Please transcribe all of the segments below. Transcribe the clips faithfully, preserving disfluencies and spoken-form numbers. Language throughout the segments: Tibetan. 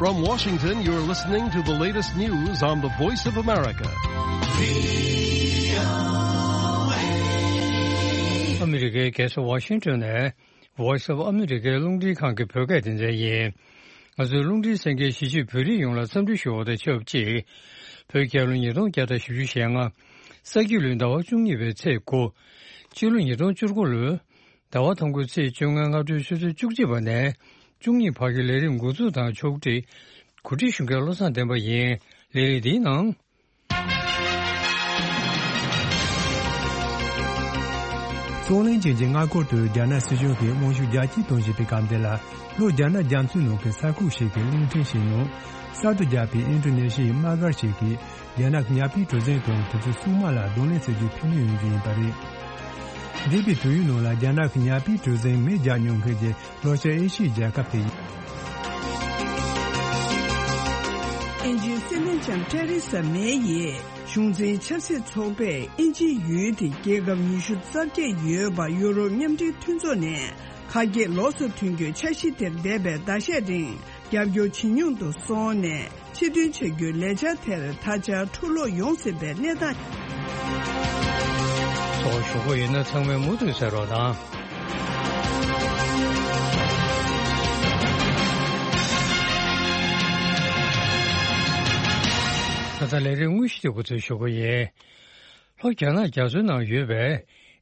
From Washington, you're listening to the latest news on the Voice of America. ཨ་མི་རི་ཀའི་རྒྱལ་ས་ཝ་ཤིང་ཊོན་ནས་Voice of America་རླུང་འཕྲིན་ཁང་གི་བོད་སྐད་སྡེ་ཚན་ཡིན། ང་ཚོའི་རླུང་འཕྲིན་གསན་མཁན་གཞིས་བྱེས་བོད་རིགས་ཡོངས་ལ་འཚམས་འདྲི་ཞུ་བ་དང་ཆབས་ཅིག་བོད་རྒྱལ་ལོ་ཉིས་སྟོང་བརྒྱ་དང་བཞི་བཅུ་ཞེ་ལྔ། ས་ཁྱི་ལོའི་ཟླ་བ་བཅུ་གཉིས་པའི་ཚེས་དགུ། སྤྱི་ལོ་ཉིས་སྟོང་བཅུ་དགུ་ལོའི་ཟླ་བ་དང་པོའི་ཚེས་བཅོ་ལྔ་སྔ་དྲོའི་ཆུ་ཚོད་བཅུ་གཅིག་པ་ནས་བཅུ་གཉིས་བར་གྱི་ལས་རིམ་འགོ་འཛུགས་དང་ཕྱོགས་སྒྲིག་གོ་སྒྲིག་ཞུ་མཁན་བློ་བཟང་བསྟན་པ་ཡིན། ལས་རིམ་འདིའི་ནང་། རྩོད་གླེང་ཅན་གྱི་མངའ་འཁོར་དུ་རྒྱ་ནག་སྲིད་གཞུང་གིས་དབང་ཤུགས་རྒྱ་སྐྱེད་གཏོང་བཞིན་པའི་སྐབས་འདི་ལ། ལྷོ་རྒྱ་ནག་རྒྱ་མཚོའི་ནང་གི་ས་ཁུག་ཞིག་གི་གླིང་ཕྲན་ཞིག་ནང་གསར་དུ་བརྒྱབ་པའི་ཨིན་ཌོ་ནེ་ཤི་ཡའི་དམག་སྒར་ཞིག་གིས་རྒྱ་ནག་གི་ཉ་པའི་གྲུ་གཟིངས་དང་དེ་ཚོའི་སྲུང་དམག་ལ་གདོང་ལེན་བྱེད་རྒྱུའི་ཕན་ནུས་ཡོང་རྒྱུ་ཡིན་པ་རེད། འདས་པའི་དུས་ཡུན་ནང་ལ་རྒྱ་ནག་གི་ཉ་པའི་གྲུ་གཟིངས་མེ་རྒྱག་མྱོང་མཁན་གྱི་ལྷོ་ཤར་ཨེ་ཤི་ཡའི་རྒྱལ་ཁབ་དེ་ཡིན། ཨིན་ཇིའི་སྲིད་བློན་ལྕམ་ཏེ་རེ་ས་མེ་ཡིས་གཞུང་འཛིན་ཆབ་སྲིད་ཚོགས་པས་ཨིན་ཇིའི་ཡུལ་དེའི་རྒྱལ་ཁབ་ཉི་ཤུ་རྩ་བརྒྱད་ཡོད་པ་ཡུ་རོབ་མཉམ་འབྲེལ་མཐུན་ཚོགས་ནས་ཁ་གྱེས་ལོགས་སུ་ཐོན་རྒྱུའི་འཆར་གཞི་དེར་འདས་པའི་ཟླ་ཤས་རིང་རྒྱབ་སྐྱོར་བྱེད་མྱོང་དུ་སོང་ནས། ཕྱིར་འདོན་བྱ་རྒྱུའི་ལས་འཆར་དེར་ད་ཆ་འཁྲུག་ལོག་ཡོང་སྲིད་པའི་གནས་སྟངས། ཚོགས་ཞུ་གི་ཡིན་ན་ཚང་མས་མུ་མཐུད་གསན་རོགས་གནང་། ད་ལྟ་ལས་རིམ་དངོས་གཞི་དེ་འགོ་འཛུགས་ཞུ་གི་ཡིན། ལྷོ་རྒྱ་ནག་རྒྱ་མཚོའི་ནང་ཡོད་པའི་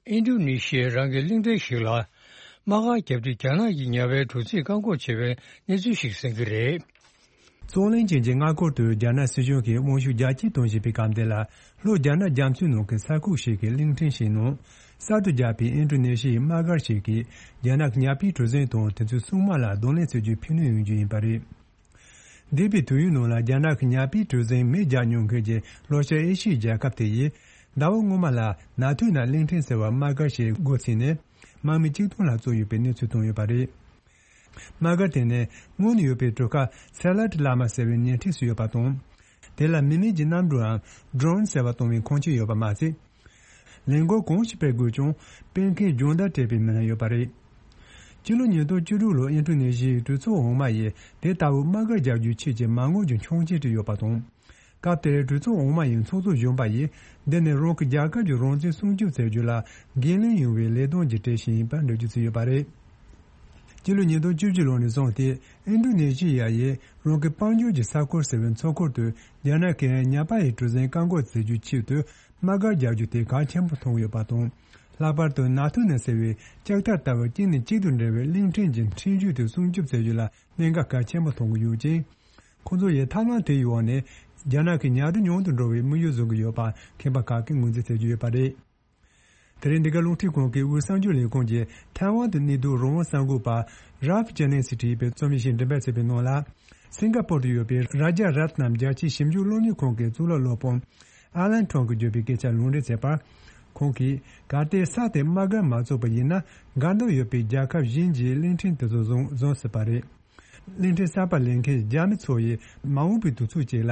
ཨིན་ཌོ་ནེ་ཤི་ཡའི་རང་གི་གླིང་ཕྲན་ཞིག་ལ་དམག་སྒར་བརྒྱབ་དུས་རྒྱ་ནག་གི་ཉ་པའི་གྲུ་གཟིངས་བཀག་འགོག་བྱས་པའི་གནས་ཚུལ་ཞིག་གསན་གྱི་རེད། རྩོད་གླེང་ཅན་གྱི་མངའ་འཁོར་དུ་རྒྱ་ནག་སྲིད་གཞུང་གིས་དབང་ཤུགས་རྒྱ་སྐྱེད་གཏོང་བཞིན་པའི་སྐབས་འདི་ལ། ལྷོ་རྒྱ་ནག་རྒྱ་མཚོའི་ནང་གི་ས་ཁུག་ཞིག་གི་གླིང་ཕྲན་ཞིག་ནང་གསར་དུ་བརྒྱབ་པའི་ཨིན་ཌོ་ནེ་ཤི་ཡའི་དམག་སྒར་ཞིག་གིས་རྒྱ་ནག་གི་ཉ་པའི་གྲུ་གཟིངས་དང་དེ་ཚོའི་སྲུང་དམག་ལ་གདོང་ལེན་བྱེད་རྒྱུའི་ཕན་ནུས་ཡོང་རྒྱུ་ཡིན་པ་རེད། འདས་པའི་དུས་ཡུན་ནང་ལ་རྒྱ་ནག་གི་ཉ་པའི་གྲུ་གཟིངས་མེ་རྒྱག་མྱོང་མཁན་གྱི་ལྷོ་ཤར་ཨེ་ཤི་ཡའི་རྒྱལ་ཁབ་དེ་ཡིས་ཟླ་བ་སྔོན་མ་ལ་ནཱ་ཐུའུ་ནན་གླིང་ཕྲན་ཟེར་བར་དམག་སྒར་ཞིག་འགོ་ཚུགས་ནས་དམག་མི་གཅིག་སྟོང་ལྷག་བཙུགས་ཡོད་པའི་གནས་ཚུལ་བཏོན་ཡོད་པ་རེད། དམག་སྒར་དེ་ནི་སྔོན་ནས་ཡོད་པའི་གྲུ་ཁ་སེ་ལ་ཏི་ལ་མ་ཟེར་བའི་ཉེ་འཁྲིས་སུ་ཡོད་པ་དང་། དེ་ལ་མི་མེད་ཀྱི་གནམ་གྲུའམ་ཌོ་རོན་ཟེར་བ་གཏོང་བའི་ཁང་ཆེན་ཡོད་པ་མ་ཟད། ལས་འགུལ་གང་ཞིག་སྤེལ་དགོས་ཀྱང་སྤེལ་མཁན་སྦྱོང་བརྡར་སྤྲད་པའི་མི་སྣ་ཡོད་པ་རེད། སྤྱི་ལོ་ཉིས་སྟོང་བཅུ་དྲུག་ལོར་ཨིན་ཌོ་ནེ་ཤི་ཡའི་གྲོས་ཚོགས་འོག་མ་ཡིས་དེ་ལྟ་བུའི་དམག་སྒར་རྒྱག་རྒྱུའི་ཆེད་ཀྱི་མ་དངུལ་གྱི་ཆོག་མཆན་བྲིས་ཡོད་པ་དང་། སྐབས་དེར་གྲོས་ཚོགས་འོག་མ་ཡི་ཚོགས་གཙོ་གཞོན་པ་ཡིས་འདི་ནི་རང་གི་རྒྱལ་ཁབ་ཀྱི་རང་བཙན་སྲུང་སྐྱོབ་བྱ་རྒྱུ་ལ་འགན་ལེན་ཡོང་བའི་ལས་དོན་གྱི་གྲས་ཤིག་ཡིན་པར་འགྲེལ་བརྗོད་བྱས་ཡོད་པ་རེད། སྤྱི་ལོ་ཉིས་སྟོང་བཅུ་བཞི་ལོ་ནས་བཟུང་སྟེ་ཨིན་ཌོ་ནེ་ཤི་ཡ་ཡིས་རང་གི་དཔལ་འབྱོར་གྱི་ས་ཁུལ་ཟེར་བའི་མཚོ་ཁུལ་དུ་རྒྱ་ནག་གིས་ཉ་པ་ཡི་གྲུ་གཟིངས་བཀག་འགོག་བྱེད་རྒྱུའི་ཆེད་དུ་དམག་སྒར་རྒྱག་རྒྱུ་དེ་གལ་ཆེན་པོ་མཐོང་ཡོད་པ་དང་། ལྷག་པར་དུ་ནཱ་ཐུའུ་ནན་ཟེར་བའི་ལྕགས་ཐག་ལྟ་བུ་གཅིག་ནས་གཅིག་ཏུ་འབྲེལ་བའི་གླིང་ཕྲན་གྱི་ཁྲིམས་གཞི་དེ་སྲུང་སྐྱོབ་བྱེད་རྒྱུ་ལ་གནད་འགག་གལ་ཆེན་པོ་མཐོང་གི་ཡོད་ཅིང་། ཁོང་ཚོ་ཡིས་ཐབས་ལམ་དེའི་འོག་ནས་རྒྱ་ནག་གི་ཉ་རུ་ཉུང་དུ་འགྲོ་བའི་དམིགས་ཡུལ་བཟུང་གི་ཡོད་པ་མཁས་པ་ཁག་གིས་ངོས་འཛིན་བྱེད་ཀྱི་ཡོད་པ་རེད། དེ་རིང་འདི་ག་རླུང་འཕྲིན་ཁང་གི་དབུས་གསར་འགྱུར་ལས་ཁུངས་ཀྱིས་ཐའེ་ཝན་དུ་གནས་སྡོད་རང་དབང་གསར་འགོད་པ་རཱལཕ་ཇེ་ནིང་སིས་བྲིས་པའི་རྩོམ་ཡིག་ཞིག་འགྲེམས་སྤེལ་བྱས་པའི་ནང་ལ། སིང་ག་པོར་དུ་ཡོད་པའི་རཱ་ཇ་རཏ་ནམ་རྒྱལ་སྤྱིའི་ཞིབ་འཇུག་སློབ་གཉེར་ཁང་གི་གཙུག་ལག་སློབ་དཔོན་ཨ་ལན་ཁྲོང་གིས་བརྗོད་པའི་སྐད་ཆར་ལུང་འདྲེན་བྱས་པར། ཁོང་གིས་གལ་ཏེ་ས་དེར་དམག་སྒར་མ་བཙུགས་པ་ཡིན་ན། འགལ་འདུ་ཡོད་པའི་རྒྱལ་ཁབ་གཞན་གྱིས་གླིང་ཕྲན་དེ་ཚོ་བཟུང་བཟུང་སྲིད་པ་རེད། གླིང་ཕྲན་གསར་པ་ལེན་མཁན་རྒྱ་མི་ཚོ་ཡིས་མ་འོངས་པའི་དུས་ཚོད་ཅིག་ལ།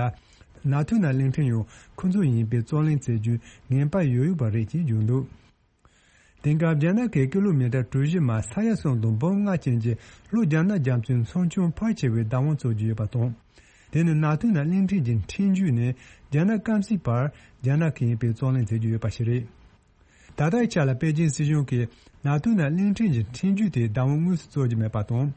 ནཱ་ཐུའུ་ནན་གླིང་ཕྲན་ཡང་ཁོ་ཚོ་ཡིན་པའི་རྩོད་གླེང་བྱེད་རྒྱུའི་ངེས་པ་ཡོད་ཡོད་པ་རེད་ཅེས་བརྗོད་འདུག་དེང་སྐབས་རྒྱ་ནག་གིས་ཀི་ལོ་མི་ཊར་གྲུ་བཞི་མ་ས་ཡ་གསུམ་དང་འབུམ་ལྔ་ཅན་གྱི་ལྷོ་རྒྱ་ནག་རྒྱ་མཚོའི་མཚོ་ཁྱོན་ཕལ་ཆེ་བའི་བདག་དབང་བཙུགས་ཀྱི་ཡོད་པ་དང་། དེ་ནི་ནཱ་ཐུའུ་ནན་གླིང་ཕྲན་གྱི་ཁྲིམས་གཞི་ནས་རྒྱ་ནག་སྐམ་སའི་བར་རྒྱ་ནག་གིས་ཡིན་པའི་རྩོད་གླེང་བྱེད་ཀྱི་ཡོད་པ་ཞིག་རེད། ད་ལྟའི་ཆ་ལ་པེ་ཅིན་སྲིད་གཞུང་གིས་ནཱ་ཐུའུ་ནན་གླིང་ཕྲན་གྱི་ཁྲིམས་གཞི་དེའི་བདག་དབང་དངོས་སུ་རྩོད་ཀྱི་མེད་པ་དང་།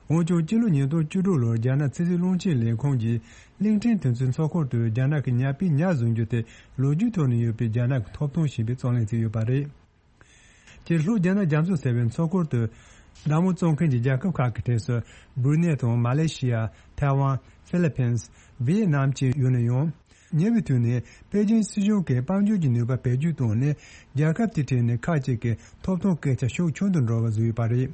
འོན་ཀྱང་སྤྱི་ལོ་ཉིས་སྟོང་བཅུ་དྲུག་ལོར་རྒྱ་ནག་ཕྱི་སྲིད་བློན་ཆེན་ལས་ཁུངས་ཀྱིས་གླིང་ཕྲན་དེ་ཚོའི་མཚོ་ཁུལ་དུ་རྒྱ་ནག་གི་ཉ་པའི་ཉ་བཟུང་རྒྱུ་དེ་ལོ་རྒྱུས་ཐོག་ནས་ཡོད་པའི་རྒྱ་ནག་གི་ཐོབ་ཐང་ཞིག་ཡིན་པའི་རྩོད་གླེང་བྱས་ཡོད་པ་རེད། སྤྱིར་ལྷོ་རྒྱ་ནག་རྒྱ་མཚོ་ཟེར་བའི་མཚོ་ཁུལ་དུ་བདག་དབང་བཙོང་མཁན་གྱི་རྒྱལ་ཁབ་ཁག་གི་གྲས་སུ་སྦུ་རི་ནེ་དང་མ་ལེ་ཤི་ཡ། ཐའེ་ཝན། ཧྥི་ལི་ཕིན། ཝི་ཡེ་ནམ་བཅས་ཡོད་ན་ཡང་། ཉེ་བའི་དུས་ནས་པེ་ཅིན་སྲིད་གཞུང་གིས་དཔལ་འབྱོར་གྱི་ནུས་པ་བེད་སྤྱོད་བཏང་ནས་རྒྱལ་ཁབ་དེའི་གྲས་ནས་ཁག་ཅིག་གི་ཐོབ་ཐང་སྐད་ཆ་ཤུགས་ཆུང་དུ་འགྲོ་བ་བཟོས་ཡོད་པ་རེད།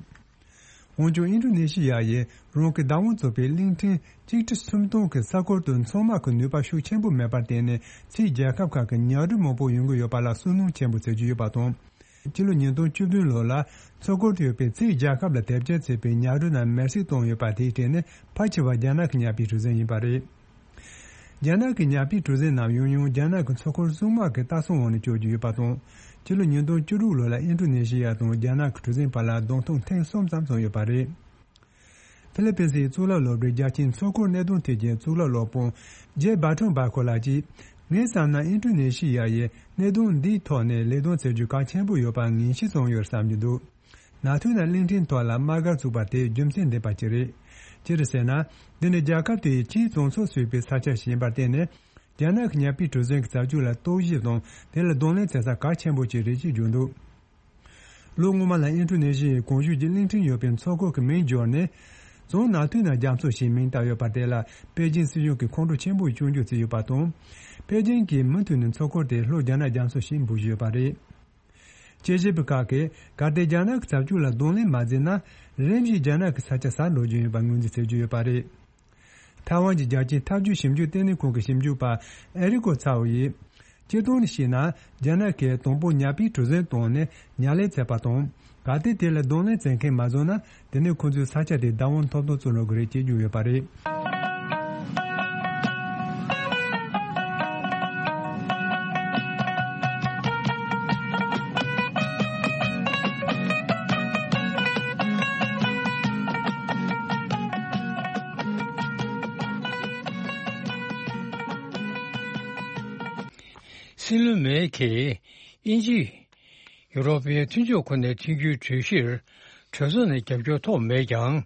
འོན་ཀྱང་ཨིན་ཌོ་ནེ་ཤི་ཡ་ཡིས་རང་གི་བདག་དབང་བཙུགས་པའི་གླིང་ཕྲན་གཅིག་ཁྲི་སུམ་སྟོང་གི་ས་ཁུལ་དུ་མཚོ་དམག་གི་ནུས་པ་ཤུགས་ཆེན་པོ་མེད་པར་བརྟེན་ནས་ཕྱིའི་རྒྱལ་ཁབ་ཁག་གི་ཉ་རུ་མང་པོ་ཡོང་གི་ཡོད་པ་ལ་བསམ་མནོ་ཆེན་པོ་བྱེད་ཀྱི་ཡོད་པ་དང་། སྤྱི་ལོ་ཉིས་སྟོང་བཅུ་བདུན་ལོ་ལ་མཚོ་ཁུལ་དུ་ཡོད་པའི་ཕྱིའི་རྒྱལ་ཁབ་ལ་དེབ་སྐྱེལ་བྱས་པའི་ཉ་རུ་རྣམས་མེར་སྲེག་བཏང་ཡོད་པ་དེའི་གྲས་ནི་ཕལ་ཆེ་བ་རྒྱ་ནག་གི་ཉ་པའི་གྲུ་གཟིངས་ཡིན་པ་རེད། རྒྱ་ནག་གི་ཉ་པའི་གྲུ་གཟིངས་རྣམས་ཡང་ཡང་རྒྱ་ནག་གི་མཚོ་ཁུལ་སྲུང་དམག་གི་ལྟ་སྲུང་འོག་ནས་སྐྱོད་ཀྱི་ཡོད་པ་དང་། སྤྱི་ལོ་ཉིས་སྟོང་བཅུ་དྲུག་ལོ་ལ་ཨིན་ཌོ་ནེ་ཤི་ཡ་དང་རྒྱ་ནག་གི་གྲུ་གཟིངས་བར་ལ་གདོང་ཐུག་ཐེངས་གསུམ་ཙམ་བྱུང་ཡོད་པ་རེད། ཧྥི་ལི་པིན་སིའི་གཙུག་ལག་སློབ་གྲྭའི་རྒྱལ་སྤྱིའི་མཚོ་སྐོར་གནད་དོན་ཐད་ཀྱི་གཙུག་ལག་སློབ་དཔོན་ཇེ་བྷ་ཁྲོན་བྷ་ཁོ་ལགས་ཀྱིས། ངས་བསམ་ན་ཨིན་ཌོ་ནེ་ཤི་ཡ་ཡིས་གནད་དོན་འདིའི་ཐོག་ནས་ལས་དོན་བྱེད་རྒྱུ་གལ་ཆེན་པོ་ཡོད་པ་ངེས་ཤེས་བྱུང་ཡོད་བསམ་གྱི་འདུག། ནང་མཐུན་ལ་གླིང་ཕྲན་ཐོག་ལ་དམག་སྒར་བཙུགས་པ་དེ་རྒྱུ་མཚན་ལྡན་པ་ཅིག་རེད། ཅི་རེད་ཟེར་ན། འདི་ནི་རྒྱལ་ཁབ་དེའི་ཕྱིའི་བཙོན་ཚོགས་ཟུར་པའི་ས་ཆ་ཞིག་ཡིན་པར་བརྟེན་ནས། རྒྱ་ནག་གི་ཉ་པའི་གྲུ་གཟིངས་ཀྱི་རྩ་བཅོས་ལ་རྟོག་ཞིབ་དང་དེ་ལ་གདོང་ལེན་བྱེད་ས་གལ་ཆེན་པོ་ཅིག་རེད་ཅེས་བརྗོད་འདུག། ལོ་སྔོན་མ་ལ་ཨིན་ཌོ་ནེ་ཤི་ཡའི་གོང་ཞུས་ཀྱི་གླིང་ཕྲན་ཡོད་པའི་མཚོ་ཁུག་གི་མིང་བསྒྱུར་ནས། བཙོན་ནང་མཐུན་ན་རྒྱ་མཚོ་ཞེས་མིང་བཏགས་ཡོད་པ་དེ་ལ་པེ་ཅིན་སྲིད་གཞུང་གིས་ཁོང་ཁྲོ་ཆེན་པོས་སྐྱོན་བརྗོད་བྱས་ཡོད་པ་དང་། པེ་ཅིན་གྱིས་མུ་མཐུད་ནས་མཚོ་ཁུག་དེ་ལྷོ་རྒྱ་ནག་རྒྱ་མཚོ་ཞེས་འབོད་བཞིན་ཡོད་པ་རེད། དཔྱད་ཞིབ་པ་ཁག་གིས་གལ་ཏེ་རྒྱ་ནག་གི་རྩ་བཅོས་ལ་གདོང་ལེན་མ་བྱས་ན། རིམ་བཞིན་རྒྱ་ནག་གི་ས་ཆ་ཟ་འགྲོ་རྒྱུ་ཡིན་པ་ངོས་འཛིན་བྱེད་ཀྱི་ཡོད་པ་རེད། ཐའེ་ཝན་གྱི་རྒྱལ་སྤྱིའི་འཐབ་ཇུས་ཞིབ་འཇུག་ལྟེ་གནས་ཁང་གི་ཞིབ་འཇུག་པ་ཨེ་རི་ཀོ་ཚའོ་ཡིས། སྤྱིར་བཏང་ནས་བཤད་ན། རྒྱ་ནག་གིས་དང་པོ་ཉ་པའི་གྲུ་གཟིངས་བཏང་ནས་ཉ་ལས་བཙལ་བ་དང་། གལ་ཏེ་དེ་ལ་གདོང་ལེན་བྱེད་མཁན་མ་བྱུང་ན། དེ་ནས་ཁོ་ཚོས་ས་ཆ་དེ་བདག་དབང་ཐོབ་ཐང་རྩོད་འགྲོ་གི་རེད་ཅེས་བརྗོད་ཡོད་པ་རེད། སྲིད་བློན་མེ་གིས་དབྱིན་ཇི། ཡུ་རོབ་པའི་མཐུན་ཕྱོགས་ཁོ་ནའི་མཐུན་འགྱུར་གྲོས་གཞིར་གྲོས་ཚོགས་ནས་རྒྱབ་སྐྱོར་ཐོབ་མེད་ཀྱང་།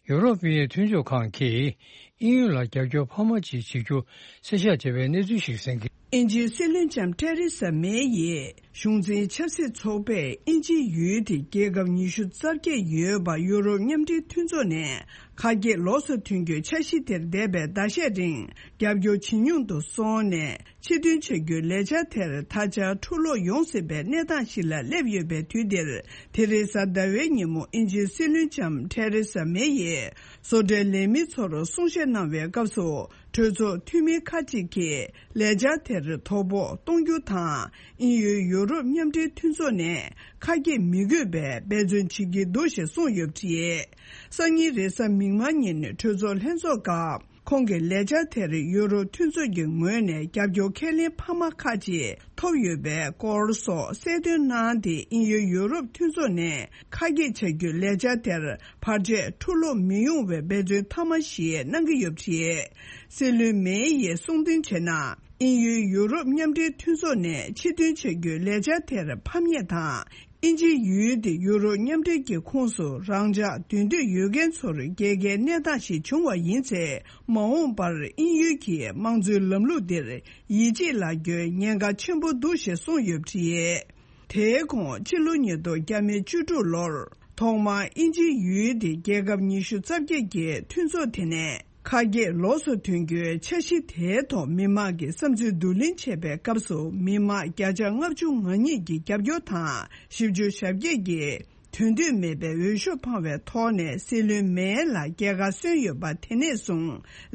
ཡུ་རོབ་པའི་མཐུན་ཕྱོགས་ཁང་གིས་དབྱིན་ཡུལ་ལ་རྒྱབ་སྐྱོར་འཕར་མ་ཅིག་བྱེད་རྒྱུ་གསལ་བཤད་བྱས་པའི་གནས་ཚུལ་ཞིག་གསན་གྱི། དབྱིན་ཇིའི་སྲིད་བློན་ལྕམ་ཐེ་རེ་ས་མེ་ཡིས་གཞུང་འཛིན་ཆབ་སྲིད་ཚོགས་པས་དབྱིན་ཇིའི་ཡུལ་དེ་རྒྱལ་ཁབ་ཉི་ཤུ་རྩ་བརྒྱད་ཡོད་པ་ཡུ་རོབ་མཉམ་འབྲེལ་མཐུན་ཚོགས་ནས་ཁ་གྱེས་ལོགས་སུ་ཐོན་རྒྱུའི་འཆར་གཞི་དེར་འདས་པའི་ཟླ་ཤས་རིང་རྒྱབ་སྐྱོར་ཇེ་ཉུང་དུ་སོང་ནས། ཕྱིར་ཐོན་བྱ་རྒྱུའི་ལས་འཆར་དེར་ད་ཆ་འཁྲུག་ལོག་ཡོང་སྲིད་པའི་གནས་སྟངས་ཤིག་ལ་སླེབས་ཡོད་པའི་དུས་འདིར། དེ་རིང་གཟའ་ཟླ་བའི་ཉིན་མོ་དབྱིན་ཇིའི་སྲིད་བློན་ལྕམ་ཐེ་རེ་ས་མེ་ཡིས་བཟོ་གྲྭའི་ལས་མི་ཚོར་གསུང་བཤད་གནང་བའི་སྐབས་སུ། གྲོས་ཚོགས་འཐུས་མི་ཁག་ཅིག་གིས་ལས་འཆར་དེར་དོ་ཕོག་གཏོང་རྒྱུ་དང་། དབྱིན་ཡུལ་ཡུ་རོབ་མཉམ་འབྲེལ་མཐུན་ཚོགས་ནས་ཁ་གྱེས་མི་དགོས་པའི་འབད་བརྩོན་བྱེད་ཀྱི་འདུག་ཞེས་གསུངས་ཡོད་པ་རེད། སང་ཉིན་རེས་གཟའ་མིག་དམར་ཉིན་གྲོས་ཚོགས་ལྷན་ཚོགས་སྐབས། ཁོང་གི་ལས་འཆར་དེར་ཡུ་རོབ་མཐུན་ཚོགས་ཀྱི་ངོས་ནས་རྒྱབ་སྐྱོར་ཁས་ལེན་འཕར་མ་ཁག་ཅིག་ཐོབ་ཡོད་པའི་སྐོར་སོགས་གསལ་སྟོན་གནང་སྟེ། དབྱིན་ཡུལ་ཡུ་རོབ་མཐུན་ཚོགས་ནས་ཁ་གྱེས་བྱ་རྒྱུའི་ལས་འཆར་དེར་བར་ཆད་འཁྲུག་ལོག་མི་ཡོང་བའི་འབད་བརྩོན་མཐའ་མ་ཞིག་གནང་གི་ཡོད་པ་རེད། སྲིད་བློན་མེ་ཡིས་གསུང་དོན་བྱས་ན། དབྱིན་ཡུལ་ཡུ་རོབ་མཉམ་འབྲེལ་མཐུན་ཚོགས་ནས་ཕྱིར་ཐོན་བྱ་རྒྱུའི་ལས་འཆར་དེར་ཕམ་ཉེས་དང་། དབྱིན་ཇིའི་ཡུལ་དེ་ཡུ་རོབ་མཉམ་འབྲེལ་གྱི་ཁོངས་སུ་རང་འཇགས་སྡོད་འདོད་ཡོད་མཁན་ཚོར་རྒྱལ་ཁའི་གནས་སྟངས་ཤིག་བྱུང་བ་ཡིན་ཚེ། མ་འོངས་པར་དབྱིན་ཡུལ་གྱི་དམངས་གཙོའི་ལམ་ལུགས་འདིར་ཡིད་ཆེས་ལ་རྒྱུའི་ཉེན་ཁ་ཆེན་པོ་འདུག་ཞེས་གསུངས་ཡོད་པ་རེད། དེའི་གོང་ཕྱི་ལོ་ཉིས་སྟོང་བརྒྱ་མེད་བཅུ་དྲུག་ལོར་ཐོག་མར་དབྱིན་ཇིའི་ཡུལ་དེ་རྒྱལ་ཁབ་ཉི་ཤུ་རྩ་བརྒྱད་ཀྱི་མཐུན་ཚོགས་དེ་ནས། ཁ་གྱེས་ལོགས་སུ་ཐོན་རྒྱུའི་འཆར་གཞི་དེའི་ཐོག་མི་མང་གི་བསམ་ཚུལ་བསྡུ་ལེན་བྱེད་པའི་སྐབས་སུ། མི་མང་བརྒྱ་ཆ་ལྔ་བཅུ་ང་གཉིས་ཀྱི་རྒྱབ་སྐྱོར་དང་། བཞི་བཅུ་ཞེ་བརྒྱད་ཀྱིས་དོན་འཐུས་མེད་པའི་འོས་ཤོག་འཕངས་པའི་ཐོག་ནས་སྲིད་བློན་མེ་ལ་རྒྱལ་ཁ་སོན་ཡོད་པ། དེ་ནས་བཟུང་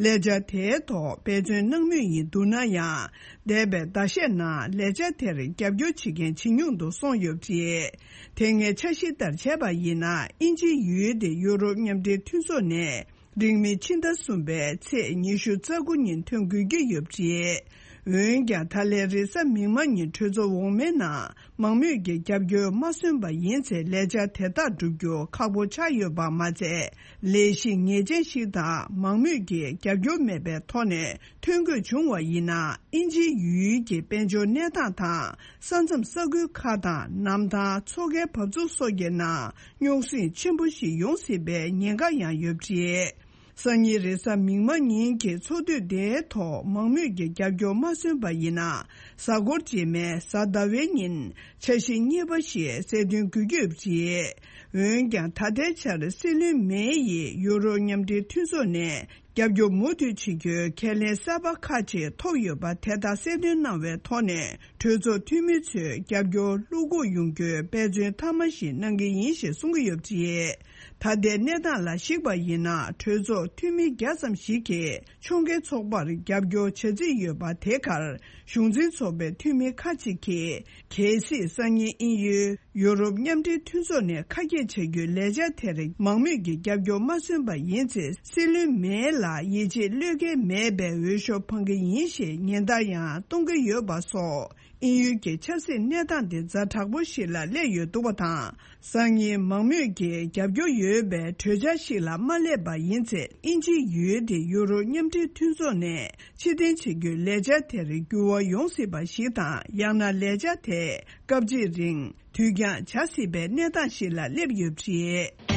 ལས་འཆར་དེའི་ཐོག་འབད་བརྩོན་གནང་མུས་ཡིན་འདུག་ན་ཡང་། འདས་པའི་ཟླ་ཤས་ནང་ལས་འཆར་དེར་རྒྱབ་སྐྱོར་བྱེད་མཁན་ཇེ་ཉུང་དུ་སོང་ཡོད་པ་རེད། དེ་སྔའི་འཆར་གཞི་ལྟར་བྱས་པ་ཡིན་ན། དབྱིན་ཇིའི་ཡུལ་དེ་ཡུ་རོབ་མཉམ་འབྲེལ་མཐུན་ཚོགས་ནས། རིང་མིན་ཕྱི་ཟླ་གསུམ་པའི་ཚེས་ཉི་ཤུ་རྩ་དགུ་ཉིན་ཐོན་དགོས་ཀྱི་ཡོད་པ་རེད། འོན་ཀྱང་། ད་ལན་རེས་གཟའ་མིག་དམར་ཉིན་གྲོས་ཚོགས་འོག་མའི་ནང་མང་མོས་ཀྱི་རྒྱབ་སྐྱོར་མ་སོན་པ་ཡིན་ཚེ། ལས་འཆར་དེ་དག་བསྒྲུབ་རྒྱུ་ཁག་པོ་ཆགས་ཡོད་པ་མ་ཚད། ལས་གཞི་ངེས་ཅན་ཞིག་དང་མང་མོས་ཀྱི་རྒྱབ་སྐྱོར་མེད་པའི་ཐོག་ནས་ཐོན་དགོས་བྱུང་བ་ཡིན་ན། དབྱིན་ཇིའི་ཡུལ་གྱི་དཔལ་འབྱོར་གནས་སྟངས་དང་། ས་མཚམས་ས་ཁུལ་ཁག་དང་། གནམ་ཐང་། མཚོ་ཁའི་འབབ་ཚུགས་སོགས་ཀྱི་ནང་རྙོག་ཟིང་ཆེན་པོ་ཞིག་ཡོང་སྲིད་པའི་ཉེན་ཁ་ཡང་ཡོད་པ་རེད། སང་ཉིན་རེས་གཟའ་མིག་དམར་ཉིན་གྱི་ཚོགས་འདུ་དེའི་ཐོག་མང་མོས་ཀྱི་རྒྱབ་སྐྱོར་མ་སོན་པ་ཡིན་ན། གཟའ་འཁོར་རྗེས་མའི་གཟའ་ཟླ་བའི་ཉིན་འཆར་གཞི་གཉིས་པ་ཞིག་གསལ་སྟོན་དགོས་ཀྱི་ཡོད་པ་རེད། འོན་ཀྱང་། ད་ལྟའི་ཆར་སྲིད་བློན་མེ་ཡིས་ཡུ་རོབ་མཉམ་འབྲེལ་མཐུན་ཚོགས་ནས། རྒྱབ་སྐྱོར་མུ་མཐུད་བྱེད་རྒྱུའི་ཁས་ལེན་གསར་པ་ཁག་ཅིག་ཐོབ་ཡོད་པ་དེ་དག་གསལ་སྟོན་གནང་བའི་ཐོག་ནས། གྲོས་ཚོགས་འཐུས་མི་ཚོས་རྒྱབ་སྐྱོར་བློ་འགུག་ཡོང་རྒྱུའི་འབད་བརྩོན་མཐའ་མ་ཞིག་གནང་གི་ཡིན་ཞེས་གསུང་གི་ཡོད་པ་རེད། ད་ལྟའི་གནས་སྟངས་ལ་གཞིགས་པ་ཡིན་ན། གྲོས་ཚོགས་འཐུས་མི་བརྒྱ་ཙམ་ཞིག་གིས་ཕྱོགས་འགལ་ཚོགས་པར་རྒྱབ་སྐྱོར་བྱ་རྩིས་ཡོད་པ། དེ་གར་གཞུང་འཛིན་ཚོགས་པའི་འཐུས་མི་ཁག་ཅིག་གིས། གལ་སྲིད་སང་ཉིན་དབྱིན་ཡུལ་ཡུ་རོབ་མཉམ་འབྲེལ་མཐུན་ཚོགས་ནས་ཁ་གྱེས་བྱ་རྒྱུའི་ལས་འཆར་དེར་མང་མོས་ཀྱི་རྒྱབ་སྐྱོར་མ་སོན་པ་ཡིན་ཚེ། སྲིད་བློན་མེ་ལ་ཡིད་ཆེས་བློས་འགེལ་མེད་པའི་འོས་ཤོག་འཕང་གི་ཡིན་ཞེས་ཉེན་བརྡ་ཡང་གཏོང་གི་ཡོད་པ་སོགས། དབྱིན་ཡུལ་གྱི་ཆབ་སྲིད་གནས་སྟངས་དེ་ཛ་དྲག་པོ་ཞིག་ལ་སླེབས་ཡོད་འདུག་པ་དང་། སང་ཉིན་མང་མོས་ཀྱིས་རྒྱབ་སྐྱོར་ཡོད་པའི་གྲོས་འཆར་ཞིག་ལ་མ་སླེབས་པ་ཡིན་ཚེ། དབྱིན་ཇིའི་ཡུལ་དེ་ཡུ་རོབ་མཉམ་འབྲེལ་མཐུན་ཚོགས་ནས་ཕྱིར་འཐེན་བྱེད་རྒྱུའི་ལས་འཆར་དེར་འགྱུར་བ་ཡོང་སྲིད་པ་ཞིག་དང་། ཡང་ན་ལས་འཆར་དེ་སྐབས་གཅིག་རིང་དུས་འགྱངས་བྱ་སྲིད་པའི་གནས་སྟངས་ཤིག་ལ་སླེབས་ཡོད་པ་རེད།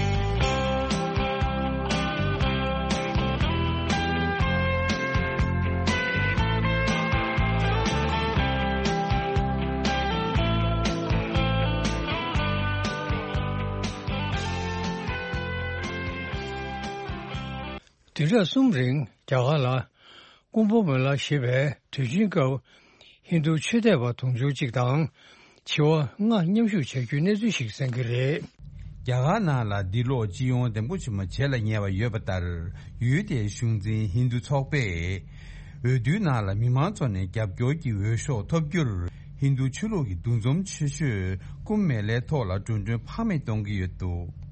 བདུན་ཕྲག་གསུམ་རིང་རྒྱ་གར་ལ་ཀུམ་བྷ་མེ་ལ་ཞེས་པའི་དུས་ཆེན་སྐབས་ཧིན་རྡུ་ཆོས་དད་པ་དུང་ཕྱུར་གཅིག་དང་བྱེ་བ་ལྔ་མཉམ་ཞུགས་བྱ་རྒྱུའི་གནས་ཚུལ་ཞིག་གསན་གྱི་རེད། རྒྱ་གར་ནང་ལ་འདི་ལོ་སྤྱི་ཡོངས་འདེམས་བསྐོ་ཆེན་མོ་བྱེད་ལ་ཉེ་བ་ཡོད་པ་ལྟར། ཡུལ་དེའི་གཞུང་འཛིན་ཧིན་རྡུ་ཚོགས་པས་འོས་བསྡུའི་ནང་ལ་མི་མང་ཚོ་ནས་རྒྱབ་སྐྱོར་གྱི་འོས་ཤོག་ཐོབ་རྒྱུར། ཧིན་རྡུ་ཆོས་ལུགས་ཀྱི་འདུ་འཛོམས་ཆེ་ཤོས་ཀུམ་མེ་ལའི་ཐོག་ལ་འགྲོ་གྲོན་ཕངས་མེད་གཏོང་གི་ཡོད་འདུག་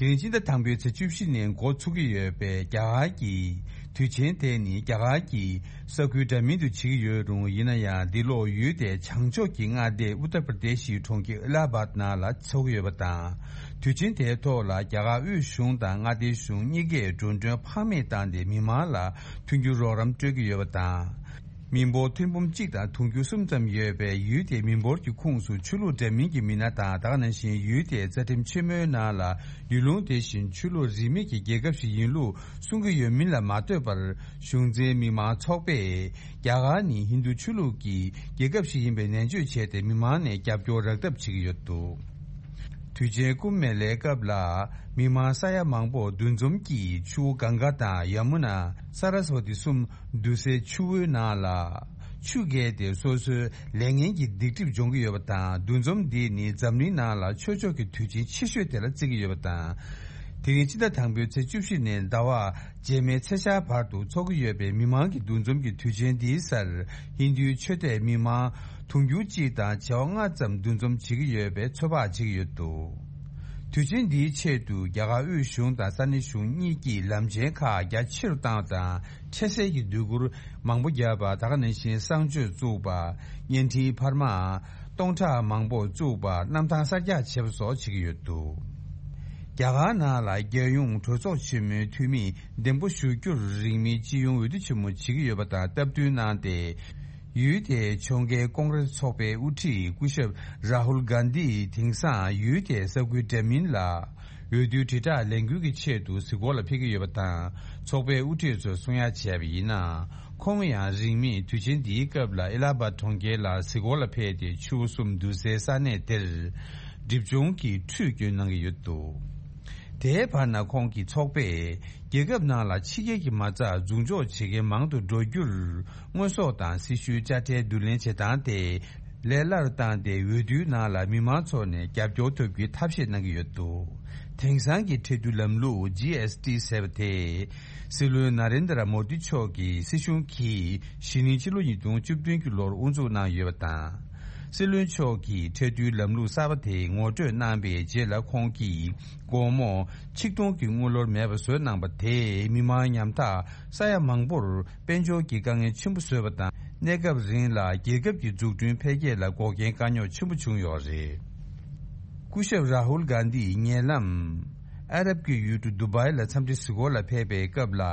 དེ་རིང་སྤྱི་ཟླ་དང་པོའི་ཚེས་བཅུ་བཞི་ནས་འགོ་ཚུགས་ཀྱི་ཡོད་པའི་རྒྱ་གར་གྱི་དུས་ཆེན་དེ་ནི་རྒྱ་གར་གྱི་ས་ཁུལ་འདྲ་མིན་དུ་བྱེད་ཀྱི་ཡོད་རུང་། ཡིན་ན་ཡང་འདི་ལོ་ཡུལ་དེའི་བྱང་ཕྱོགས་ཀྱི་མངའ་སྡེ་ཨུ་ཏར་པར་དེ་ཤིའི་གྲོང་ཁྱེར་ཨེ་ལ་ཧ་བཱད་ནང་ལ་འཚོགས་ཀྱི་ཡོད་པ་དང་། དུས་ཆེན་དེའི་ཐོག་ལ་རྒྱ་གར་དབུས་གཞུང་དང་མངའ་སྡེ་གཞུང་གཉིས་ཀས་འགྲོ་གྲོན་ཕངས་མེད་བཏང་སྟེ་མི་མང་ལ་མཐུན་འགྱུར་རོགས་རམ་སྤྲོད་ཀྱི་ཡོད་པ་དང་། མི་འབོར་ཐེར་འབུམ་གཅིག་དང་དུང་ཕྱུར་གསུམ་ཙམ་ཡོད་པའི་ཡུལ་དེའི་མི་འབོར་གྱི་ཁོངས་སུ་ཆོས་ལུགས་འདྲ་མིན་གྱི་མི་སྣ་དང་། ད་ག་ནང་བཞིན་ཡུལ་དེའི་རྩ་ཁྲིམས་ཆེན་མོའི་ནང་ལ་ཡུལ་ལུང་དེ་བཞིན་ཆོས་ལུགས་རིས་མེད་ཀྱི་རྒྱལ་ཁབ་ཞིག་ཡིན་ལུགས་གསུང་གི་ཡོད་མིན་ལ་མ་ལྟོས་པར། གཞུང་འཛིན་མི་མང་ཚོགས་པས་རྒྱ་གར་ནི་ཧིན་རྡུ་ཆོས་ལུགས་ཀྱི་རྒྱལ་ཁབ་ཞིག་ཡིན་པའི་ནན་བརྗོད་བྱས་ཏེ། མི་མང་ནས་རྒྱབ་སྐྱོར་རག་ཐབས་བྱེད་ཀྱི་ཡོད་འདུག་དུས་ཆེན་ཀུམ་མེ་ལའི་སྐབས་ལ་མི་མང་ས་ཡ་མང་པོ་འདུ་འཛོམས་ཀྱིས་ཆུ་བོ་གངྒཱ་དང་ཡ་མུ་ན། ས་ར་སི་བ་ཏི་གསུམ་བསྡུ་སའི་ཆུ་བོའི་ནང་ལ་ཆུ་བརྒལ་ཏེ་སོ་སོའི་ལས་ངན་གྱི་སྡིག་སྒྲིབ་སྦྱོང་གི་ཡོད་པ་དང་། འདུ་འཛོམས་འདི་ནི་འཛམ་གླིང་ནང་ལ་ཆོས་ཕྱོགས་ཀྱི་དུས་ཆེན་ཆེ་ཤོས་དེ་ལ་བརྩི་གི་ཡོད་པ་དང་། དེ་རིང་སྤྱི་ཟླ་དང་པོའི་ཚེས་བཅུ་བཞི་ནས་ཟླ་བ་རྗེས་མའི་ཚེས་ཤར་བར་དུ་འཚོགས་ཀྱི་ཡོད་པའི་མི་མང་གི་འདུ་འཛོམས་ཀྱི་དུས་ཆེན་འདིའི་སར་ཧིན་རྡུའི་ཆོས་དད་མི་མང་དུང་ཕྱུར་གཅིག་དང་བྱེ་བ་ལྔ་ཙམ་འདུ་འཛོམས་བྱེད་ཀྱི་ཡོད་པའི་ཚོད་དཔག་བྱེད་ཀྱི་ཡོད་འདུག་དུས་ཆེན་འདིའི་ཆེད་དུ་རྒྱ་གར་དབུས་གཞུང་དང་ས་གནས་གཞུང་གཉིས་ཀྱིས་ལམ་ཆེན་ཁག་རྒྱ་ཆེ་རུ་བཏང་བ་དང་། འཕྲལ་སེལ་གྱི་སྡོད་གུར་མང་པོ་བརྒྱབ་པ། ད་ག་ནང་བཞིན་གསང་སྤྱོད་བཙུགས་པ། བརྙན་འཕྲིན་འཕར་མ་སྟོང་ཕྲག་མང་པོ་བཙུགས་པ། གནམ་ཐང་གསར་རྒྱག་བྱེད་པ་སོགས་བྱེད་ཀྱི་ཡོད་འདུག་རྒྱ་གར་ནང་ལ་རྒྱལ་ཡོངས་གྲོས་ཚོགས་ཆེན་མོའི་འཐུས་མི་འདེམས་བསྐོ་ཞུ་རྒྱུར། རིང་མིན་སྤྱི་ཡོངས་འོས་བསྡུ་ཆེན་མོ་བྱེད་ཀྱི་ཡོད་པ་དང་སྟབས་བསྟུན་གནང་སྟེ། ཡུལ་དེའི་ཕྱོགས་འགལ་ཀོང་རེས་ཚོགས་པའི་དབུ་ཁྲིད་སྐུ་ཞབས་རཱ་ཧུལ་གྷན་དྷིས་དེང་སང་ཡུལ་དེའི་ས་ཁུལ་འདྲ་མིན་ལ་འོས་བསྡུའི་དྲིལ་བསྒྲགས་ལས་འགུལ་གྱི་ཆེད་དུ་གཟིགས་སྐོར་ལ་ཕེབས་ཀྱི་ཡོད་པ་དང་། ཚོགས་པའི་དབུ་ཁྲིད་ཚོས་གསུང་ཡ་བྱས་པ་ཡིན་ན། ཁོང་ཡང་རིང་མིན་དུས་ཆེན་འདིའི་སྐབས་ལ་ཨེ་ལ་ཧ་བཱད་གྲོང་ཁྱེར་ལ་གཟིགས་སྐོར་ལ་ཕེབས་ཏེ། ཆུ་བོ་གསུམ་བསྡུ་སའི་ས་གནས་དེར་སྒྲིབ་སྦྱོང་གི་ཁྲུས་སྐྱོན་གནང་གི་ཡོད་འདུག་དེའི་བར་ན་ཁོང་གི་ཚོགས་པས་རྒྱལ་ཁབ་ནང་ལ་ཕྱི་རྒྱལ་གྱི་མ་རྩ་འཛུགས་འཇོག་བྱེད་མཁན་མང་དུ་འགྲོ་རྒྱུར་དངོས་ཟོག་དང་སྲི་ཞུའི་དཔྱ་ཁྲལ་བསྡུ་ལེན་བྱེད་སྟངས་དེ་ལས་སླ་རུ་བཏང་སྟེ། འོས་བསྡུའི་ནང་ལ་མི་མང་ཚོ་ནས་རྒྱབ་སྐྱོར་ཐོབ་རྒྱུའི་ཐབས་ཤེས་གནང་གི་ཡོད་འདུག་དེང་སང་གི་ཁྲལ་བསྡུའི་ལམ་ལུགས་ཇི་ཨེསི་ཊི་ཟེར་བ་དེ། སྲིད་བློན་ན་རེན་དྲ་མོ་དི་མཆོག་གི་སྲིད་གཞུང་གིས་གཞེས་ནིང་ཕྱི་ལོ་ཉིས་སྟོང་བཅུ་བདུན་གྱི་ལོར་དབུ་འཛུགས་གནང་ཡོད་པ་དང་། སྲིད་བློན་མཆོག་གིས་ཁྲལ་བསྡུའི་ལམ་ལུགས་གསར་པ་དེ་ངོ་སྤྲོད་གནང་བའི་རྗེས་ལ། ཁོང་གིས་སྒོར་མོ་ཆིག་སྟོང་གི་དངུལ་ལོར་མེད་པ་བཟོས་གནང་པ་དེས་མི་མང་ཉམ་ཐག་ས་ཡ་མང་པོར་དཔལ་འབྱོར་གྱི་དཀའ་ངལ་ཆེན་པོ་བཟོས་པ་དང་། གནས་སྐབས་རིང་ལ་རྒྱལ་ཁབ་ཀྱི་འཛུགས་སྐྲུན་འཕེལ་རྒྱས་ལ་འགོག་རྐྱེན་དཀའ་རྙོག་ཆེན་པོ་བྱུང་ཡོད་རེད། སྐུ་ཞབས་རཱ་ཧུལ་གྷན་དྷིས་ཉེ་ལམ་ཨ་རབ་ཀྱི་ཡུལ་གྲུ་དུ་བྷའི་ལ་འཚམས་འདྲི་གཟིགས་སྐོར་ལ་ཕེབས་པའི་སྐབས་ལ།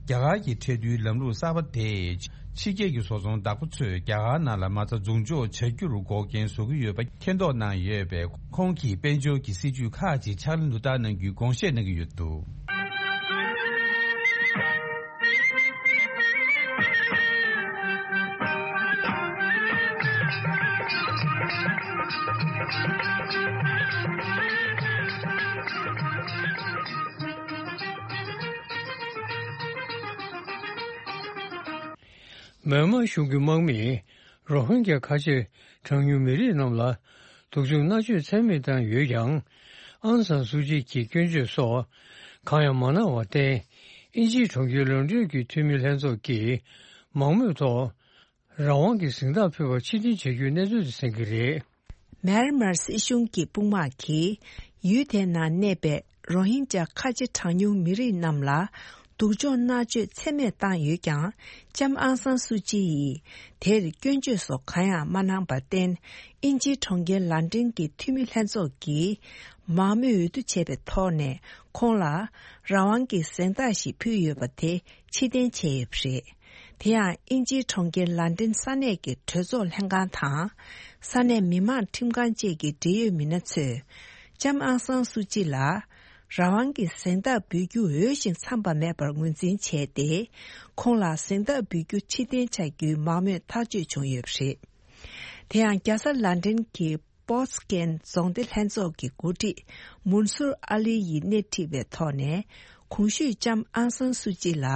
རྒྱ་གར་གྱི་ཁྲལ་བསྡུའི་ལམ་ལུགས་གསར་པ་དེས་ཕྱི་རྒྱལ་གྱི་བཟོ་ཚོང་བདག་པོ་ཚོས་རྒྱ་གར་ནང་ལ་མ་རྩ་འཛུགས་འཇོག་བྱ་རྒྱུར་འགོག་རྐྱེན་བཟོ་གི་ཡོད་པ་མཁྱེན་རྟོགས་གནང་ཡོད་པས། ཁོང་གིས་དཔལ་འབྱོར་གྱི་སྲིད་ཇུས་ཁག་ཅིག་ཕྱག་ལེན་དུ་བསྟར་གནང་རྒྱུའི་དགོངས་བཞེས་གནང་གི་ཡོད་འདུག་མེན་མར་གཞུང་གི་དམག་མིས་རོ་ཧིན་གྱ་ཁ་ཆེ་གྲངས་ཉུང་མི་རིགས་རྣམས་ལ་སྡུག་སྦྱོང་མནར་གཅོད་ཚད་མེད་བཏང་ཡོད་ཀྱང་། ཨང་སང་སུའུ་ཅི་གི་སྐྱོན་བརྗོད་སོགས་གང་ཡང་མ་གནང་བར་བརྟེན། དབྱིན་ཇིའི་གྲོང་ཁྱེར་ལོན་ཌོན་གྱི་འཐུས་མི་ལྷན་ཚོགས་ཀྱིས་མང་མོས་ཐོག་རང་དབང་གི་གཟེངས་རྟགས་ཕུལ་བར་ཕྱིར་འཐེན་བྱ་རྒྱུའི་གནས་ཚུལ་དེ་གསན་གྱི་རེད། མེན་མར་སྲིད་གཞུང་གི་དཔུང་དམག་གིས་ཡུལ་དེའི་ནང་གནས་པའི་རོ་ཧིན་ཇཱ་ཁ་ཆེ་གྲངས་ཉུང་མི་རིགས་རྣམས་ལ་ སྡུག་སྦྱོང་མནར་གཅོད་ཚད་མེད་བཏང་ཡོད་ཀྱང་། ལྕམ་ཨང་སང་སུའུ་ཅི་ཡིས་དེར་སྐྱོན་བརྗོད་སོགས་གང་ཡང་མ་གནང་པར་བརྟེན། དབྱིན་ཇིའི་གྲོང་ཁྱེར་ལན་ཀྲན་གྱི་འཐུས་མི་ལྷན་ཚོགས་ཀྱིས་མང་མོས་འོས་བསྡུ་བྱས་པའི་ཐོག་ནས། ཁོང་ལ་རང་དབང་གི་གཟེངས་རྟགས་ཤིག་ཕུལ་ཡོད་པ་དེ་ཕྱིར་འཐེན་བྱས་ཡོད་པ་རེད། དེ་ཡང་དབྱིན་ཇིའི་གྲོང་ཁྱེར་ལན་ཀྲན་ས་གནས་ཀྱི་གྲོས་ཚོགས་ལྷན་ཁང་དང་། ས་གནས་མི་མང་ཁྲིམས་ཁང་བཅས་ཀྱི་འབྲེལ་ཡོད་མི་སྣ་ཚོས། ལྕམ་ཨང་སང་སུའུ་ཅི་ལ་རང་དབང་གི་གཟེངས་རྟགས་འབུལ་རྒྱུ་འོས་ཤིང་འཚམས་པ་མེད་པར་ངོས་འཛིན་བྱས་ཏེ། ཁོང་ལ་གཟེངས་རྟགས་འབུལ་རྒྱུ་ཕྱིར་འཐེན་བྱ་རྒྱུའི་མང་མོས་ཐག་གཅོད་བྱུང་ཡོད་པ་རེད། དེ་ཡང་རྒྱལ་ས་ལན་ཀྲན་གྱི་པོར་ཊུ་གལ་རྫོང་སྡེ་ལྷན་ཚོགས་ཀྱི་འགོ་ཁྲིད་མུན་སུར་ཨ་ལི་ཡིས་སྣེ་ཁྲིད་པའི་ཐོག་ནས། གོང་ཞུས་ལྕམ་ཨང་སང་སུའུ་ཅི་ལ་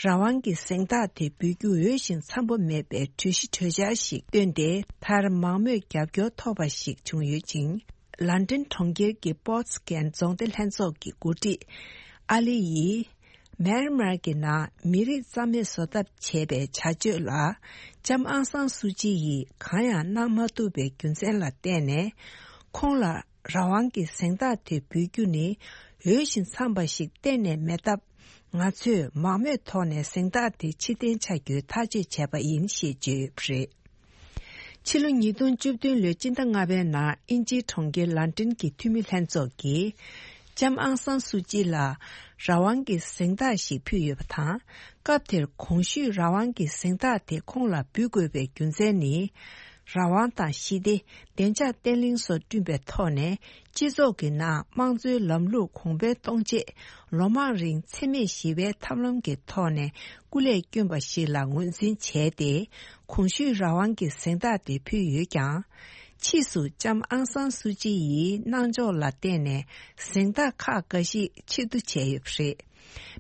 རང་དབང་གི་གཟེངས་རྟགས་དེ་འབུལ་རྒྱུ་འོས་ཤིང་འཚམས་པོ་མེད་པའི་གྲོས་གཞི་གྲོས་འཆར་ཞིག་བཏོན་ཏེ། མཐར་མང་མོས་རྒྱབ་སྐྱོར་ཐོབ་པ་ཞིག་བྱུང་ཡོད་ཅིང་། ལན་ཀྲན་གྲོང་ཁྱེར་གྱི་པོར་ཊུ་གལ་རྫོང་སྡེ་ལྷན་ཚོགས་ཀྱི་འགོ་ཁྲིད་ཨ་ལི་ཡིས། མེན་མར་གྱི་ནང་མི་རིགས་རྩ་མེད་བཟོ་ཐབས་བྱས་པའི་བྱ་སྤྱོད་ལ། ལྕམ་ཨང་སང་སུའུ་ཅི་ཡིས་གང་ཡང་གནང་མ་ཐུབ་པའི་རྒྱུ་མཚན་ལ་བརྟེན་ནས། ཁོང་ལ་རང་དབང་གི་གཟེངས་རྟགས་དེ་འབུལ་རྒྱུ་ནི་འོས་ཤིང་འཚམས་པ་ཞིག་གཏན་ནས་མེད་སྟབས། ང་ཚོས་མང་མོས་ཐོག་ནས་གཟེངས་རྟགས་དེ་ཕྱིར་འཐེན་བྱ་རྒྱུའི་ཐག་གཅོད་བྱས་པ་ཡིན་ཞེས་བརྗོད་ཡོད་པ་རེད། ཕྱི་ལོ་ཉིས་སྟོང་བཅུ་བདུན་ལོའི་སྤྱི་ཟླ་ལྔ་པའི་ནང་དབྱིན་ཇིའི་གྲོང་ཁྱེར་ལན་ཀྲན་གྱི་འཐུས་མི་ལྷན་ཚོགས་ཀྱིས། ལྕམ་ཨང་སང་སུའུ་ཅི་ལ་རང་དབང་གི་གཟེངས་རྟགས་ཤིག་ཕུལ་ཡོད་པ་དང་། སྐབས་དེར་གོང་ཞུས་རང་དབང་གི་གཟེངས་རྟགས་དེ་ཁོང་ལ་འབུལ་དགོས་པའི་རྒྱུ་མཚན་ནི། རང་དབང་དང་ཞི་བདེ། བདེ་འཇགས་བརྟན་ལྷིང་སོགས་བསྐྲུན་པའི་ཐོག་ནས། སྤྱི་ཚོགས་ཀྱི་ནང་དམངས་གཙོའི་ལམ་ལུགས་གོང་འཕེལ་གཏོང་ཆེད། ལོ་མང་རིང་འཚེ་མེད་ཞི་བའི་ཐབས་ལམ་གྱི་ཐོག་ནས་སྐུ་ལས་བསྐྱོན་པ་ཞིག་ལ་ངོས་འཛིན་བྱས་ཏེ། གོང་ཞུས་རང་དབང་གི་གཟེངས་རྟགས་དེ་ཕུལ་ཡོད་ཀྱང་། ཕྱིས་སུ་ལྕམ་ཨང་སང་སུའུ་ཅི་ཡི་གནང་ཕྱོགས་ལ་བརྟེན་ནས་གཟེངས་རྟགས་ཁག་འགའ་ཞིག་ཕྱིར་བསྡུ་བྱས་ཡོད་པ་རེད།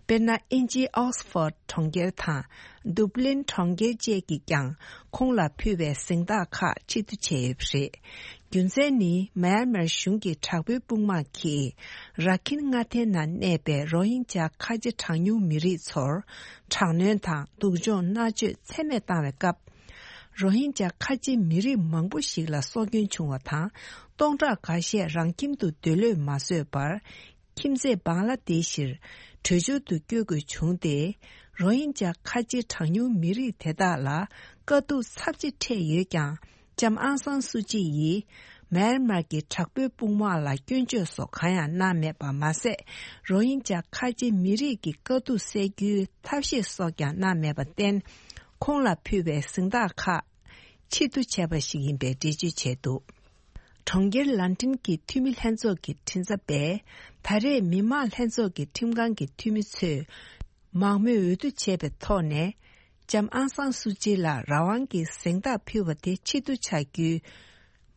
དཔེར་ན། དབྱིན་ཇིའི་ཨོག་སི་ཕོར་ཌི་གྲོང་ཁྱེར་དང་། ཌུབ་ལིན་གྲོང་ཁྱེར་བཅས་ཀྱིས་ཀྱང་ཁོང་ལ་ཕུལ་བའི་གཟེངས་རྟགས་ཁག་ཕྱིར་བསྡུ་བྱས་ཡོད་པ་རེད། རྒྱུ་མཚན་ནི། མཱ་ཡན་མར་གཞུང་གི་དྲག་པོའི་དཔུང་དམག་གིས་ར་ཁིན་མངའ་སྡེའི་ནང་གནས་པའི་རོ་ཧིན་ཇཱ་ཁ་ཆེ་གྲངས་ཉུང་མི་རིགས་ཚོར་དྲག་གནོན་དང་སྡུག་སྦྱོང་མནར་གཅོད་ཚད་མེད་བཏང་བའི་སྐབས། རོ་ཧིན་ཇཱ་ཁ་ཆེ་མི་རིགས་མང་པོ་ཞིག་ལ་སྲོག་སྐྱོན་བྱུང་བ་དང་། སྟོང་ཕྲག་འགའ་ཤས་རང་ཁྱིམ་དུ་སྡོད་ལོས་མ་བཟོད་པར། ཁྱིམ་མཚེས་བང་ལ་དེ་ཤིར་བྲོས་བྱོལ་དུ་བསྐྱོད་དགོས་བྱུང་སྟེ། རོ་ཧིན་ཇཱ་ཁ་ཆེ་གྲངས་ཉུང་མི་རིགས་དེ་དག་ལ་དཀའ་སྡུག་ཚབས་ཆེ་འཕྲད་ཡོད་ཀྱང་། ལྕམ་ཨང་སང་སུའུ་ཅི་ཡིས་མཱན་མར་གྱི་དྲག་པོའི་དཔུང་དམག་ལ་སྐྱོན་བརྗོད་སོགས་གང་ཡང་གནང་མེད་པ་མ་ཟད། རོ་ཧིན་ཇཱ་ཁ་ཆེ་མི་རིགས་ཀྱི་དཀའ་སྡུག་སེལ་རྒྱུའི་ཐབས་ཤེས་སོགས་ཀྱང་གནང་མེད་པར་བརྟེན། ཁོང་ལ་ཕུལ་བའི་གཟེངས་རྟགས་ཁག་ཕྱིར་བསྡུ་བྱས་པ་ཞིག་ཡིན་པའི་འགྲེལ་བརྗོད་བྱས་འདུག་གྲོང་ཁྱེར་ལན་ཀྲན་གྱི་འཐུས་མི་ལྷན་ཚོགས་ཀྱི་མགྲིན་ཚབ་པས། ད་རེས་མི་དམངས་ལྷན་ཚོགས་ཀྱི་ཁྲིམས་ཁང་གི་འཐུས་མི་ཚོས་མང་མོས་འོས་བསྡུ་བྱས་པའི་ཐོག་ནས། ལྕམ་ཨང་སང་སུའུ་ཅི་ལ་རང་དབང་གི་གཟེངས་རྟགས་ཕུལ་བ་དེ་ཕྱིར་བསྡུ་བྱ་རྒྱུའི་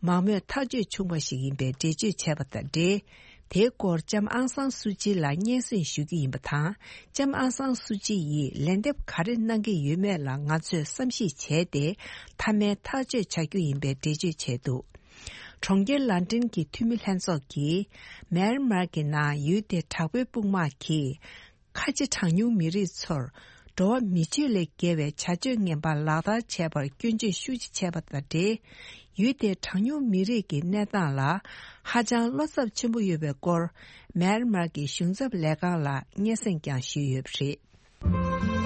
མང་མོས་ཐག་གཅོད་བྱུང་བ་ཞིག་ཡིན་པའི་འགྲེལ་བརྗོད་བྱས་པ་དང་འབྲེལ། དེའི་སྐོར་ལྕམ་ཨང་སང་སུའུ་ཅི་ལ་སྙན་སེང་ཞུ་རྒྱུ་ཡིན་པ་དང་། ལྕམ་ཨང་སང་སུའུ་ཅི་ཡིས་ལན་འདེབས་ག་རེ་གནང་གི་ཡོད་མེད་ལ་ང་ཚོས་བསམ་གཞིག་བྱས་ཏེ། མཐའ་མའི་ཐག་གཅོད་བྱ་རྒྱུ་ཡིན་པའི་འགྲེལ་བརྗོད་བྱས་འདུག་གྲོང་ཁྱེར་ལན་ཀྲན་གྱི་འཐུས་མི་ལྷན་ཚོགས་ཀྱིས། མཱན་མར་གྱི་ནང་ཡུལ་དེའི་དྲག་པོའི་དཔུང་དམག་གིས། ཁ་ཆེ་གྲངས་ཉུང་མི་རིགས་ཚོར་འགྲོ་བ་མི་ཆོས་ལས་བརྒལ་བའི་བྱ་སྤྱོད་ངན་པ་ལག་བསྟར་བྱས་པར་སྐྱོན་བརྗོད་ཤུགས་ཆེ་བྱས་པ་དང་འབྲེལ། ཡུལ་དེའི་གྲངས་ཉུང་མི་རིགས་ཀྱི་གནས་སྟངས་ལ་ཧ་ཅང་བློ་འཚབ་ཆེན་པོ་ཡོད་པའི་སྐོར། མཱན་མར་གྱི་གཞུང་ཚབ་ལས་ཁང་ལ་སྙན་སེང་ཀྱང་ཞུས་ཡོད་པ་རེད།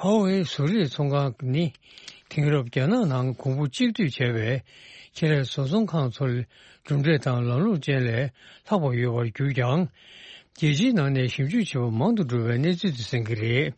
ཧོ་ཝེ་བཟོ་རིག་ཚོང་ཁང་ནི། དེང་རབས་རྒྱ་ནག་ནང་གོང་བུ་གཅིག་བསྡུས་བྱས་པའི་ཁེ་ལས་བཟོ་ཚོང་ཁང་ཚོར་གྲུབ་འབྲས་དང་ལམ་ལུགས་ཅན་ལས་ལྷག་པ་ཡོད་པར་གྱུར་ཀྱང་། རྒྱལ་སྤྱིའི་ནང་ནས་ཞིབ་འཇུག་བྱེད་པ་མང་དུ་འགྲོ་བའི་གནས་ཚུལ་དེ་གསན་གྱི་རེད།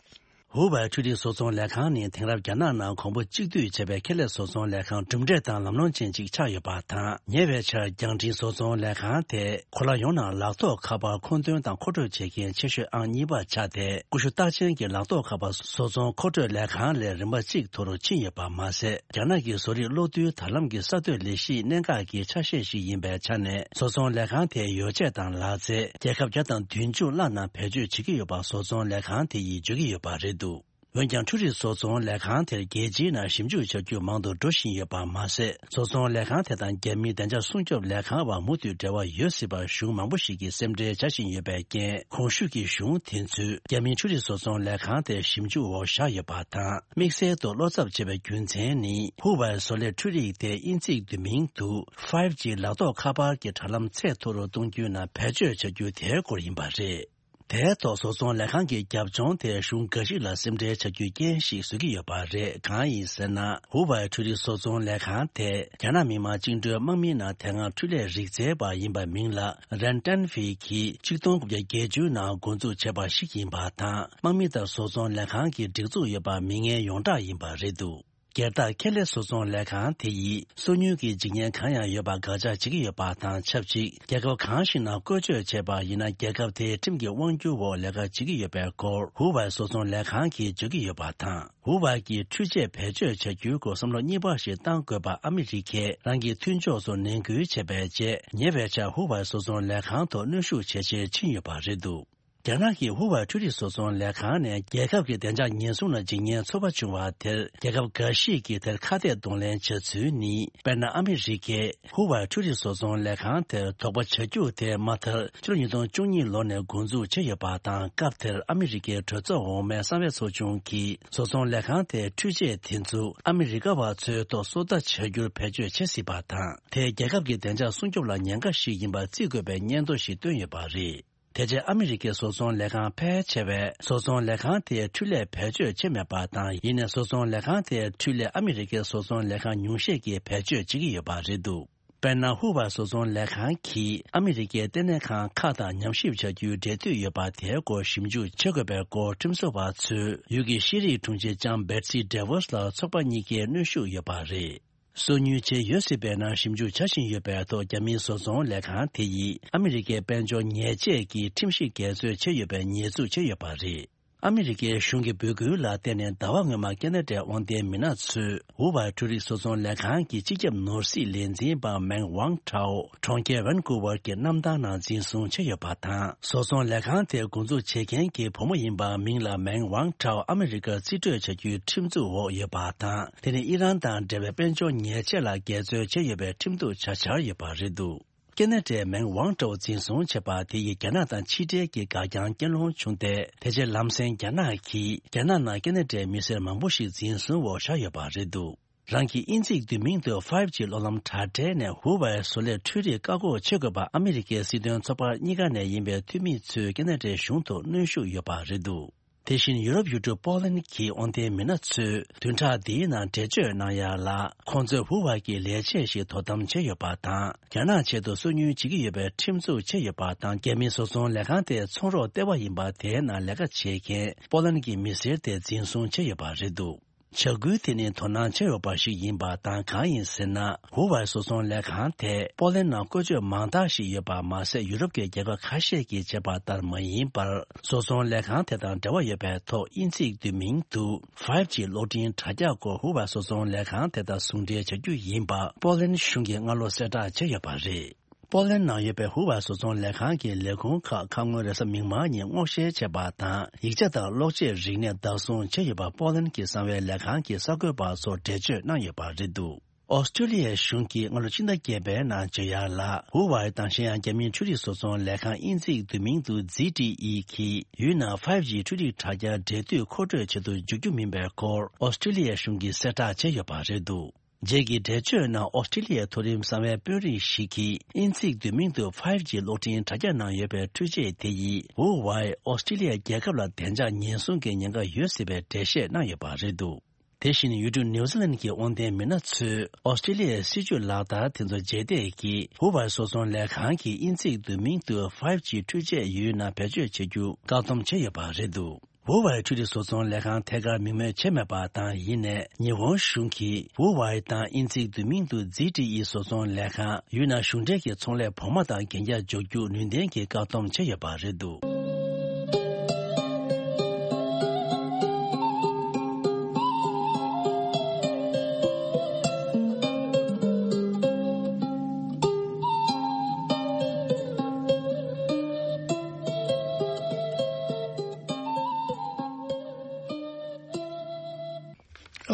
ཧུ་ཝེ་འཕྲུལ་རིག་བཟོ་ཚོང་ལས་ཁང་ནི་དེང་རབས་རྒྱ་ནག་ནང་གོང་བུ་གཅིག་བསྡུས་བྱས་པའི་ཁེ་ལས་བཟོ་ཚོང་ལས་ཁང་གྲུབ་འབྲས་དང་ལམ་ལྷོང་ཅན་ཅིག་ཆགས་ཡོད་པ་དང་། ཉེ་བའི་ཆར་རྒྱང་འཕྲིན་བཟོ་ཚོང་ལས་ཁང་དེ་གོ་ལ་ཡོངས་ནང་ལག་ཐོགས་ཁ་པར་མཁོ་འདོན་དང་མཁོ་སྤྲོད་བྱེད་མཁན་ཆེ་ཤོས་ཨང་གཉིས་པ་ཆགས་ཏེ། ཀུ་ཤུ་རྟགས་ཅན་གྱི་ལག་ཐོགས་ཁ་པར་བཟོ་ཚོང་མཁོ་སྤྲོད་ལས་ཁང་ལས་རིམ་པ་གཅིག་མཐོ་རུ་ཕྱིན་ཡོད་པ་མ་ཟད། རྒྱ་ནག་གི་བཟོ་རིག་གློག་རྡུལ་དྲ་ལམ་གྱི་གསར་གཏོད་ལས་གཞིའི་གནད་འགག་གི་ཆ་ཤས་ཤིག་ཡིན་པའི་ཆ་ནས། བཟོ་ཚོང་ལས་ཁང་དེའི་ཡོ་བྱད་དང་ལག་རྩལ་རྒྱལ་ཁབ་བརྒྱ་དང་བདུན་ཅུ་ལྷག་ནང་བེད་སྤྱོད་བྱེད་ཀྱི་ཡོད་པ་བཟོ་ཚོང་ལས་ཁང་དེ་ཡིས་བརྗོད་ཀྱི་ཡོད་པ་རེད་འདུག་འོན་ཀྱང་འཕྲུལ་རིག་བཟོ་ཚོང་ལས་ཁང་དེར་རྒྱལ་སྤྱིའི་ནང་ཞིབ་འཇུག་བྱ་རྒྱུ་མང་དུ་འགྲོ་བཞིན་ཡོད་པ་མ་ཟད། བཟོ་ཚོང་ལས་ཁང་དེ་དང་རྒྱ་མིའི་བདེ་འཇགས་སྲུང་སྐྱོབ་ལས་ཁང་བར་མུ་མཐུད་འབྲེལ་བ་ཡོད་སྲིད་པར་གཞུང་མང་པོ་ཞིག་གིས་སེམས་ཁྲལ་བྱ་བཞིན་ཡོད་པའི་རྐྱེན། གོང་ཞུས་ཀྱི་གཞུང་དེ་ཚོས་རྒྱ་མིའི་འཕྲུལ་རིག་བཟོ་ཚོང་ལས་ཁང་དེ་ཞིབ་འཇུག་འོག་བཞག་ཡོད་པ་དང་། དམིགས་བསལ་དུ་བློ་འཚབ་བྱེད་པའི་རྒྱུ་མཚན་ནི། ཧུ་ཝའི་བཟོ་ལས་འཕྲུལ་རིག་དེ་དབྱིན་ཚིག་བསྡུས་མིང་དུ་ཕའིབ་ཇི་ལག་ཐོགས་ཁ་པར་གྱི་དྲ་ལམ་ཚད་མཐོ་རུ་གཏོང་རྒྱུའི་ནང་བེད་སྤྱོད་བྱ་རྒྱུ་དེའི་སྐོར་ཡིན་པ་རེད། དེའི་ཐོག་བཟོ་ཚོང་ལས་ཁང་གི་རྒྱབ་ལྗོངས་དེ་གཞུང་འགའ་ཞིག་ལ་སེམས་ཁྲལ་བྱ་རྒྱུའི་རྐྱེན་ཞིག་བཟོ་གི་ཡོད་པ་རེད། གང་ཡིན་ཟེར་ན། ཧུ་ཝའི་འཕྲུལ་རིག་བཟོ་ཚོང་ལས་ཁང་དེ་རྒྱ་ནག་མི་དམངས་བཅིངས་འགྲོལ་དམག་མིའི་ནང་དེ་སྔ་འཕྲུལ་ལས་རིག་རྩལ་པ་ཡིན་པ་མིང་ལ་རན་ཏན་ཧྥི་གིས་ཆིག་སྟོང་དགུ་བརྒྱ་བརྒྱད་ཅུ་ནང་འགོ་འཛུགས་བྱས་པ་ཞིག་ཡིན་པ་དང་། དམག་མི་དང་བཟོ་ཚོང་ལས་ཁང་གི་སྒྲིག་འཛུགས་ཡོད་པ་མི་ངན་ཡོངས་གྲགས་ཡིན་པ་རེད་འདུག་སྒེར་བདག་ཁེ་ལས་བཟོ་ཚོང་ལས་ཁང་དེ་ཡིས་སོ་ཉུལ་གྱི་འཇིགས་ཉེན་གང་ཡང་ཡོད་པ་དགག་བྱ་བྱེད་ཀྱི་ཡོད་པ་དང་ཆབས་ཅིག་རྒྱལ་ཁབ་གང་ཞིག་ནང་བཀོལ་སྤྱོད་བྱས་པ་ཡིན་ན། རྒྱལ་ཁབ་དེའི་ཁྲིམས་ཀྱི་དབང་སྒྱུར་འོག་ལས་ཀ་བྱེད་ཀྱི་ཡོད་པའི་སྐོར་ཧུ་ཝའི་བཟོ་ཚོང་ལས་ཁང་གིས་བརྗོད་ཀྱི་ཡོད་པ་དང་། ཧུ་ཝའི་གིས་འཕྲུལ་ཆས་བེད་སྤྱོད་བྱ་རྒྱུའི་སྐོར་བསམ་བློ་གཉིས་པ་ཞིག་བཏང་དགོས་པ་ཨ་མི་རི་ཀས་རང་གི་མཐུན་ཕྱོགས་ཚོར་ནན་སྐུལ་བྱས་པའི་རྗེས། ཉེ་བའི་ཆར་ཧུ་ཝའི་བཟོ་ཚོང་ལས་ཁང་ཐོག་གནོན་ཤུགས་ཇེ་ཆེར་ཕྱིན་ཡོད་པ་རེད་འདུག་རྒྱ་ནག་གི་ཧུ་ཝའི་འཕྲུལ་རིག་བཟོ་ཚོང་ལས་ཁང་ནས་རྒྱལ་ཁབ་ཀྱི་བདེ་འཇགས་ཉེན་སྲུང་ལ་འཇིགས་ཉེན་ཚོར་བ་བྱུང་བ་དེར། རྒྱལ་ཁབ་འགའ་ཞིག་གིས་དེར་ཁ་གཏད་གདོང་ལེན་བྱ་ཚུལ་ནི། དཔེར་ན། ཨ་མི་རི་ཀས་ཧུ་ཝའི་འཕྲུལ་རིག་བཟོ་ཚོང་ལས་ཁང་དེར་དོགས་པ་བྱ་རྒྱུ་དེ་མ་མཐར་ཕྱི་ལོ་ཉིས་སྟོང་བཅུ་གཉིས་ལོ་ནས་འགོ་འཛུགས་བྱས་ཡོད་པ་དང་། སྐབས་དེར་ཨ་མི་རི་ཀའི་གྲོས་ཚོགས་འོག་མའི་གསང་བའི་ཚོགས་ཆུང་གིས། བཟོ་ཚོང་ལས་ཁང་དེའི་འཕྲུལ་ཆས་དེ་ཚོ་ཨ་མི་རི་ཀ་བ་ཚོའི་ཐོག་སོ་ལྟ་བྱ་རྒྱུར་བེད་སྤྱོད་བྱེད་སྲིད་པ་དང་། དེས་རྒྱལ་ཁབ་ཀྱི་བདེ་འཇགས་སྲུང་སྐྱོབ་ལ་ཉེན་ཁ་ཞིག་ཡིན་པ་བརྩི་དགོས་པའི་སྙན་ཐོ་ཞིག་བཏོན་ཡོད་པ་རེད། དེ་རྗེས་ཨ་མི་རི་ཀའི་བཟོ་ཚོང་ལས་ཁང་ཕལ་ཆེ་བས་བཟོ་ཚོང་ལས་ཁང་དེའི་འཕྲུལ་ལས་བེད་སྤྱོད་བྱས་མེད་པ་དང་། ཡིན་ནའི་བཟོ་ཚོང་ལས་ཁང་དེའི་འཕྲུལ་ལས་ཨ་མི་རི་ཀའི་བཟོ་ཚོང་ལས་ཁང་ཉུང་ཤས་ཀྱིས་བེད་སྤྱོད་བྱེད་ཀྱི་ཡོད་པ་རེད་འདུག་དཔེར་ན། ཧུ་ཝའི་བཟོ་ཚོང་ལས་ཁང་གིས་ཨ་མི་རི་ཀའི་ལྟེ་གནས་ཁང་ཁག་དང་ཉམས་ཞིབ་བྱ་རྒྱུའི་འབྲེལ་མཐུད་ཡོད་པ་དེའི་སྐོར་ཞིབ་འཇུག་བྱེད་དགོས་པའི་སྐོར་ཁྲིམས་བཟོ་བ་ཚོས་ཡུལ་གྱི་ཤེས་རིག་དྲུང་ཆེ་ལྕམ་བེ་ཊི་སི་ཌེ་ཝོས་ལ་ཚོགས་པ་གཉིས་ཀས་གནོན་ཤུགས་ཡོད་པ་རེད། སོ་ཉུལ་བྱས་ཡོད་སྲིད་པའི་ནང་ཞིབ་འཇུག་བྱ་བཞིན་ཡོད་པའི་ཐོག་རྒྱ་མིའི་བཟོ་ཚོང་ལས་ཁང་དེ་ཡིས་ཨ་མི་རི་ཀའི་དཔལ་འབྱོར་ཉེས་ཆད་ཀྱི་ཁྲིམས་གཞི་འགལ་འཛོལ་བྱས་ཡོད་པའི་ཉེས་འཛུགས་བྱས་ཡོད་པ་རེད། ཨ་མི་རི་ཀའི་གཞུང་གི་འབོད་སྐུལ་ལ་བརྟེན་ནས། ཟླ་བ་སྔོན་མ་ཁེ་ན་ཌའི་དབང་ལྡན་མི་སྣ་ཚོས་ཧུ་ཝའི་འཕྲུལ་རིག་བཟོ་ཚོང་ལས་ཁང་གི་སྤྱི་ཁྱབ་ནོར་སྲིད་ལས་འཛིན་པ་མེང་ཝང་ཁྲའོ་གྲོང་ཁྱེར་ཝན་ཀུ་ཝར་གྱི་གནམ་ཐང་ནང་འཛིན་བཟུང་བྱས་ཡོད་པ་དང་། བཟོ་ཚོང་ལས་ཁང་དེ་འགོ་འཛུགས་བྱེད་མཁན་གྱི་བུ་མོ་ཡིན་པ་མིང་ལ་མེང་ཝང་ཁྲའོ་ཨ་མི་རི་ཀར་རྩིས་སྤྲོད་བྱ་རྒྱུའི་ཁྲིམས་འཛུགས་འོག་ཡོད་པ་དང་། དེ་ནི་ཨི་རན་དང་འབྲེལ་བའི་དཔལ་འབྱོར་ཉེས་ཆད་ལ་འགལ་འཛོལ་བྱས་ཡོད་པའི་ཁྲིམས་གཏུག་བྱ་འཆར་ཡོད་པ་རེད་འདུག་ཁེ་ན་ཌའི་མེང་ཝང་ཀྲོའུ་འཛིན་བཟུང་བྱས་པ་དེ་ཡིས་རྒྱ་ནག་དང་ཕྱི་འབྲེལ་གྱི་འགག་རྐྱང་རྐྱེན་སློང་བྱུང་སྟེ། དེ་རྗེས་ལམ་སེང་རྒྱ་ནག་གིས་རྒྱ་ནག་ནང་ཁེ་ན་ཌའི་མི་སེར་མང་པོ་ཞིག་འཛིན་བཟུང་འོག་བཞག་ཡོད་པ་རེད་འདུག་རང་གི་དབྱིན་ཚིག་བསྡུས་མིང་དུ་ཕའིབ་ཇི་གློག་ལམ་དྲ་སྦྲེལ་ནས་ཧུ་ཝའི་བཟོ་ལས་འཕྲུལ་རིག་བཀག་འགོག་བྱེད་དགོས་པ་ཨ་མི་རི་ཀའི་སྲིད་དོན་ཚོགས་པ་གཉིས་ཀ་ནས་ཡིན་པའི་འཐུས་མི་ཚོས་ཁེ་ན་ཌའི་གཞུང་ཐོག་གནོན་ཤུགས་ཡོད་པ་རེད་འདུག་དེ་བཞིན་ཡུ་རོབ་ཡུལ་གྲུ་པོ་ལན་གྱི་དབང་ལྡན་མི་སྣ་ཚོས་བདུན་ཕྲག་འདིའི་ནང་འགྲེལ་བརྗོད་གནང་ཡ་ལ། ཁོང་ཚོས་ཧུ་ཝའི་གི་ལས་བྱེད་ཞིག་དོ་དམ་བྱས་ཡོད་པ་དང་། རྒྱ་ནག་ཆེད་དུ་སོ་ཉུལ་བྱེད་ཀྱི་ཡོད་པའི་ཁྲིམས་འཛུགས་བྱས་ཡོད་པ་དང་། རྒྱ་མིའི་བཟོ་ཚོང་ལས་ཁང་དེ་ཚོང་རོགས་ལྟེ་བ་ཡིན་པ་དེའི་ནང་ལས་ཀ་བྱེད་མཁན་པོ་ལན་གྱི་མི་སེར་དེ་འཛིན་བཟུང་བྱས་ཡོད་པ་རེད་འདུག་བྱ་འགུལ་དེ་ནི་དོ་སྣང་བྱས་ཡོད་པ་ཞིག་ཡིན་པ་དང་། གང་ཡིན་ཟེར་ན། ཧུ་ཝའི་བཟོ་ཚོང་ལས་ཁང་དེ་པོ་ལན་ནང་བཀོལ་སྤྱོད་མང་དག་ཞིག་ཡོད་པ་མ་ཟད། ཡུ་རོབ་ཀྱི་རྒྱལ་ཁབ་ཁ་ཤས་ཀྱིས་བྱས་པ་ལྟར་མ་ཡིན་པར། བཟོ་ཚོང་ལས་ཁང་དེ་དང་འབྲེལ་བ་ཡོད་པའི་ཐོག་དབྱིན་ཚིག་བསྡུས་མིང་དུ་ཕའིབ་ཇི་གློག་འཕྲིན་དྲ་རྒྱ་སྐོར་ཧུ་ཝའི་བཟོ་ཚོང་ལས་ཁང་དེ་དང་ཟུང་འབྲེལ་བྱ་རྒྱུ་ཡིན་པ་པོ་ལན་གཞུང་གིས་སྔ་ལོ་གསལ་བསྒྲགས་བྱས་ཡོད་པ་རེད། པོ་ལན་ནང་ཡོད་པའི་ཧུ་ཝའི་བཟོ་ཚོང་ལས་ཁང་གི་ལས་ཁུངས་ཁག་ཁ་སྔོན་རེས་གཟའ་མིག་དམར་ཉིན་སྔོག་བཤེར་བྱས་པ་དང་། ཡིག་ཆ་དང་གློག་ཆས་རིག་གནས་བདག་བཟུང་བྱས་ཡོད་པ་པོ་ལན་གྱི་གསང་བའི་ལས་ཁང་གི་གསར་འགོད་པ་ཚོར་འགྲེལ་བརྗོད་གནང་ཡོད་པ་རེད་འདུག་ཨོ་སི་ཀྲི་ལི་ཡའི་གཞུང་གིས་སྔ་ལོ་ཕྱི་ཟླ་བརྒྱད་པའི་ནང་བརྗོད་ཡ་ལ། ཧུ་ཝའི་དང་གཞན་ཡང་རྒྱ་མིའི་འཕྲུལ་རིག་བཟོ་ཚོང་ལས་ཁང་དབྱིན་ཚིག་བསྡུས་མིང་དུ་ཛི་ཊི་ཨི་གིས་ཡུལ་ནང་ཕའིབ་ཇི་འཕྲུལ་རིག་དྲ་རྒྱ་འབྲེལ་མཐུད་མཁོ་སྤྲོད་བྱེད་དུ་འཇུག་རྒྱུ་མིན་པའི་སྐོར་ཨོ་སི་ཀྲི་ལི་ཡའི་གཞུང་གིས་གསལ་བསྒྲགས་བྱས་ཡོད་པ་རེད་འདུག་རྗེས་ཀྱི་འགྲེལ་བརྗོད་ནང་ཨོ་སི་ཀྲི་ལི་ཡའི་མཐོ་རིམ་གསང་བའི་དཔོན་རིགས་ཤིག་གིས་དབྱིན་ཚིག་བསྡུས་མིང་དུ་ཕའིབ་ཇི་གློག་འཕྲིན་དྲ་རྒྱ་ནང་ཡོད་པའི་འཕྲུལ་ཆས་དེ་ཡིས་ཧུ་ཝའི་ཨོ་སི་ཀྲི་ལི་ཡ་རྒྱལ་ཁབ་ལ་བདེ་འཇགས་ཉེན་སྲུང་གི་ཉེན་ཁ་ཡོད་སྲིད་པའི་འགྲེལ་བཤད་གནང་ཡོད་པ་རེད་འདུག་དེ་བཞིན་ཡུལ་གྲུ་ནིའུ་ཛི་ལན་གྱི་དབང་ལྡན་མི་སྣ་ཚོས་ཨོ་སི་ཀྲི་ལི་ཡའི་སྲིད་ཇུས་ལག་བསྟར་དེ་ཚོ་རྗེས་འདེད་ཀྱིས་ཧུ་ཝའི་བཟོ་ཚོང་ལས་ཁང་གིས་དབྱིན་ཚིག་བསྡུས་མིང་དུ་ཕའིབ་ཇི་འཕྲུལ་ཆས་ཡུལ་ནང་བེད་སྤྱོད་བྱེད་རྒྱུ་བཀག་སྡོམ་བྱས་ཡོད་པ་རེད་འདུག་ཧུ་ཝའི་འཕྲུལ་རིག་བཟོ་ཚོང་ལས་ཁང་ཐད་ཀར་མིང་སྨོས་བྱས་མེད་པ་དང་། ཡིན་ནའི་ཉི་ཧོང་གཞུང་གིས་ཧུ་ཝའི་དང་དབྱིན་ཚིག་བསྡུས་མིང་དུ་ཛི་ཊི་ཨི་བཟོ་ཚོང་ལས་ཁང་ཡུལ་ནང་གཞུང་འབྲེལ་གྱི་ཚོང་ལས་བོགས་མ་དང་གན་རྒྱ་འཇོག་རྒྱུ་ནུས་ལྡན་གྱིས་བཀག་སྡོམ་བྱས་ཡོད་པ་རེད་འདུག་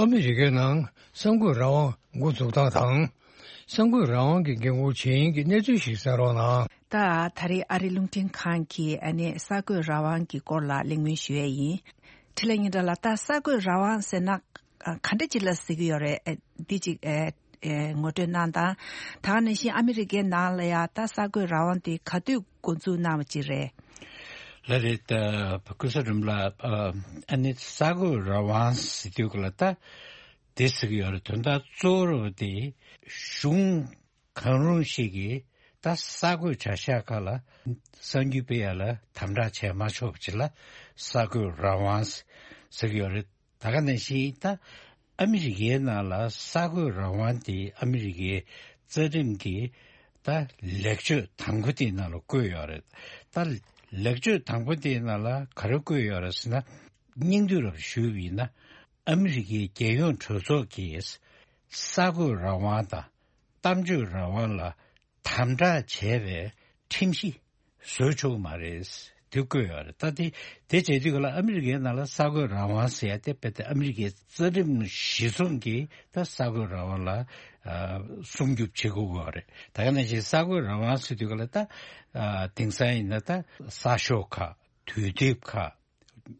ཨ་མི་རི་ཀའི་ནང་གསར་འགོད་རང་དབང་འགོ་འཛུགས་སྟངས་དང་། གསར་འགོད་རང་དབང་གི་འགན་འཁུར་བྱེད་མཁན་གྱི་གནས་ཚུལ་ཞིག་གསན་རོགས་གནང་། ད་ད་རེས་ཨ་རིའི་རླུང་འཕྲིན་ཁང་གིས་ཨ་ནི་གསར་འགོད་རང་དབང་གི་སྐོར་ལ་གླེང་མོལ་ཞུ་ཡས་ཡིན། འཕྲིན་ལས་སྙན་གྲགས་ལགས། ད་གསར་འགོད་རང་དབང་ཟེར་ན་ཨ་ག་འདྲ་ཅིག་ལ་ཟེར་གྱི་ཡོད་རེད། ཨ་འདི་ཅིག་ཨ་ཨ་ངོ་སྤྲོད་གནང་དང་། ད་ག་ནང་བཞིན་ཨ་མི་རི་ཀའི་ནང་ལ་ཡང་ད་གསར་འགོད་རང་དབང་དེ་ག་དུས་འགོ་འཛུགས་གནང་བ་ཅིག་རེད། ལགས་རེད། ད་ཀུན་བཟང་སྒྲོལ་མ་ལགས། ཨ་ནི་གསར་འགོད་རང་དབང་ཟེར་དུས་ག་ལ་ད་དེ་ཟེར་གྱི་ཡོད་རེད། དོན་དག་གཙོ་བོ་དེ་གཞུང་གང་རུང་ཞིག་གིས་ད་གསར་འགོད་བྱ་གཞག་ཁག་ལ་གསར་འགྱུར་སྤེལ་ཡ་ལ་དམ་དྲག་བྱས་མ་ཆོག་པ་ཅིག་ལ་གསར་འགོད་རང་དབང་ཟེར་གྱི་ཡོད་རེད། ད་ག་ནང་བཞིན་ད་ཨ་མི་རི་ཀའི་ནང་ལ་གསར་འགོད་རང་དབང་དེ་ཨ་མི་རི་ཀའི་རྩ་ཁྲིམས་ཀྱི་ད་ལེགས་བཅོས་དང་པོ་དེའི་ནང་ལ་བཀོད་ཡོད་རེད། ད་ལེགས་བཅོས་དང་པོ་དེའི་ནང་ལ་ག་རེ་བཀོད་ཡོད་རེད་ཟེར་ན། སྙིང་བསྡུས་རབ་ཞུས་པ་ཡིན་ན། ཨ་མི་རི་ཀའི་རྒྱལ་ཡོངས་གྲོས་ཚོགས་ཀྱིས་གསར་འགོད་རང་དབང་དང་གཏམ་བརྗོད་རང་དབང་ལ་དམ་དྲག་བྱས་པའི་ཁྲིམས་གཞི་བཟོ་ཆོག་གི་མ་རེད། དེ་བཀོད་ཡོད་རེད། ད་དེ་དེ་བྱེད་དུས་ག་ལ་ཨ་མི་རི་ཀའི་ནང་ལ་གསར་འགོད་རང་དབང་ཟེར་ཡ་དེ་རྦད་དེ་ཨ་མི་རི་ཀའི་རྩ་ཁྲིམས་གཞི་བཟུང་གིས་ད་གསར་འགོད་རང་དབང་ལ་ཨ་སྲུང་སྐྱོབ་བྱེད་དགོས་ཀྱི་ཡོད་རེད། ད་ག་ནང་བཞིན་གསར་འགོད་རང་དབང་ཟེར་དུས་ག་ལ་ད་ཨ་དེང་སང་ཡིན་ན་ད་གསར་ཤོག་ཁག་དུས་དེབ་ཁག་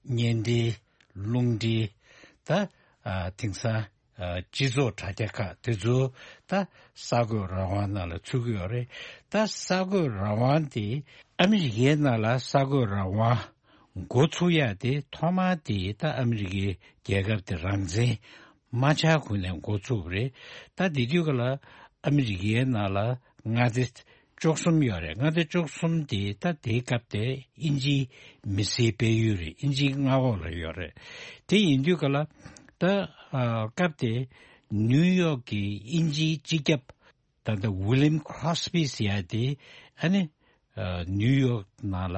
བརྙན་འཕྲིན། རླུང་འཕྲིན། ད་ཨ་དེང་སང་ཨ་སྤྱི་ཚོགས་དྲ་རྒྱ་ཁག་དེ་ཚོ་ད་གསར་འགོད་རང་དབང་ནང་ལ་ཚུད་ཀྱི་ཡོད་རེད། ད་གསར་འགོད་རང་དབང་དེ་ཨ་མི་རི་ཀའི་ནང་ལ་གསར་འགོད་རང་དབང་འགོ་ཚུགས་ཡ་དེ་ཐོག་མར་དེ་ད་ཨ་མི་རི་ཀའི་རྒྱལ་ཁབ་དེ་རང་བཙན་མ་ཆགས་གོང་ནས་འགོ་ཚུགས་པ་རེད། ད་དེ་དུས་ག་ལ་ཨ་མི་རི་ཀའི་ནང་ལ་མངའ་སྡེ་བཅུ་གསུམ་ཡོད་རེད། མངའ་སྡེ་བཅུ་གསུམ་དེ་ད་དེའི་སྐབས་དེ་དབྱིན་ཇིའི་མི་སེར་སྤེལ་ཡུལ་རེད། དབྱིན་ཇིའི་མངའ་འོག་ལ་ཡོད་རེད། དེ་ཡིན་དུས་ག་ལ་ད་ཨ་སྐབས་དེ་ནིའུ་ཡོག་གི་དབྱིན་ཇིའི་སྤྱི་ཁྱབ་ད་ལྟ་ཝི་ལིམ་ཁྲོ་སི་པི་ཟེར་ཡ་དེ་ཨ་ནི་ཨ་ནིའུ་ཡོག་ནང་ལ་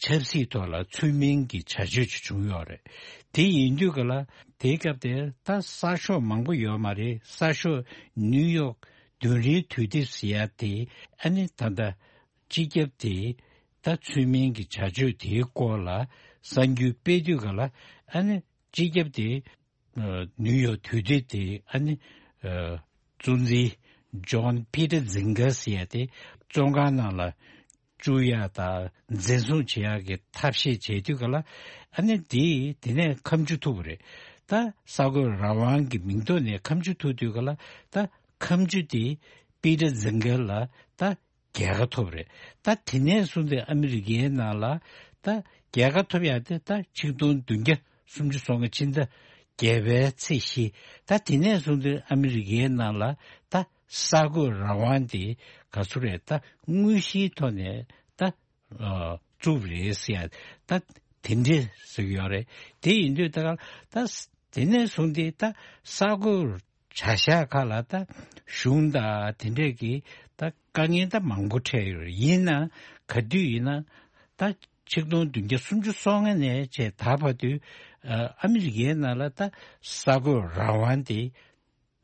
ཆབ་སྲིད་ཐོག་ལ་ཚུལ་མིན་གྱི་བྱ་སྤྱོད་ཅིག་བྱུང་ཡོད་རེད། དེ་ཡིན་དུས་ག་ལ་དེའི་སྐབས་དེ་ད་གསར་ཤོག་མང་པོ་ཡོད་མ་རེད། གསར་ཤོག་ནིའུ་ཡོག་བདུན་རེའི་དུས་དེབ་ཟེར་ཡ་དེ་ཨ་ནི་ད་ལྟ་སྤྱི་ཁྱབ་དེ་ད་ཚུལ་མིན་གྱི་བྱ་སྤྱོད་དེའི་སྐོར་ལ་གསར་འགྱུར་སྤེལ་དུས་ག་ལ་ཨ་ནི་སྤྱི་ཁྱབ་དེ་ཨ་ནིའུ་ཡོག་དུས་དེབ་དེ་ཨ་ནི་ཨ་གཙོ་འཛིན་ཇོན་པི་ཏར་ཛིང་གར་ཟེར་ཡ་དེ་བཙོན་ཁང་ནང་ལ་བཅུག་ཡ་དང་འཛིན་བཟུང་བྱེད་ཡ་གི་ཐབས་ཤེས་བྱེད་དུས་ག་ལ་ཨ་ནི་དེ་དེ་ནས་ཁ་མཆུ་ཐུག་པ་རེད། ད་གསར་འགོད་རང་དབང་གི་མིང་ཐོག་ནས་ཁ་མཆུ་ཐུག་དུས་ག་ལ་ད་ཁ་མཆུ་དེ་པི་ཏར་ཛིང་གར་ལ་ད་རྒྱལ་ཁ་ཐོབ་རེད། ད་དེ་ནས་བཟུང་སྟེ་ཨ་མི་རི་ཀའི་ནང་ལ་ད་རྒྱལ་ཁ་ཐོབ་ཡ་དེ་ད་ཆིག་སྟོང་བདུན་བརྒྱ་སུམ་ཅུ་སོ་ལྔ་ཕྱི་ཟླ་བརྒྱད་པའི་ཚེས་བཞི། ད་དེ་ནས་བཟུང་སྟེ་ཨ་མི་རི་ཀའི་ནང་ལ་ད་གསར་འགོད་རང་དབང་དེ་ག་ཚོད་རེད། ད་དངོས་གཞིའི་ཐོག་ནས་ད་ཨ་བཙུགས་རེད་ཟེར་ཡ་ད་དེ་འདྲས་ཟེར་གྱི་ཡོད་རེད། དེ་ཡིན་དུས་ད་ག་ད་དེ་ནས་བཟུང་སྟེ་ད་གསར་འགོད་བྱ་གཞག་ཁག་ལ་ད་གཞུང་དང་དེ་འདྲས་ཀྱི་ད་དཀའ་ངལ་ད་མང་པོ་འཕྲད་ཡོད་རེད། ཡིན་ན་ག་དུས་ཡིན་ན་ད་ཆིག་སྟོང་བདུན་བརྒྱ་སུམ་ཅུ་སོ་ལྔ་ནས་བྱས་ད་བར་དུ་ཨ་ཨ་མི་རི་ཀའི་ནང་ལ་ད་གསར་འགོད་རང་དབང་དེ་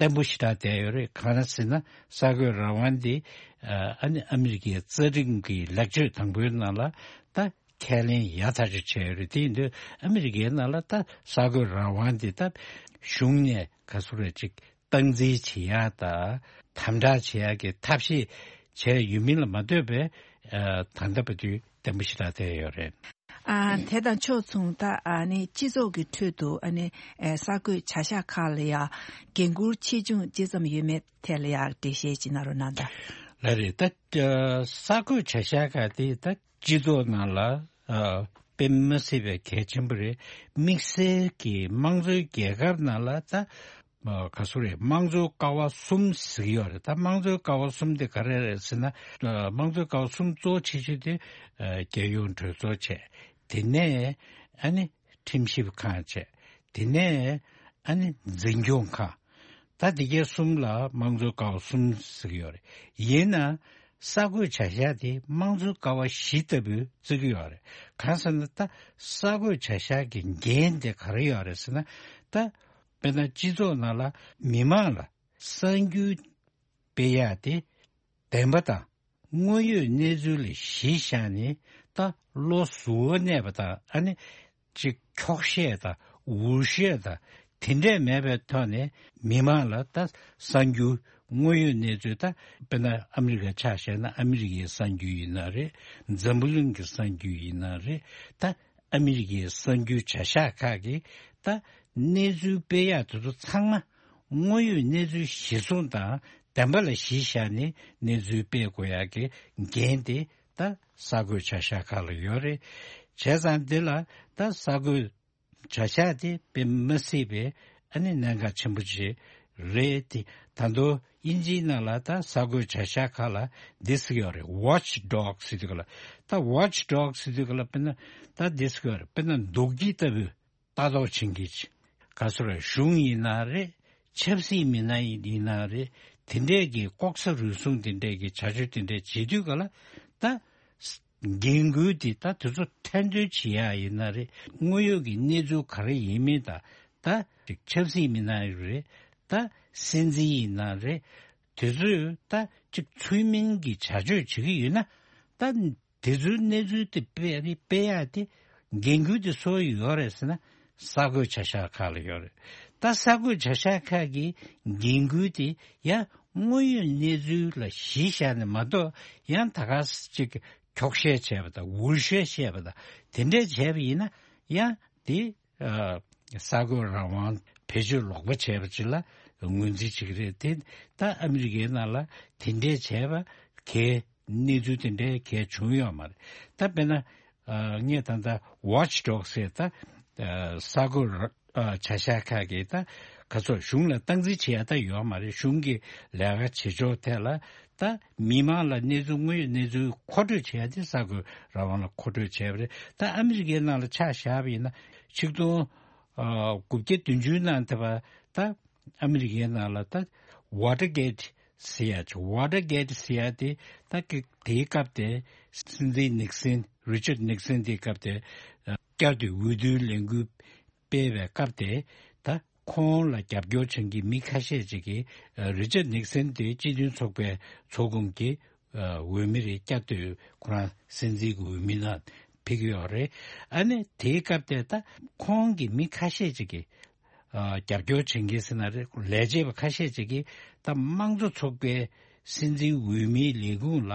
བརྟན་པོ་ཞེ་དྲག་བསྡད་ཡོད་རེད། གང་ལ་ཟེར་ན་གསར་འགོད་རང་དབང་དེ་ཨ་ཨ་ནི་ཨ་མི་རི་ཀའི་རྩ་ཁྲིམས་ཀྱི་ལེགས་བཅོས་དང་པོའི་ནང་ལ་ད་ཁས་ལེན་ཡག་ཐག་ཆོད་བྱས་ཡོད་རེད། དེ་ཡིན་དུས་ཨ་མི་རི་ཀའི་ནང་ལ་ད་གསར་འགོད་རང་དབང་དེ་ད་གཞུང་ནས་ག་ཚོད་རེ་ཅིག་སྟངས་འཛིན་བྱེད་ཡག་དང་དམ་དྲག་བྱེད་ཡག་གི་ཐབས་ཤེས་བྱས་ཡོད་མིན་ལ་མ་ལྟོས་པའི་ཨ་ད་ལྟ་བར་དུ་བརྟན་པོ་ཞེ་དྲག་བསྡད་ཡོད་རེད། ཨ་དེ་དང་ཕྱོགས་མཚུངས་ད་ཨ་ནི་སྤྱི་ཚོགས་ཀྱི་ཁྲོད་དུ་ཨ་ནི་ཨེ་གསར་འགོད་བྱ་གཞག་ཁག་ལ་ཡང་འགན་འཁུར་ཆེ་ཆུང་ཅི་ཙམ་ཡོད་མེད་ཐད་ལ་ཡང་འགྲེལ་བཤད་ཅིག་གནང་རོགས་གནང་དང་། ལགས་རེད། ད་ཨ་གསར་འགོད་བྱ་གཞག་ཁག་དེ་ད་སྤྱི་ཚོགས་ནང་ལ་ཨ་དཔེ་མི་སྲིད་པའི་གལ་ཆེན་པོ་རེད། དམིགས་བསལ་གྱི་དམངས་གཙོའི་རྒྱལ་ཁབ་ནང་ལ་ད་ཨ་ག་ཚོད་རེད། དམངས་གཙོ་ཀ་བ་གསུམ་ཟེར་གྱི་ཡོད་རེད། ད་དམངས་གཙོའི་ཀ་བ་གསུམ་དེ་ག་རེ་རེད་ཟེར་ན། ཨ་དམངས་གཙོའི་ཀ་བ་གསུམ་གཙོ་ཆེ་ཤོས་དེ་ཨ་རྒྱལ་ཡོངས་གྲོས་ཚོགས་བྱས། དེ་ནས་ཨ་ནི་ཁྲིམས་ཞིབ་ཁང་བྱས། དེ་ནས་ཨ་ནི་འཛིན་སྐྱོང་ཁང་། ད་འདི་གའི་གསུམ་ལ་དམངས་གཙོའི་ཀ་བ་གསུམ་ཟེར་གྱི་ཡོད་རེད། ཡིན་ན་གསར་འགོད་བྱ་གཞག་དེ་དམངས་གཙོའི་ཀ་བ་བཞི་ལྟ་བུ་བརྩི་གི་ཡོད་རེད། གང་ཟེར་ན་ད་གསར་འགོད་བྱ་གཞག་གི་འགན་དེ་ག་རེ་ཡོད་རེད་ཟེར་ན། ད་དཔེར་ན་སྤྱི་ཚོགས་ནང་ལ་མི་མང་ལ་གསར་འགྱུར་སྤེལ་ཡག་དེ་བདེན་པ་དང་དངོས་ཡོད་གནས་ཚུལ་ལ་གཞི་བཞག་ནས་ད་བློ་གཟུ་བོར་གནས་པ་དང་། ཨ་ནི་ཅིག་འཁྱོག་བཤད་དང་འུར་བཤད་དང་ དེ་འདྲས་མེད་པའི་ཐོག་ནས་མི་མང་ལ་ད་གསར་འགྱུར་དངོས་ཡོད་གནས་ཚུལ། ད་དཔེར་ན་ཨ་མི་རི་ཀ་ཆ་བཞག་ན་ཨ་མི་རི་ཀའི་གསར་འགྱུར་ཡིན་ན་རེད། འཛམ་བུ་གླིང་གི་གསར་འགྱུར་ཡིན་ན་རེད། ད་ཨ་མི་རི་ཀའི་གསར་འགྱུར་བྱ་གཞག་ཁག་གིས་ད་གནས་ཚུལ་སྤེལ་ཡག་དེ་ཚོ་ཚང་མ་དངོས་ཡོད་གནས་ཚུལ་གཞིར་བཟུང་དང་བདེན་པ་ལ་གཞི་བཞག་ནས་གནས་ཚུལ་སྤེལ་དགོས་ཡག་གི་འགན་དེ་ད་གསར་འགོད་བྱ་གཞག་ཁག་ལ་ཡོད་རེད། བྱས་ཙང་འདི་ལ་ད་གསར་འགོད་བྱ་གཞག་དེ་དཔེ་མི་སྲིད་པའི་ཨ་ནི་གནད་འགག་ཆེན་པོ་ཅིག་རེད་དེ། ད་དུང་དབྱིན་ཇིའི་ནང་ལ་ད་གསར་འགོད་བྱ་གཞག་ཁག་ལ་འདི་ཟེར་གྱི་ཡོད་རེད། Watch Dogs ཟེར་དུས་ག་ལ། ད་Watch Dogs ཟེར་དུས་ག་ལ། དཔེར་ན་ད་འདི་ཟེར་གྱི་ཡོད་རེད། དཔེར་ན་འདུག་སྤྱི་ལྟ་བུའི་ལྟ་རྟོག་བྱེད་མཁན་ཅིག་ག་ཚོད་རེད། གཞུང་ཡིན་ན་རེད། ཆབ་སྲིད་མི་སྣ་ཡིན་ན་རེད། དེ་འདྲས་ཀྱི་ལྐོག་ཟ་རུལ་སུངས་དེ་འདྲས་ཀྱི་བྱ་སྤྱོད་དེ་འདྲས་བྱེད་དུས་ག་ལ། ད་འགན་འཁུར་དེ་ད་དེ་ཚོ་ཐེར་འདོན་བྱེད་ཡག་ཡིན་ན་རེད། དངོས་ཡོད་ཀྱི་གནས་ཚུལ་ག་རེ་ཡིན་མིན་དང་། ད་ཅིག་ཆབ་སྲིད་མི་སྣ་རེད། ད་སྲིད་འཛིན་ཡིན་ན་རེད། དེ་ཚོས་ད་ཅིག་ཚུལ་མིན་གྱི་བྱ་སྤྱོད་བྱེད་ཀྱི་ཡོད་ན། ད་དེ་ཚོའི་གནས་ཚུལ་དེ་སྤེལ་རེས་སྤེལ་ཡག་དེ་འགན་འཁུར་དེ་སུ་ཡོད་རེད་ཟེར་ན། གསར་འགོད་བྱ་གཞག་ཁག་ལ་ཡོད་རེད། ད་གསར་འགོད་བྱ་གཞག་ཁག་གི་འགན་འཁུར་དེ་ཡང་དངོས་ཡོད་གནས་ཚུལ་ལ་གཞི་བཞག་ནས་མ་གཏོགས། ཡང་ད་ག་ཅིག་འཁྱོག་བཤད་བྱས་པ་དང་འུར་བཤད་བཤད་པ་དང་དེ་འདྲས་བྱས་པ་ཡིན་ན། ཡང་དེ་ཨ་གསར་འགོད་རང་དབང་བེད་སྤྱོད་ལོག་པ་བྱས་པ་ཅིག་ལ་ངོས་འཛིན་བྱེད་ཀྱི་རེད་དེ། ད་ཨ་མི་རི་ཀའི་ནང་ལ་དེ་འདྲས་བྱས་པ་གས་གནས་ཚུལ་དེ་འདྲའི་གལ་བྱུང་ཡོད་མ་རེད། ད་དཔེར་ན་ཨ་ངས་ད་ལྟ་Watch Dogs ཟེར། ད་ཨ་གསར་འགོད་ར་ཨ་བྱ་གཞག་ཁག་གིས་ད་ག་ཚོད་གཞུང་ལ་སྟངས་འཛིན་བྱེད་ཡ་ད་ཡོད་མ་རེད། གཞུང་གི་ལས་ཀ་བྱེད་ཕྱོགས་ཐད་ལ་ད་མི་མང་ལ་གནས་ཚུལ་དངོས་ཡོད་གནས་ཚུལ་མཁོ་སྤྲོད་བྱེད་ཡ་དེ་གསར་འགོད་རང་དབང་ལ་མཁོ་སྤྲོད་བྱས་པ་རེད། ད་ཨ་མི་རི་ཀའི་ནང་ལ་ཆ་བཞག་པ་ཡིན་ན། ཆིག་སྟོང་ཨ་དགུ་བརྒྱ་བདུན་ཅུ་ནང་དེ་བ་ད་ཨ་མི་རི་ཀའི་ནང་ལ་ད་Watergate ཟེར་ཡ་ཅིག Watergate ཟེར་ཡ་དེ་ད་གི་དེའི་སྐབས་དེ་སྲིད་འཛིན་ནིག་སན། Richard Nixon དེའི་སྐབས་དེ་ཨ་བསྐྱར་དུ་འོས་བསྡུའི་ལས་འགུལ་སྤེལ་བའི་སྐབས་དེ། ད་ཁོང་ལ་རྒྱབ་སྐྱོར་བྱེད་མཁན་མི་ཁ་ཤས་ཅིག་གིས་ཨ་Richard Nixon དེ་སྤྱི་མཐུན་ཚོགས་པའི་ཚོགས་འཁོར་གྱི་ཨ་འོས་མི་རེ་བསྐྱར་དུ་ཁོ་རང་སྲིད་འཛིན་གྱི་འོས་མི་ནང་ཕེབས་ཀྱི་ཡོད་རེད། ཨ་ནི་དེའི་སྐབས་དེ་ད་ཁོང་གི་མི་ཁ་ཤས་ཅིག་གིས་ཨ་རྒྱབ་སྐྱོར་བྱེད་མཁན་ཟེར་ན་རེད། ལས་བྱེད་པ་ཁ་ཤས་ཅིག་གིས་ད་དམངས་གཙོ་ཚོགས་པའི་སྲིད་འཛིན་འོས་མིའི་ལས་ཁུངས་ལ་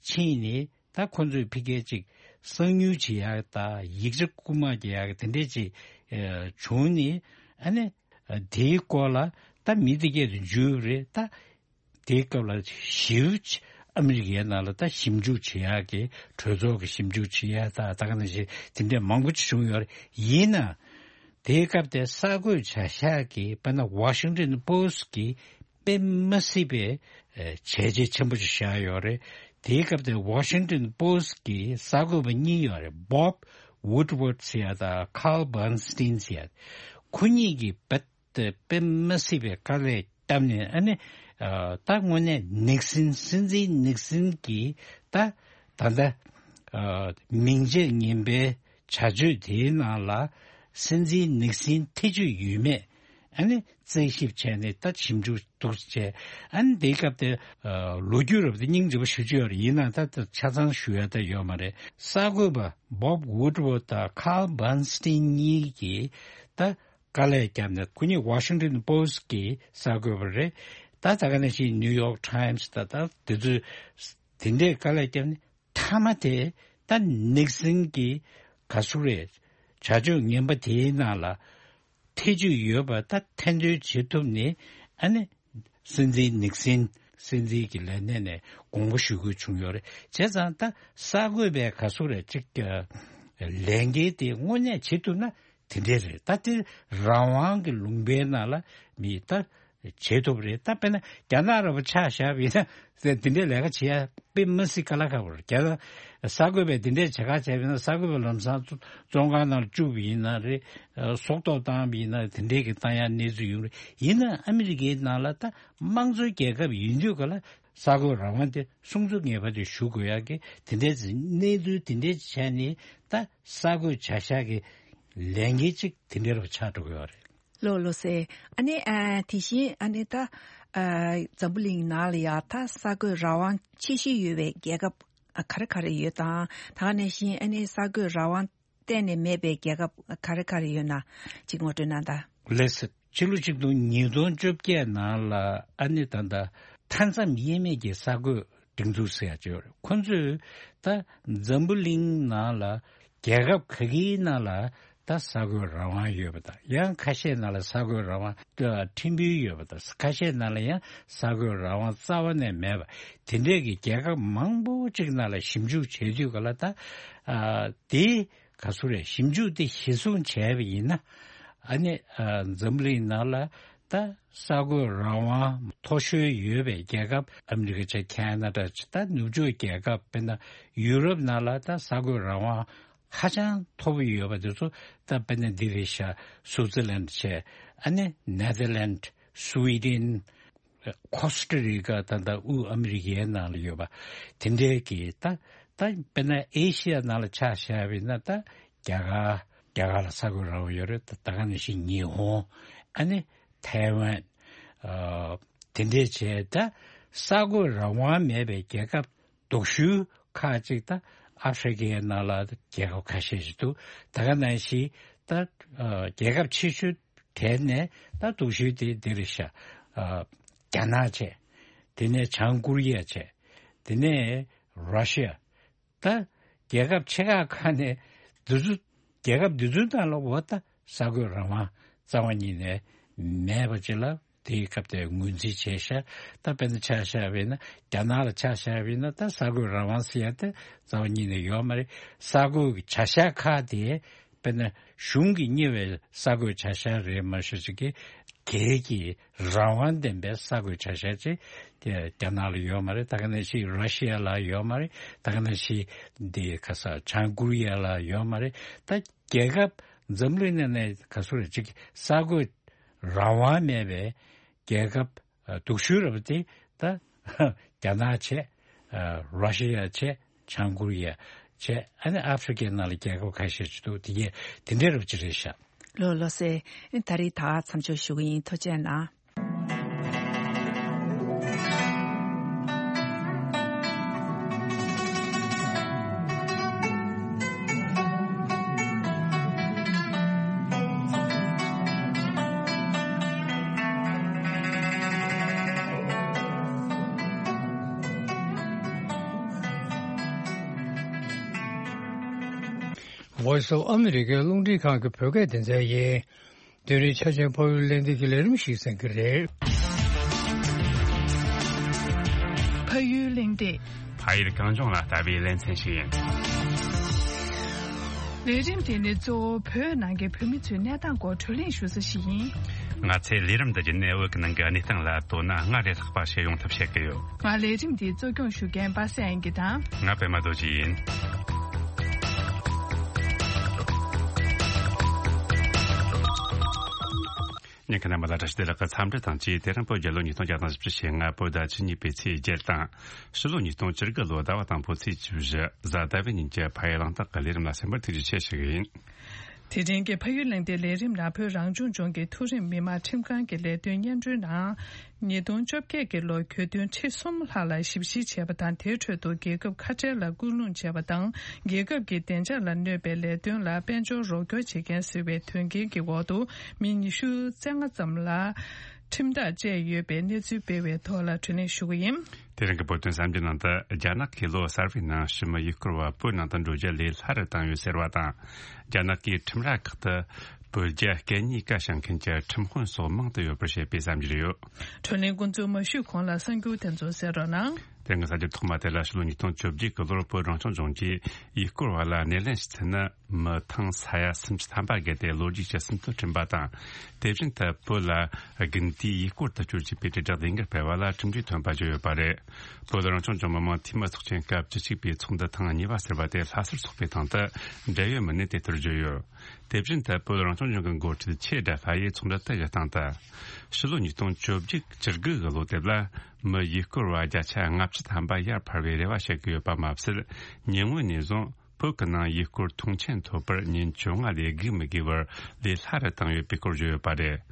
ཕྱིན་ནས། ད་ཁོ་ཚོས་ཕ་གིར་ཅིག་གསང་ཉུལ་བྱེད་ཡག་དང་ཡིག་ཆ་རྐུ་མ་རྒྱག་ཡག་དེ་འདྲས་ཅིག་ཨ་བྱུང་ནས། ཨ་ནི་ཨ་དེའི་སྐོར་ལ་ད་མི་དེ་གས་དུ་འཇུས་པ་རེད། ད་དེའི་སྐབས་ལ་ཞེ་པོ་ཅིག་ཨ་མི་རི་ཀའི་ནང་ལ་ད་ཞིབ་འཇུག་བྱེད་ཡག་གི་གྲོས་ཚོགས་ཀྱི་ཞིབ་འཇུག་བྱེད་ཡག་ད་ད་ག་ནང་བཞིན་དེ་འདྲས་མང་པོ་ཅིག་བྱུང་ཡོད་རེད། ཡིན་ན་དེའི་སྐབས་དེ་གསར་འགོད་བྱ་གཞག་གི་དཔེར་ན་Washington Post གི་དཔེ་མ་སྲིད་པའི་ཨེ་བྱས་རྗེས་ཆེན་པོ་ཞིག་བཞག་ཡོད་རེད། དེའི་སྐབས་དེ་Washington Post གི་གསར་འགོད་པ་གཉིས་ཡོད་རེད། Bob Woodward ཟེར་ཡ་དང་Carl Bernstein ཟེར་ཡ། ཁོ་གཉིས་ཀྱིས་རྦད་དེ་དཔེ་མ་སྲིད་པའི་དཀའ་ལས་བརྒྱབ་ནས། ཨ་ནི་ཨ་ད་དངོས་གནས་ནིག་སན། སྲིད་འཛིན་ནིག་སན་གྱིས་ད་ད་ལྟ་ཨ་མིང་རྗེས་ངན་པའི་བྱ་སྤྱོད་དེའི་ནང་ལ་སྲིད་འཛིན་ནིག་སན་ཐེ་བྱུས་ཡོད་མེད། ཨ་ནི་རྩད་ཞིབ་བྱས་ནས་ད་ཞིབ་འཇུག་འདུག་བྱས། ཨ་ནི་དེའི་སྐབས་དེ་ཨ་ལོ་རྒྱུས་རབ་དེ་སྙིང་རྗེ་པོ་ཞུ་རྒྱུ་ཡོད་རེད། ཡིན་ནའང་ད་ད་ཆ་ཚང་ཞུ་ཡ་ད་ཡོད་མ་རེད། གསར་འགོད་པ་Bob Woodward དང་Carl Bernstein གཉིས་ཀྱིས་ད་དཀའ་ལས་བརྒྱབ་ནས། ཁོ་གཉིས་Washington Post གི་གསར་འགོད་པ་རེད། ད་ད་ག་ནང་བཞིན་New York Times ད་ད་དེ་ཚོས་དེ་འདྲས་དཀའ་ལས་བརྒྱབ་ནས། མཐའ་མ་དེ་ད་ནིག་སན་གྱི་ག་ཟེར་རེད། བྱ་སྤྱོད་ངན་པ་དེའི་ནང་ལ་ཐེ་བྱུས་ཡོད་པ་ད་ཐེར་འདོན་བྱེད་ཐུབ་ནས། ཨ་ནི་སྲིད་འཛིན་ནིག་སན་སྲིད་འཛིན་གྱི་ལས་གནས་ནས་དགོངས་པ་ཞུ་དགོས་བྱུང་ཡོད་རེད། བྱས་ཙང་ད་གསར་འགོད་པའི་ག་ཟེར་རེད། ཅིག་ལས་འགན་དེ་དངོས་གནས་བྱེད་ཐུབ་ན་དེ་འདྲས་རེད། ད་དེ་རང་དབང་གི་ལུང་པའི་ནང་ལ་མི་ད་བྱེད་ཐུབ་རེད། ད་དཔེར་ན་རྒྱ་ནག་ར་བ་ཆ་བཞག་པ་ཡིན་ན། དེ་འདྲའི་ལས་ཀ་བྱེད་ཡ་དཔེ་མི་སྲིད་དཀའ་ལས་ཁག་པོ་རེད། རྒྱ་ནག་གསར་འགོད་པས་དེ་འདྲའི་བྱེད་ཁ་བྱས་པ་ཡིན་ན། གསར་འགོད་པ་ལམ་སང་བཙོན་ཁང་ནང་བཅུག་པ་ཡིན་ན་རེད། སྲོག་ཐོག་བཏང་བ་ཡིན་ན། དེ་འདྲའི་གི་བཏང་ཡ་གནས་ཚུལ་ཡོང་རེད། ཡིན་ན་ཨ་མི་རི་ཀའི་ནང་ལ་ད་དམངས་གཙོའི་རྒྱལ་ཁབ་ཡིན་དུས་ག་ལ་གསར་འགོད་རང་དབང་དེ་སྲུང་སྐྱོབ་ངེས་པར་དུ་ཞུ་དགོས་ཡ་གི་དེ་འདྲའི་གནས་ཚུལ་དེ་འདྲའི་བྱས་ནས། ད་གསར་འགོད་བྱ་གཞག་གི་ལས་འགན་གཅིག་དེ་འདྲ་རུ་ཆགས་འགྲོ་གི་ཡོད་རེད། ལགས་ལགས་སེ། ཨ་ནི་ཨ་དེ་བཞིན་ཨ་ནི་ད་ཨ་འཛམ་བུ་གླིང་ནང་ལ་ཡ་ད་གསར་འགོད་རང་དབང་ཆེ་ཤོས་ཡོད་པའི་རྒྱལ་ཁབ་ག་རེ་ག་རེ་ཡོད་དང་། ད་ག་ནང་བཞིན་ཨ་ནི་གསར་འགོད་རང་དབང་གཏན་ནས་མེད་པའི་རྒྱལ་ཁབ་ག་རེ་ག་རེ་ཡོད་ན་ཅིག་ངོ་སྤྲོད་གནང་དང་། ལགས་སེ། ཕྱི་ལོ་ཆིག་སྟོང་ཉིས་སྟོང་བཅོ་བརྒྱད་ནང་ལ་ཨ་ནི་ད་ལྟ་མཐའ་མཚམས་དབྱེ་མེད་ཀྱི་གསར་འགོད་སྒྲིག་འཛུགས་ཟེར་ཡ་ཅིག་ཡོད་རེད། ཁོ་ཚོས་ད་འཛམ་བུ་གླིང་ནང་ལ་རྒྱལ་ཁབ་ག་གིའི་ནང་ལ་ད་གསར་འགོད་རང་དབང་ཡོད་པ་དང་། ཡང་ཁ་ཤས་ནང་ལ་གསར་འགོད་རང་དབང་ད་ཕྲན་བུ་ཡོད་པ་དང་། ཁ་ཤས་ནང་ལ་ཡང་གསར་འགོད་རང་དབང་རྩ་བ་ནས་མེད་པ། དེ་འདྲས་ཀྱི་རྒྱལ་ཁབ་མང་པོ་ཅིག་ནང་ལ་ཞིབ་འཇུག་བྱེད་དུས་ག་ལ་ད་ཨ་དེ་ག་ཚོད་རེད། ཞིབ་འཇུག་དེ་གཞིར་བཟུང་བྱས་པ་ཡིན་ན། ཨ་ནི་ཨ་འཛམ་གླིང་ནང་ལ་ད་གསར་འགོད་རང་དབང་མཐོ་ཤོས་ཡོད་པའི་རྒྱལ་ཁབ། ཨ་མི་རི་ཀ་བྱས། ཁེ་ན་ཌ་བྱས། ད་ནུབ་ཕྱོགས་རྒྱལ་ཁབ། དཔེར་ན་ཡུ་རོབ་ནང་ལ་ད་གསར་འགོད་རང་དབང་ཧ་ཅང་མཐོ་པོ་ཡོད་པ་དེ་ཚོ་ད་དཔེར་ན་འདི་རེད་ཤག་སུའུ་ཙི་ལན་བྱས། ཨ་ནི་ནེ་དར་ལན། སུའི་ཌེན། ཁོ་སྟ་རི་ཀ། ད་ལྟ་དབུས་ཨ་མི་རི་ཀའི་ནང་ལ་ཡོད་པ་དེ་འདྲའི་གི་ད་ད་དཔེར་ན་ཨེ་ཤི་ཡ་ནང་ལ་ཆ་བཞག་པ་ཡིན་ན། ད་རྒྱ་གར། རྒྱ་གར་ལ་གསར་འགོད་རང་དབང་ཡོད་རེད། ད་ད་ག་ནང་བཞིན་ཉི་ཧོང་། ཨ་ནི་ཐའེ་ཝན། ཨ་དེ་འདྲའི་བྱས། ད་གསར་འགོད་རང་དབང་མེད་པའི་རྒྱལ་ཁབ་སྡུག་ཤོས་ཁག་ཅིག་ད་ཨ་ཧྥེ་རི་ཀའི་ནང་ལ་རྒྱལ་ཁབ་ཁ་ཤས་ཤིག་འདུག་ད་ག་ནང་བཞིན་ད་ཨ་རྒྱལ་ཁབ་ཆེ་ཤོས་གྲས་ནས་ད་སྡུག་ཤོས་དེ་འདི་རེད་ཤག་ཨ་རྒྱ་ནག་བྱས། དེ་ནས་བྱང་ཀོ་རི་ཡ་བྱས། དེ་ནས་ར་ཤི་ཡ། ད་རྒྱལ་ཁབ་ཆེ་ཁག་ཁག་ནས་འདི་ཚོ། རྒྱལ་ཁབ་འདི་ཚོའི་ནང་ལ་འོ་ད་གསར་འགོད་རང་དབང་རྩ་བ་ཉིད་ནས་མེད་པ་ཅིག་ལ་དེའི་སྐབས་དེར་ངོས་འཛིན་བྱས་ཤག་ད་དཔེར་ན་ཆ་བཞག་པ་ཡིན་ན། རྒྱ་ནག་ལ་ཆ་བཞག་པ་ཡིན་ན། ད་གསར་འགོད་རང་དབང་ཟེར་ཡ་དེ་རྩ་བ་ཉིད་ནས་ཡོད་མ་རེད། གསར་འགོད་ཀྱི་བྱ་གཞག་ཁག་དེ། དཔེར་ན་གཞུང་གིས་གཉེར་བའི་གསར་འགོད་བྱ་གཞག་རེད་མ་གཞི་ཅིག་གི། སྒེར་གྱི་རང་དབང་ལྡན་པའི་གསར་འགོད་བྱ་གཞག་ཅིག་དེ་རྒྱ་ནག་ལ་ཡོད་མ་རེད། ད་ག་ནང་བཞིན་ར་ཤི་ཡ་ལ་ཡོད་མ་རེད། ད་ག་ནང་བཞིན་འདི་ག་ས་བྱང་ཀོ་རི་ཡ་ལ་ཡོད་མ་རེད། ད་རྒྱལ་ཁབ་འཛམ་གླིང་ནང་ནས་ག་ཚོད་རེད་ཅིག་གསར་འགོད་རང་དབང་མེད་པའི་རྒྱལ་ཁབ་ཨ་སྡུག་ཤོས་རེད་པ་དེ། ད་རྒྱ་ནག་བྱས། ཨ་ར་ཤི་ཡ་བྱས། བྱང་ཀོ་རི་ཡ་བྱས། ཨ་ནི་ཨ་ཧྥེ་རི་ཀའི་ནང་ལ་རྒྱལ་ཁབ་ཁ་ཤས་ཅིག་འདུག་དེ་གས་དེ་འདྲའི་རབ་ཅིག་རེད་ཤག་ལོ་ལོ་སེ། ད་རེས་ད་མཚམས་འཇོག་ཞུ་གི་ཡིན། ཐུགས་རྗེ་གནང་། Voice of America རླུང་འཕྲིན་ཁང་གི་བོད་སྐད་སྡེ་ཚན་ཡིན། དེ་རིང་ཆ་ཆེན་ཕ་ཡུལ་གླེང་སྟེགས་ཀྱི་ལས་རིམ་ཞིག་གསན་གྱི་རེད། ཕ་ཡུལ་གླེང་སྟེགས། ཕ་ཡུལ་གངས་ལྗོངས་ལ་ལྟ་བའི་ལེ་ཚན་ཞིག་ཡིན། ལས་རིམ་དེ་ནི་གཙོ་བོ་བོད་ནང་གི་བོད་མི་ཚོའི་གནས་སྟངས་སྐོར་བགྲོ་གླེང་ཞུ་ས་ཞིག་ཡིན། ང་ཚོས་ལས་རིམ་འདི་བརྒྱུད་ནས་བོད་ཀྱི་ནང་གི་གནས་སྟངས་ལ་དོ་སྣང་སྔར་ལས་ལྷག་པ་བྱེད་ཡོང་ཐབས་བྱེད་ཀྱི་ཡོད། ང་ལས་རིམ་འདི་གཙོ་སྐྱོང་ཞུ་མཁན་པ་སངས་དབྱངས་སྐྱིད་དང་། ང་པད་མ་རྡོ་རྗེ་ཡིན། ཉན་མཁན་རྣམ་པ་ལ་བཀྲ་ཤིས་བདེ་ལེགས་ཀྱི་འཚམས་འདྲི་དང་བཅས། དེ་རིང་བོད་རྒྱལ་ལོ་ཉིས་སྟོང་བརྒྱ་དང་བཞི་བཅུ་ཞེ་ལྔ་བོད་ཟླ་བཅུ་གཉིས་པའི་ཚེས་བརྒྱད་དང་། ཕྱི་ལོ་ཉིས་སྟོང་བཅུ་དགུ་ལོ་ཟླ་བ་དང་པོའི་ཚེས་བཅུ་བཞི་གཟའ་ཟླ་བའི་ཉིན་གྱི་ཕ་ཡུལ་གླེང་སྟེགས་ཀྱི་ལས་རིམ་ལ་གསན་པར་ཐུགས་རྗེ་ཆེ་ཞུ་གི་ཡིན། དེ་རིང་གི་ཕ་ཡུལ་གླེང་སྟེགས་ལས་རིམ་ནང་བོད་རང་སྐྱོང་ལྗོངས་ཀྱི་མཐོ་རིམ་མི་དམངས་ཁྲིམས་ཁང་གི་ལས་དོན་སྙན་སྒྲོན་ནང་། ཉིས་སྟོང་བཅོ་བརྒྱད་ཀྱི་ལོར་གྱོད་དོན་ཁྲི་གསུམ་ལྷག་ལ་ཞིབ་བཤེར་བྱས་པ་དང་། དེའི་ཁྲོད་དུ་རྒྱལ་ཁབ་ཁ་བྲལ་ལ་སྐུལ་སློང་བྱས་པ་དང་། རྒྱལ་ཁབ་ཀྱི་བདེ་འཇགས་ལ་གནོད་པའི་ལས་དོན་ལ་དཔལ་འབྱོར་རོགས་སྐྱོར་བྱེད་མཁན་ཟེར་བའི་དོན་རྐྱེན་གྱི་འོག་ཏུ་མི་ཉི་ཤུ་རྩ་ལྔ་ཙམ་ལ་ཁྲིམས་ཐག་བཅད་ཡོད་པའི་གནས་ཚུལ་སྤེལ་བའི་ཐོག་ལ་བགྲོ་གླེང་ཞུ་གི་ཡིན། དེ་རིང་གི་བོད་དོན་གསར་འགྱུར་ནང་དུ། རྒྱ་ནག་གིས་ལོ་གསར་བའི་ནང་ཕྱི་མི་ཡུལ་སྐོར་བ་བོད་ནང་དུ་འགྲོ་རྒྱུ་ལས་སླ་རུ་བཏང་ཡོད་ཟེར་བ་དང་། རྒྱ་ནག་གིས་ཁྲིམས་ར་ཁག་ཏུ་བོད་རྒྱ་སྐད་གཉིས་ཀ་བྱང་མཁན་གྱི་ཁྲིམས་དཔོན་སོགས་མང་དུ་ཡོད་པར་བཤད་པའི་གསར་འགྱུར་ཡོད། བགྲོ་གླེང་འགོ་འཛུགས་མ་ཞུས་གོང་ལ་གསར་འགྱུར་དེ་ཚོ་གསན་རོགས་གནང་། དེ་སྔ་གསར་འགྱུར་ཐོག་མ་དེ་ལ། ཕྱི་ལོ་ཉིས་སྟོང་བཅོ་བརྒྱད་ཀྱི་ལོར་བོད་རང་སྐྱོང་ལྗོངས་ཀྱིས་ཡུལ་སྐོར་བ་ལ་སྣེ་ལེན་བྱེད་ཚུལ་ནི། མི་ཐང་ས་ཡ་སུམ་ཅུ་ཐམ་པ་བརྒལ་ཏེ་ལོ་རྒྱུས་ཀྱི་ཟིན་ཐོ་བསྐྲུན་པ་དང་། དེ་བཞིན་དུ་བོད་ལ་དགུན་དུས་ཡུལ་སྐོར་དུ་སྐྱོད་ཅེས་པའི་དྲིལ་བསྒྲགས་ལས་འགུལ་སྤེལ་བ་ལ་གྲུབ་འབྲས་ཐོན་པ་བརྗོད་ཡོད་པ་རེད། བོད་རང་སྐྱོང་ལྗོངས་མི་དམངས་འཐུས་མི་ཚོགས་ཆེན་སྐབས་བཅུ་གཅིག་པའི་ཚོགས་འདུ་ཐེངས་གཉིས་པ་ཟེར་བ་དེ་ལྷ་སར་འཚོགས་པའི་སྟེང་དུ། འབྲེལ་ཡོད་མི་སྣས་དེ་ལྟར་བརྗོད་ཡོད། དེ་བཞིན་དུ་བོད་རང་སྐྱོང་ལྗོངས་ཀྱི་འགོ་ཁྲིད་ཆེ་དགྲ་ལྷ་ཡིས་ཚོགས་འདུ་དེ་གི་སྟེང་དུ། ཕྱི་ལོ་ཉིས་སྟོང་བཅོ་བརྒྱད་བཅུ་དགུ་གི་ལོ་དེབ་ལ་མི་ཡུལ་སྐོར་བ་བརྒྱ་ཆ་ལྔ་བཅུ་ཐམ་པ་ཡར་འཕར་བའི་རེ་བ་བྱེད་ཀྱི་ཡོད་པ་མ་ཟད། ཉེ་སྔོན་ནས་བཟུང་བོད་ཀྱི་ནང་ཡུལ་སྐོར་མཐོང་ཆེན་ཐོབ་པར་ཉིན་བཅོ་ལྔ་ལས་བརྒལ་མི་དགོས་པར་ལས་སླ་རུ་བཏང་ཡོད་པའི་སྐོར་བརྗོད་ཡོད་པ་རེད།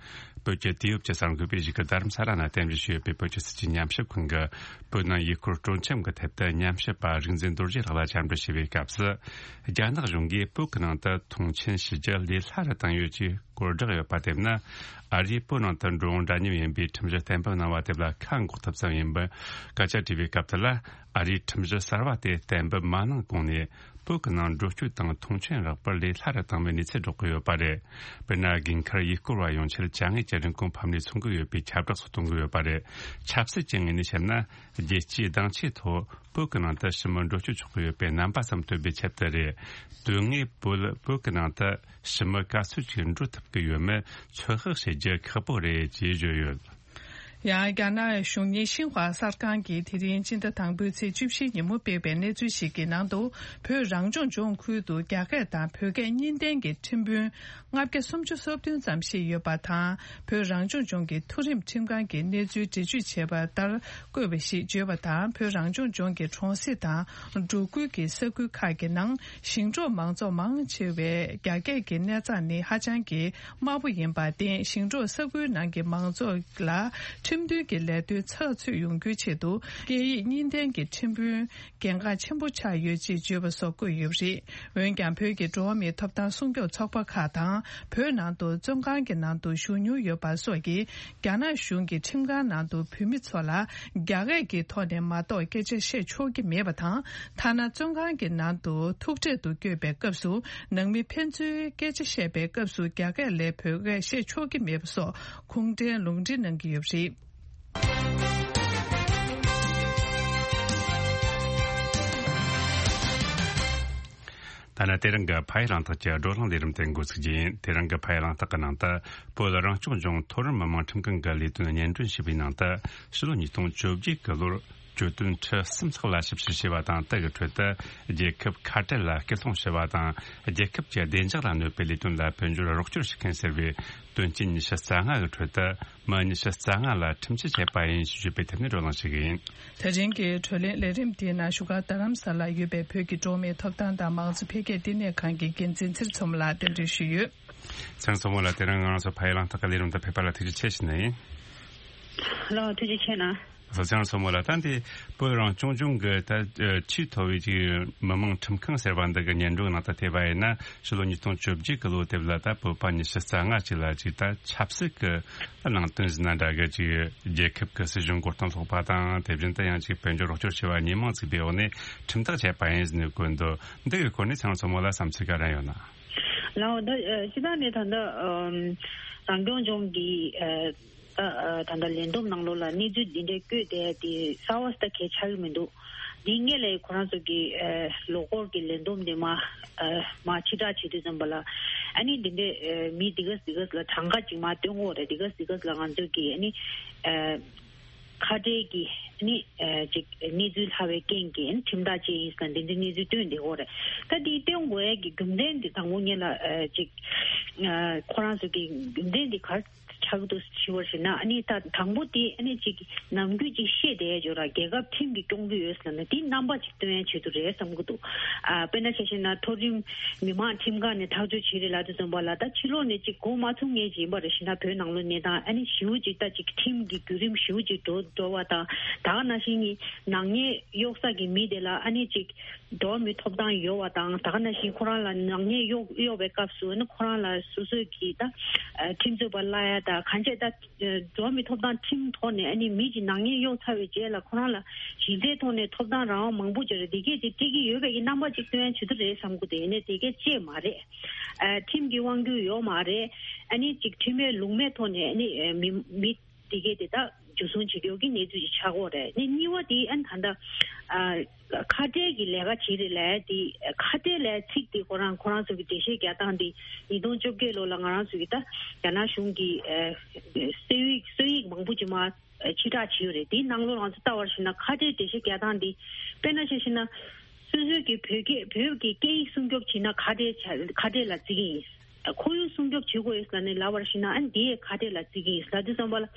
བོད་ཀྱི་དུས་བབ་ཀྱི་གསར་འགོད་པས་གཞིས་ཀ་རྡ་རམ་ས་ལ་ན་རྟེན་གཞི་བྱས་ཡོད་པའི་བོད་ཀྱི་སྲིད་བྱུས་ཉམས་ཞིབ་ཁང་གིས། བོད་ནང་ཡུལ་སྐོར་སྤྲོ་འཆམ་གྱི་ཐད་དུ་ཉམས་ཞིབ་པ་རིག་འཛིན་རྡོ་རྗེ་ལགས་ལ་བཅར་འདྲི་བྱས་པའི་སྐབས་སུ། རྒྱ་ནག་གཞུང་གིས་བོད་ཀྱི་ནང་དུ་མཐོང་ཆེན་ཞུ་རྒྱུ་ལས་སླ་རུ་བཏང་ཡོད་ཅེས། སྐོར་བསྒྲགས་ཡོད་པ་དེ་ན། ཨ་རིའི་བོད་ནང་དུ་འགྲོ་འོང་འདྲ་མཉམ་ཡིན་པའི་ཁྲིམས་གཞི་གཏན་འབེབས་གནང་བ་དེ་ལ་ཁ་འགོག་ཐབས་ཙམ་ཡིན་པར་སྐད་ཆ་དྲིས་པའི་སྐབས་དེ་ལ། ཨ་རིའི་ཁྲིམས་གཞི་གསར་བ་དེ་གཏན་འབེབས་མ་གནང་གོང་ནས། བོད་ཀྱི་ནང་འགྲོ་སྐྱོད་དང་མཐོང་མཆན་རག་པར་ལས་སླ་རུ་བཏང་བའི་གནས་ཚུལ་སྒྲོག་གི་ཡོད་པ་རེད། དཔེར་ན། དགོན་མཁར་ཡུལ་སྐོར་བ་ཡོང་ཆེད་བཅའ་དངོས་ཀྱི་རིན་གོང་ཕབ་ནས་ཚོང་གི་ཡོད་པའི་ཁྱབ་བསྒྲགས་སོགས་གཏོང་གི་ཡོད་པ་རེད། ཆབ་སྲིད་ཀྱི་ངོས་ནས་བཤད་ན། རྒྱལ་སྤྱིའི་སྡིངས་ཆའི་ཐོག་བོད་ཀྱི་ནང་དུ་ཞི་མོལ་འགྲོ་སྐྱོད་ཆོག་གི་ཡོད་པའི་རྣམ་པ་ཙམ་སྟོན་པའི་ཆེད་དུ་རེད། དོན་དངོས་བོད་བོད་ཀྱི་ནང་དུ་ཞི་མོལ་ག་ཚོད་ཅིག་འགྲོ་ཐུབ་ཀྱི་ཡོད་མེད་ཚོད་དཔག་བྱེད་རྒྱུ་ཁག་པོ་རེད་ཅེས་བརྗོད་ཡོད། ཡང་རྒྱ་ནག་གཞུང་གཉེར་ཤིན་ཧྭ་གསར་ཁང་གིས་དེ་རིང་སྤྱི་ཟླ་དང་པོའི་ཚེས་བཅུ་བཞིའི་ཉིན་མོ་སྤེལ་བའི་གནས་ཚུལ་ཞིག་གི་ནང་དུ། བོད་རང་སྐྱོང་ལྗོངས་ཁུལ་དུ་རྒྱ་སྐད་དང་བོད་སྐད་གཉིས་ལྡན་གྱི་ཁྲིམས་དཔོན་ལྔ་བརྒྱ་སུམ་ཅུ་སོ་བདུན་ཙམ་ཞིག་ཡོད་པ་དང་། བོད་རང་སྐྱོང་ལྗོངས་ཀྱི་མཐོ་རིམ་ཁྲིམས་ཁང་གི་གནས་ཚུལ་འགྲེལ་བརྗོད་བྱས་པ་ལྟར་བཀོད་པ་ཞིག་བརྗོད་པ་དང་། བོད་རང་སྐྱོང་ལྗོངས་ཀྱི་གྲོང་གསེབ་དང་འབྲོག་ཁུལ་གྱི་ས་ཁུལ་ཁག་གི་ནང་ཞིང་འབྲོག་མང་ཚོགས་མང་ཆེ་བས་རྒྱ་སྐད་ཀྱི་གནས་སྟངས་ནི་ཧ་ཅང་གི་དམའ་པོ་ཡིན་པར་བརྟེན། ཞིང་འབྲོག་ས་ཁུལ་ནང་གི་མང་ཚོགས་ལ་ཁྲིམས་མཐུན་གྱི་ལས་དོན་ཚགས་ཚུད་ཡོང་རྒྱུའི་ཆེད་དུ། སྐད་ཡིག་གཉིས་ལྡན་གྱི་ཁྲིམས་དཔོན་གལ་འགངས་ཆེན་པོ་ཆགས་ཡོད་ཅེས་བརྗོད་པ་སོགས་བཀོད་ཡོད་པ་རེད། འོན་ཀྱང་། བོད་ཀྱི་འགྲོ་བ་མིའི་ཐོབ་ཐང་སྲུང་སྐྱོབ་ཚོགས་པ་ཁག་དང་། བོད་ནང་དུ་བཙོན་ཁང་གི་ནང་དུ་བཞུགས་མྱོང་ཡོད་པ་སོགས་ཀྱིས། རྒྱ་ནག་གཞུང་གིས་ཁྲིམས་ཁང་ནང་དུ་བོད་མི་ཚོ་ལ་རྒྱ་སྐད་ཀྱི་ཐོག་ནས་མ་གཏོགས་སྐད་ཆ་བཤད་ཆོག་གི་མེད་པ་དང་། ཐ་ན་བཙོན་ཁང་གི་ནང་དུ་ཐུག་འཕྲད་དུ་བསྐྱོད་པའི་སྐབས་སུ། ནང་མི་ཕན་ཚུན་སྐད་ཆ་བཤད་པའི་སྐབས་སུ་རྒྱ་སྐད་ལས་བོད་སྐད་བཤད་ཆོག་གི་མེད་པ་སོགས་ཁུངས་ལྡན་ལུང་འདྲེན་གནང་གི་ཡོད་པ་རེད། ད་ནི་དེ་རིང་གི་ཕ་ཡུལ་གླེང་སྟེགས་ཀྱི་བགྲོ་གླེང་ལས་རིམ་དེ་འགོ་ཚུགས་རྒྱུ་ཡིན། དེ་རིང་གི་ཕ་ཡུལ་གླེང་སྟེགས་ཀྱི་ནང་དུ། བོད་རང་སྐྱོང་ལྗོངས་མཐོ་རིམ་མི་དམངས་ཁྲིམས་ཁང་གི་ལས་དོན་སྙན་སྒྲོན་ཞུས་པའི་ནང་དུ། ཕྱི་ལོ་ཉིས་སྟོང་བཅོ་བརྒྱད་ཀྱི་ལོར་གྱོད་དོན་ཁྲི་གསུམ་ལྷག་ལ་ཞིབ་བཤེར་བྱས་པ་དང་། དེ་གི་ཁྲོད་དུ་རྒྱལ་ཁབ་ཁ་བྲལ་ལ་སྐུལ་སློང་བྱས་པ་དང་། རྒྱལ་ཁབ་ཀྱི་བདེ་འཇགས་ལ་གནོད་པའི་ལས་དོན་ལ་དཔལ་འབྱོར་རོགས་སྐྱོར་བྱེད་མཁན་ཟེར་བའི་དོན་རྐྱེན་ཉི་ཤུ་རྩ་ལྔ་གི་ཁྲོད་དུ། མི་ཉི་ཤུ་རྩ་ལྔ་ལ་ཁྲིམས་ཆད་བཅད་པ་ཡིན་ཞེས་བརྗོད་པའི་ཐད་ནས་བགྲོ་གླེང་ཞུ་གི་ཡིན། དེ་རིང་གི་བགྲོ་གླེང་ལས་རིམ་དེའི་ནང་བཞུགས་སྒར་རྡ་རམ་ས་ལར་ཡོད་པའི་བོད་ཀྱི་འགྲོ་བ་མིའི་ཐོབ་ཐང་དང་མང་གཙོ་འཕེལ་རྒྱས་ལྟེ་གནས་ཁང་གི་འགན་འཛིན་ཚེ་རིང་མཚོ་མོ་ལགས་གདན་འདྲེན་ཞུས་ཡོད། ཚེ་རིང་མཚོ་མོ་ལགས། དེ་རིང་ང་རང་ཚོ་ཕ་ཡུལ་གླེང་སྟེགས་ཀྱི་ལས་རིམ་དུ་ཕེབས་པ་ལ་ཐུགས་རྗེ་ཆེ་ཞུ་ནི་ཡིན། ལགས། ཐུགས་རྗེ་ཆེ་གནང་། ཚེ་རིང་མཚོ་མོ་ལགས། ད་འདི་བོད་རང་སྐྱོང་ལྗོངས་ཀྱི་ད་ཆེས་མཐོ་བའི་ཅིག་མི་དམངས་ཁྲིམས་ཁང་ཟེར་བ་འདི་གི་སྙན་སྒྲོན་ནང་དུ་ཐེ་བ་ཡིན་ན། ཕྱི་ལོ་ཉིས་སྟོང་བཅོ་བརྒྱད་ཀྱི་ལོ་དེབ་ལ་ད་བོད་པ་ཉི་ཤུ་རྩ་ལྔ་ཅིག་ལ་ཅིག་ད་ཆབ་སྲིད་ཀྱི་ནང་དོན་ཟིན་ན་འདྲ་གི་ཅིག་རྒྱལ་ཁབ་ཀྱི་སྲིད་གཞུང་མགོ་རྟིང་སློག་པ་དང་། དེ་བཞིན་དུ་ཡང་ཅིག་དཔལ་འབྱོར་རོགས་སྐྱོར་བྱས་པ་གཉིས་མང་ཚུགས་པའི་འོག་ནས་ཁྲིམས་ཐག་བཅད་པ་ཡིན་ཟེར་ནས་བཀོད་འདུག། འདི་གི་སྐོར་ནས་ཚེ་རིང་མཚོ་མོ་ལགས་བསམ་ཚུལ་ག་རེ་ཡོད་ན། ལགས། ད་ཨ་སྤྱིར་བཏང་ནས་ད་ལྟ་ཨམ་རང་སྐྱོང་ལྗོངས་ཀྱི་ཨ་ད་ཨ་ད་ལྟ་ལས་བསྡོམས་ནང་ལོགས་ལ་གནས་ཚུལ་འདི་འདྲའི་བཀོད་དེ་དེ་གསར་བ་ད་གལ་ཆགས་ཀྱི་མི་འདུག། འདི་སྔོན་ལ་ཁོ་རང་ཚོ་གི་ཨ་ལོ་འཁོར་གྱི་ལས་བསྡོམས་དེ་མ་ཨ་མ་ཕྱིར་བསྒྲགས་བྱེད་དུས་ཙམ་པ་ལ། ཨ་ནི་འདི་འདྲའི་ཨ་མི་འདི་ག་འདི་ག་ལ་གྲངས་ཀ་ཅིག་མ་སྟོན་གོ་རེད། འདི་ག་འདི་ག་ལ་ང་ཚོ་གི་ཨ་ནི་ཨ་ཁ་བྲལ་གྱི་ཨ་ནི་ཨ་ཅིག་གནས་ཚུལ་ལྷག་པའི་རྐྱེན་གྱིས་ཨ་ནི་ཁྲིམས་ཐག་བཅད་ཡིན་ཟེར་ན་འདི་འདྲའི་གནས་ཚུལ་སྟོན་བསྡད་གོ་རེད། ད་འདི་སྟོན་དགོས་ཡས་ཀྱི་རྒྱུ་མཚན་འདི་དང་པོ་ཉིད་ལ་ཨ་ཅིག་ཨ་ཁོ་རང་ཚོ་གི་རྒྱུ་མཚན་འདི་ག་ཆགས་འདུག་ཞུ་བ་ཞིག་ན། ཨ་ནི་ད་དང་པོ་དེ་ཨ་ནི་ཅིག་ནམ་རྒྱུན་ཅིག་བཤད་བསྡད་ཡོད་ར། རྒྱལ་ཁབ་ཁྲིམས་ཀྱིས་སྐྱོང་གི་ཡོད་ཟེར་ན་དེ་རྣམ་པ་ཅིག་སྟོན་ཡ་ཆེད་དུ་རེད་བསམ་གྱི་འདུག། ཨ་དཔེར་ན་ཆ་བཞག་ན་མཐོ་རིམ་མི་དམངས་ཁྲིམས་ཁང་ནས་ཐག་གཅོད་བྱེད་རེད་ལབ་དུས་ཙམ་པ་ལ། ད་ཕྱི་ལོགས་ནས་ཅིག་གོ་མ་ཚུགས་མཁན་ཅིག་ཡིན་པ་རེད་ཞེ་ན། བོད་ནང་ལོགས་གནས་སྟངས་ཨ་ནི་ཞེ་པོ་ཅིག་ད་ཅིག་ཁྲིམས་ཀྱི་བརྒྱུད་རིམ་ཞེ་པོ་ཅིག་འགྲོ་འགྲོ་བ་དང་། ད་ག་ནང་བཞིན་གྱི་ནག་ཉེས་གཡོག་ས་གི་མི་དེ་ལ་ཨ་ནི་ཅིག་འགྲོ་བ་མིའི་ཐོབ་ཐང་ཡོད་པ་དང་། ད་ག་ནང་བཞིན་ཁོ་རང་ལ་ནག་ཉེས་གཡོག་གཡོག་པའི་སྐབས་སུ་ཨ་ནི་ཁོ་རང་ལ་སོ་སོས་ཀྱིས་ད་ཁྲིམས་རྩོད་པ་གླ་ཡ་ད་གང་བྱས་ད། འགྲོ་བ་མིའི་ཐོབ་ཐང་ཁྲིམས་ཐོག་ནས་ཨ་ནི་མི་གཅིག་ནག་ཉེས་གཡོག་ཚར་བའི་རྗེས་ལ་ཁོ་རང་ལ་གཞི་རྩའི་ཐོག་ནས་ཐོབ་ཐང་རང་དབང་མང་པོ་ཅིག་རེད། དེ་གས་དེ་སྤྲད་ཀྱི་ཡོད་པའི་གི་རྣམ་པ་ཅིག་སྟོན་ཡ་ཆེད་དུ་རེད་བསམ་གི་འདུག། ཡིན་ནའི་དེ་གས་ཅིག་མ་རེད། ཨ་ཁྲིམས་ཀྱི་དབང་སྒྱུར་ཡོད་མ་རེད། ཨ་ནི་ཅིག་ཁྲིམས་མེད་ལུགས་མེད་ཐོག་ནས་ཨ་ནི་མི་མི་དེ་གས་དེ་ད་འཇུ་བཟུང་བྱེད་ཀྱི་ཡོད་ཀྱི་གནས་ཚུལ་ཅིག་ཆགས་ཀྱི་ཡོད་རེད། ཨ་ནི་གཉིས་པ་དེ་ཨ་ནི་ད་ལྟ་ཨ། ཁ་བྲལ་གྱི་ལས་ཀ་བྱེད་རེད་ལབ་དེ། ཁ་བྲལ་ལབ་ཚིག་དེ་ཁོ་རང་ཁོ་རང་ཚོ་གི་འགྲེལ་བཤད་རྒྱག་སྟངས་དེ་ཉིས་སྟོང་བཅོ་བརྒྱད་ལོ་ལ་ང་རང་ཚོ་གི་ད་རྒྱ་ནག་གཞུང་གི་ཨ་སྲོལ་ཡིག་སྲོལ་ཡིག་མང་པོ་ཅིག་མར་ཕྱིར་བསྒྲགས་བྱས་ཡོད་རེད། དེའི་ནང་ལོགས་ང་ཚོ་ལྟ་བར་ཞིག་ན་ཁ་བྲལ་འགྲེལ་བཤད་རྒྱག་སྟངས་དེ། དཔེར་ན་ཆ་བཞག་ན་སོ་སོའི་གི་བོད་སྐད་བོད་ཀྱི་སྐད་ཡིག་སྲུང་སྐྱོབ་བྱེད་ན་ཁ་བྲལ་བྱ་ཁ་བྲལ་ལ་བརྩི་གི་ཡིན། ཁོར་ཡུག་སྲུང་སྐྱོབ་བྱེད་དགོས་ཡོད་ཟེར་ནས་ལབ་པར་ཞིག་ན་ཨ་ནི་དེ་ཡས་ཁ་བྲལ་ལ་བརྩི་གི་ཡིན་ལབ་དུས་ཙམ་པ་ལ།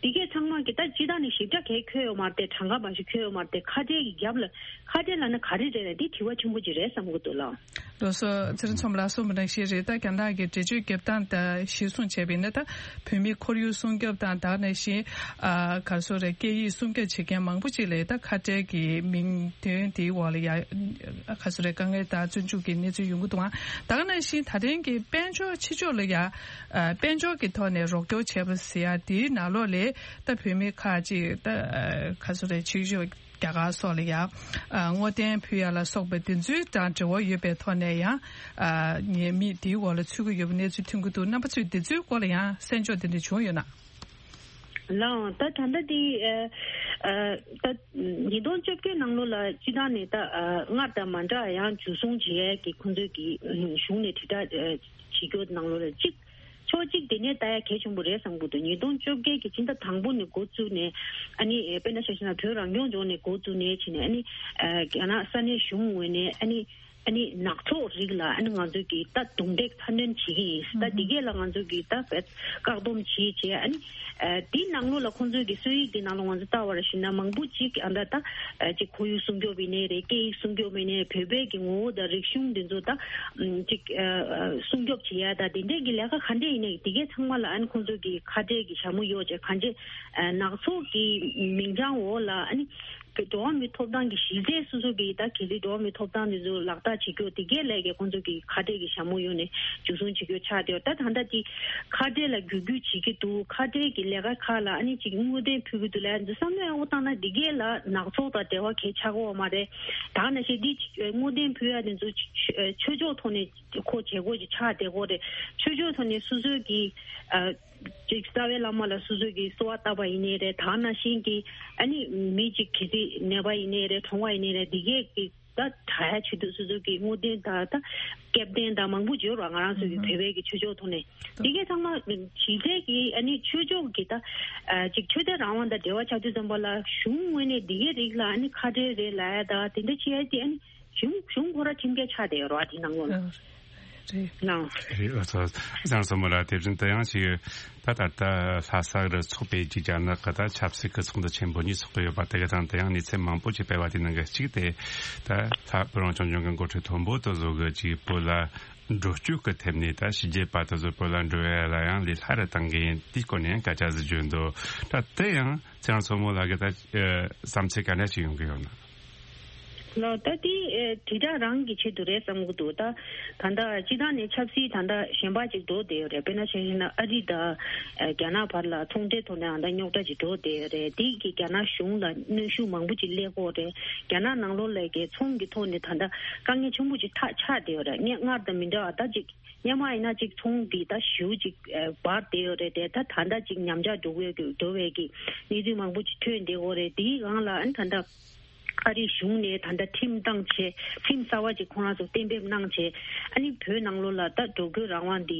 དེ་གས་ཚང་མ་གི་ད་སྤྱིར་བཏང་ནས་ཞིབ་ཕྲ་གས་འཁོད་ཡོད་མ་རེད་དེ། གྲངས་ཀ་མ་ཞིག་འཁོད་ཡོད་མ་རེད་དེ། ཁ་བྲལ་གྱི་རྒྱབ་ལ་ཁ་བྲལ་ལབ་ན་ག་རེ་རེད་ལ་འདི་དྲི་བ་ཆེན་པོ་ཅིག་རེད་བསམ་གི་འདུག་ལགས། ལགས་སོ། ཚེ་རིང་མཚོ་མོ་ལགས་གསུངས་པ་ནང་བཞིན་རེད། ད་རྒྱ་ནག་གི་འགྲེལ་བརྗོད་རྒྱབ་སྟངས་དང་གཞིར་བཟུང་བྱས་པ་ཡིན་ན། ད་བོད་མིའི་ཁོར་ཡུག་སྲུང་སྐྱོབ་དང་། ད་ག་ནང་བཞིན་ཨ་ག་རེ་ཟེར་དགོས་རེད། སྐད་ཡིག་སྲུང་སྐྱོབ་བྱེད་མཁན་མང་པོ་ཅིག་ལ་ད་ཁ་བྲལ་གྱི་མིང་དོན་དེའི་འོག་ལ་ཡ་ག་རེ་ཟེར་དགོས་རེད། དཀའ་ངལ་དང་བཙོན་འཇུག་གི་གནས་ཚུལ་ཡོང་གི་འདུག་ཨང་། ད་ག་ནང་བཞིན་ད་ཐེངས་ཀྱི་དཔལ་འབྱོར་ཕྱི་ཕྱོགས་ལ་ཡ་ཨ་དཔལ་འབྱོར་གྱི་ཐོག་ནས་རོགས་སྐྱོར་བྱས་པ་ཟེར་ཡ་དེའི་ནང་ལོགས་ལ་ད་བོད་མི་ཁག་ཅིག་ད་ཨ་ག་རེ་ཟེར་དགོས་རེད། ཕྱི་ཕྱོགས་རྒྱ་གར་སོགས་ལ་ཡང་ཨ་བསྔོ་རྟེན་ཕུལ་ཡ་ལ་སོགས་པའི་དེ་ཚོའི་དང་འབྲེལ་བ་ཡོད་པའི་ཐོག་ནས་ཡང་ཨ་ཉེས་དམིགས་དེའི་འོག་ལ་ཚུད་ཀྱི་ཡོད་པའི་གནས་ཚུལ་ཐོན་གྱི་འདུག་རྣམ་པ་ཚོས་དེ་ཚོའི་སྐོར་ལ་ཡང་གསན་འཇོག་དེ་འདྲ་བྱུང་ཡོད་ན། ལགས་འོང་། ད་ད་ལྟ་དེ་ཨ་ཨ་ད་ཉིས་སྟོང་བཅོ་བརྒྱད་ནང་ལོགས་ལ་སྤྱི་བཏང་ནས་ད་ཨ་སྔར་དང་མ་འདྲ་ཡང་འཇུ་བཟུང་བྱེད་ཡས་ཀྱི་ཁོང་ཚོས་ཀྱི་གཞུང་ནས་དྲིལ་བསྒྲགས་ཨ་བྱེད་རྒྱུ་ནང་ལོགས་ལ་གཅིག་ཕྱོགས་གཅིག་དེ་ནས་ལྟ་ཡ་གལ་ཆེན་པོ་རེད་བསམ་གྱི་འདུག་ཉིས་སྟོང་བཅོ་བརྒྱད་ཀྱི་སྤྱི་ཟླ་དང་པོ་ནས་འགོ་བཙུགས་ནས་ཨ་ནི་དཔེར་ན་ཆ་བཞག་ན་བོད་རང་སྐྱོང་ལྗོངས་ནས་འགོ་བཙུགས་ནས་ཕྱིན་ནས་ཨ་ནི་རྒྱ་ནག་ས་གནས་གཞུང་ངོས་ནས་ཨ་ནི་ཨ་ནི་ནག་ཚོགས་རིགས་ལ་ཨ་ནི་ང་ཚོས་ཀྱིས་ད་རྡུང་རྡེག་ཚ་གནོན་བྱེད་ཀྱི་ཡིན། ད་འདི་གས་ལ་ང་ཚོས་ཀྱིས་ད་བཀག་སྡོམ་བྱེད་བྱས་ཨ་ནི་དེའི་ནང་ལོགས་ལ་ཁོང་ཚོས་ཀྱི་སྲོལ་ཡིག་འདི་ནང་ལོགས་ང་ཚོས་ལྟ་བར་ཞིག་ན་མང་པོ་ཅིག་ཨ་ད་ད་ཅིག་ཁོར་ཡུག་སྲུང་སྐྱོབ་ཡིན་ནའི་རེད། སྐད་ཡིག་སྲུང་སྐྱོབ་ཡིན་ནའི་བོད་པའི་གི་ངོ་བོ་དང་རིག་གཞུང་འདི་ཚོ་ད་ཅིག་སྲུང་སྐྱོབ་བྱེད་ཡ་ད་དེ་འདྲས་ཀྱི་ལས་ཀ་ག་འདྲས་ཡིན་ནའི་དེ་གས་ཚང་མ་ལ་ཨ་ནི་ཁོང་ཚོས་ཀྱི་ཁ་བྲལ་གྱི་ཞྭ་མོ་གཡོགས་བྱས་གང་ཅི་ནག་ཚོགས་ཀྱི་མིང་བྱང་འོག་ལ་ཨ་ནི་འགྲོ་བ་མིའི་ཐོབ་ཐང་གི་གཞི་རྩའི་སོ་སོ་གི་ད་གལ་སྲིད་འགྲོ་བ་མིའི་ཐོབ་ཐང་འདི་ཚོ་ལག་བསྟར་བྱེད་རྒྱུ་དེ་གས་ལས་ཀྱི་ཁོང་ཚོ་གི་ཁ་བྲལ་གྱི་ཞྭ་མོ་གཡོགས་ནས་འཇུ་བཟུང་བྱེད་རྒྱུ་ཆགས་བསྡད་ཡོད། ད་ད་ལྟ་དེ་ཁ་བྲལ་ལ་བསྒྱུར་བསྒྱུར་བྱེད་ཀྱི་འདུག་ཁ་བྲལ་གྱི་ལས་ཀ་ཁག་ལ་ཨ་ནི་ཅིག་བསྔོ་རྟེན་ཕུལ་གྱི་འདུག་ལབ་ཡ་འདི་བསམ་བློ་ཡག་པོ་བཏང་ན་འདི་གས་ལ་ནག་ཚོགས་དང་འབྲེལ་བ་གས་ཆགས་ཀྱི་ཡོད་མ་རེད། ད་ནང་བཞིན་འདི་བསྔོ་རྟེན་ཕུལ་ཡ་འདི་ཚོ་ཆོས་ཕྱོགས་ཐོག་ནས་ཁོ་བྱེད་སྒོ་ཅིག་ཆགས་བསྡད་ཀྱི་ཡོད་རེད། ཆོས་ཕྱོགས་ཐོག་ནས་སོ་སོའི་གི་ཨ་ཅིག་རྩ་བའི་བླ་མ་ལ་སོ་སོ་གི་གསོལ་བ་བཏབ་པ་ཡིན་ནའི་རེད། ད་ནང་བཞིན་གྱི་ཨ་ནི་མི་ཅིག་གལ་སྲིད་ནད་པ་ཡིན་ནའི་རེད། གྲོངས་པ་ཡིན་ནའི་རེད། འདི་གས་ཀྱི་ད་དྲག་ཡ་ཆེད་དུ་སོ་སོ་གི་བསྔོ་རྟེན་དང་ད་སྐལ་ལྡན་དང་མང་པོ་ཅིག་ཡོད་རེད་བ། ང་རང་ཚོ་གི་ཨུ་ཧུ། བོད་པའི་གི་ཆོས་ཕྱོགས་ཐོག་ནས་འདི་གས་ཚང་མ་ཞི་བདེ་གི་ཨ་ནི་ཆོས་ཕྱོགས་ཀྱི་ད་ཨ་ཅིག་ཆོས་དད་རང་དབང་དང་འབྲེལ་བ་ཆགས་དུས་ཙམ་པ་ལ་གཞུང་ངོས་ནས་འདི་གས་རིགས་ལ་ཨ་ནི་ཁ་བྲལ་རེད་ལབ་ཡ་ད་དེ་འདྲ་བྱེད་ཡ་དེ་ཨ་ནི་གཞུང་གཞུང་ཁོ་ར་ཁྲིམས་འགལ་ཆགས་བསྡད་ཡོད་རེད་བ། དེ་ནང་ལོགས་ལ། ཨ། རེད། ལགས་སོ། བཟང་སོ་མོ་ལགས། དེ་བཞིན་དུ་ཡང་ཅིག་ད་ད་ལྟ་ལྷ་ས་རུ་ཚོགས་པའི་ཅིག་རྒྱ་ནག་གི་ད་ཆབ་སྲིད་ཀྱི་ཚོགས་འདུ་ཆེན་པོ་གཉིས་ཚོགས་ཀྱི་ཡོད་པ་དེ་ག་དང་དེ་ཡང་གནས་ཚུལ་མང་པོ་ཅིག་སྤེལ་བ་དེ་ནང་གི་གཅིག་དེ་ད་ལྷ་བོད་རང་སྐྱོང་ལྗོངས་ཀྱི་འགོ་ཁྲིད་མཐོན་པོ་དེ་ཚོ་གི་ཅིག་བོད་ལ་འགྲོ་སྐྱོད་ཀྱི་ཐད་ནས་ད་ཕྱི་རྒྱལ་པ་དེ་ཚོ་བོད་ལ་འགྲོ་ཡ་ལ་ཡང་ལས་སླ་རུ་བཏང་གི་ཡིན། དེའི་སྐོར་ནས་ཡང་སྐད་ཆ་ཟིག་བརྗོད་འདུག་ད་དེ་ཡང་ཚེ་རིང་མཚོ་མོ་ལགས་ཀྱི་ད་བསམ་ཚུལ་ག་འདྲ་ཞིག་ཡོང་གི་ཡོད་ན། ལགས། ད་དེ་ཨེ་དྲིལ་བསྒྲགས་རང་གི་ཆེད་དུ་རེད་བསམ་གྱི་འདུག་ད་ད་ལྟ་སྤྱི་བཏང་ནས་ཆབ་སྲིད་ད་ལྟ་གཞན་པ་ཅིག་འགྲོ་བསྡད་ཡོད་རེད། དཔེར་ན་ཆ་བཞག་ན་ཨ་རི་དང་ཨེ་རྒྱ་ནག་བར་ལ་ཚོང་འབྲེལ་ཐོག་ནས་ཨ་ད་རྙོག་དྲ་ཅིག་འགྲོ་བསྡད་ཡོད་རེད། དེ་གི་རྒྱ་ནག་གཞུང་ལ་གནོན་ཤུགས་མང་པོ་ཅིག་སླེབས་ཀྱི་ཡོད་རེད། རྒྱ་ནག་ནང་ལོགས་ལ་གི་ཚོང་གི་ཐོག་ནས་ད་ལྟ་དཀའ་ངལ་ཆེན་པོ་ཅིག་ཐག་ཆགས་བསྡད་ཡོད་རེད། སྔར་དང་མི་འདྲ་བ་ད་ཅིག་སྔོན་མ་ཡིན་ན་ཅིག་ཚོང་འདི་ད་ཞེ་པོ་ཅིག་ཨེ་འབར་བསྡད་ཡོད་རེད་དེ། ད་ད་ལྟ་ཅིག་ཉམས་ཆག་འགྲོ་གི་ཡོད་འགྲོ་བའི་གི་གནས་ཚུལ་མང་པོ་ཅིག་ཐོན་བསྡད་ཡོད་རེད། དེའི་སྒང་ལ་ཨ་ནི་ད་ལྟ་ཨ་རིའི་གཞུང་ནས་ད་ལྟ་ཁྲིམས་བཏང་བྱས། ཁྲིམས་གསར་བ་ཅིག་ཁོ་རང་ཚོ་གཏན་འབེབས་གནང་བྱས། ཨ་ནི་བོད་ནང་ལོགས་ལ་ད་འགྲོ་སྐྱོད་རང་དབང་འདི་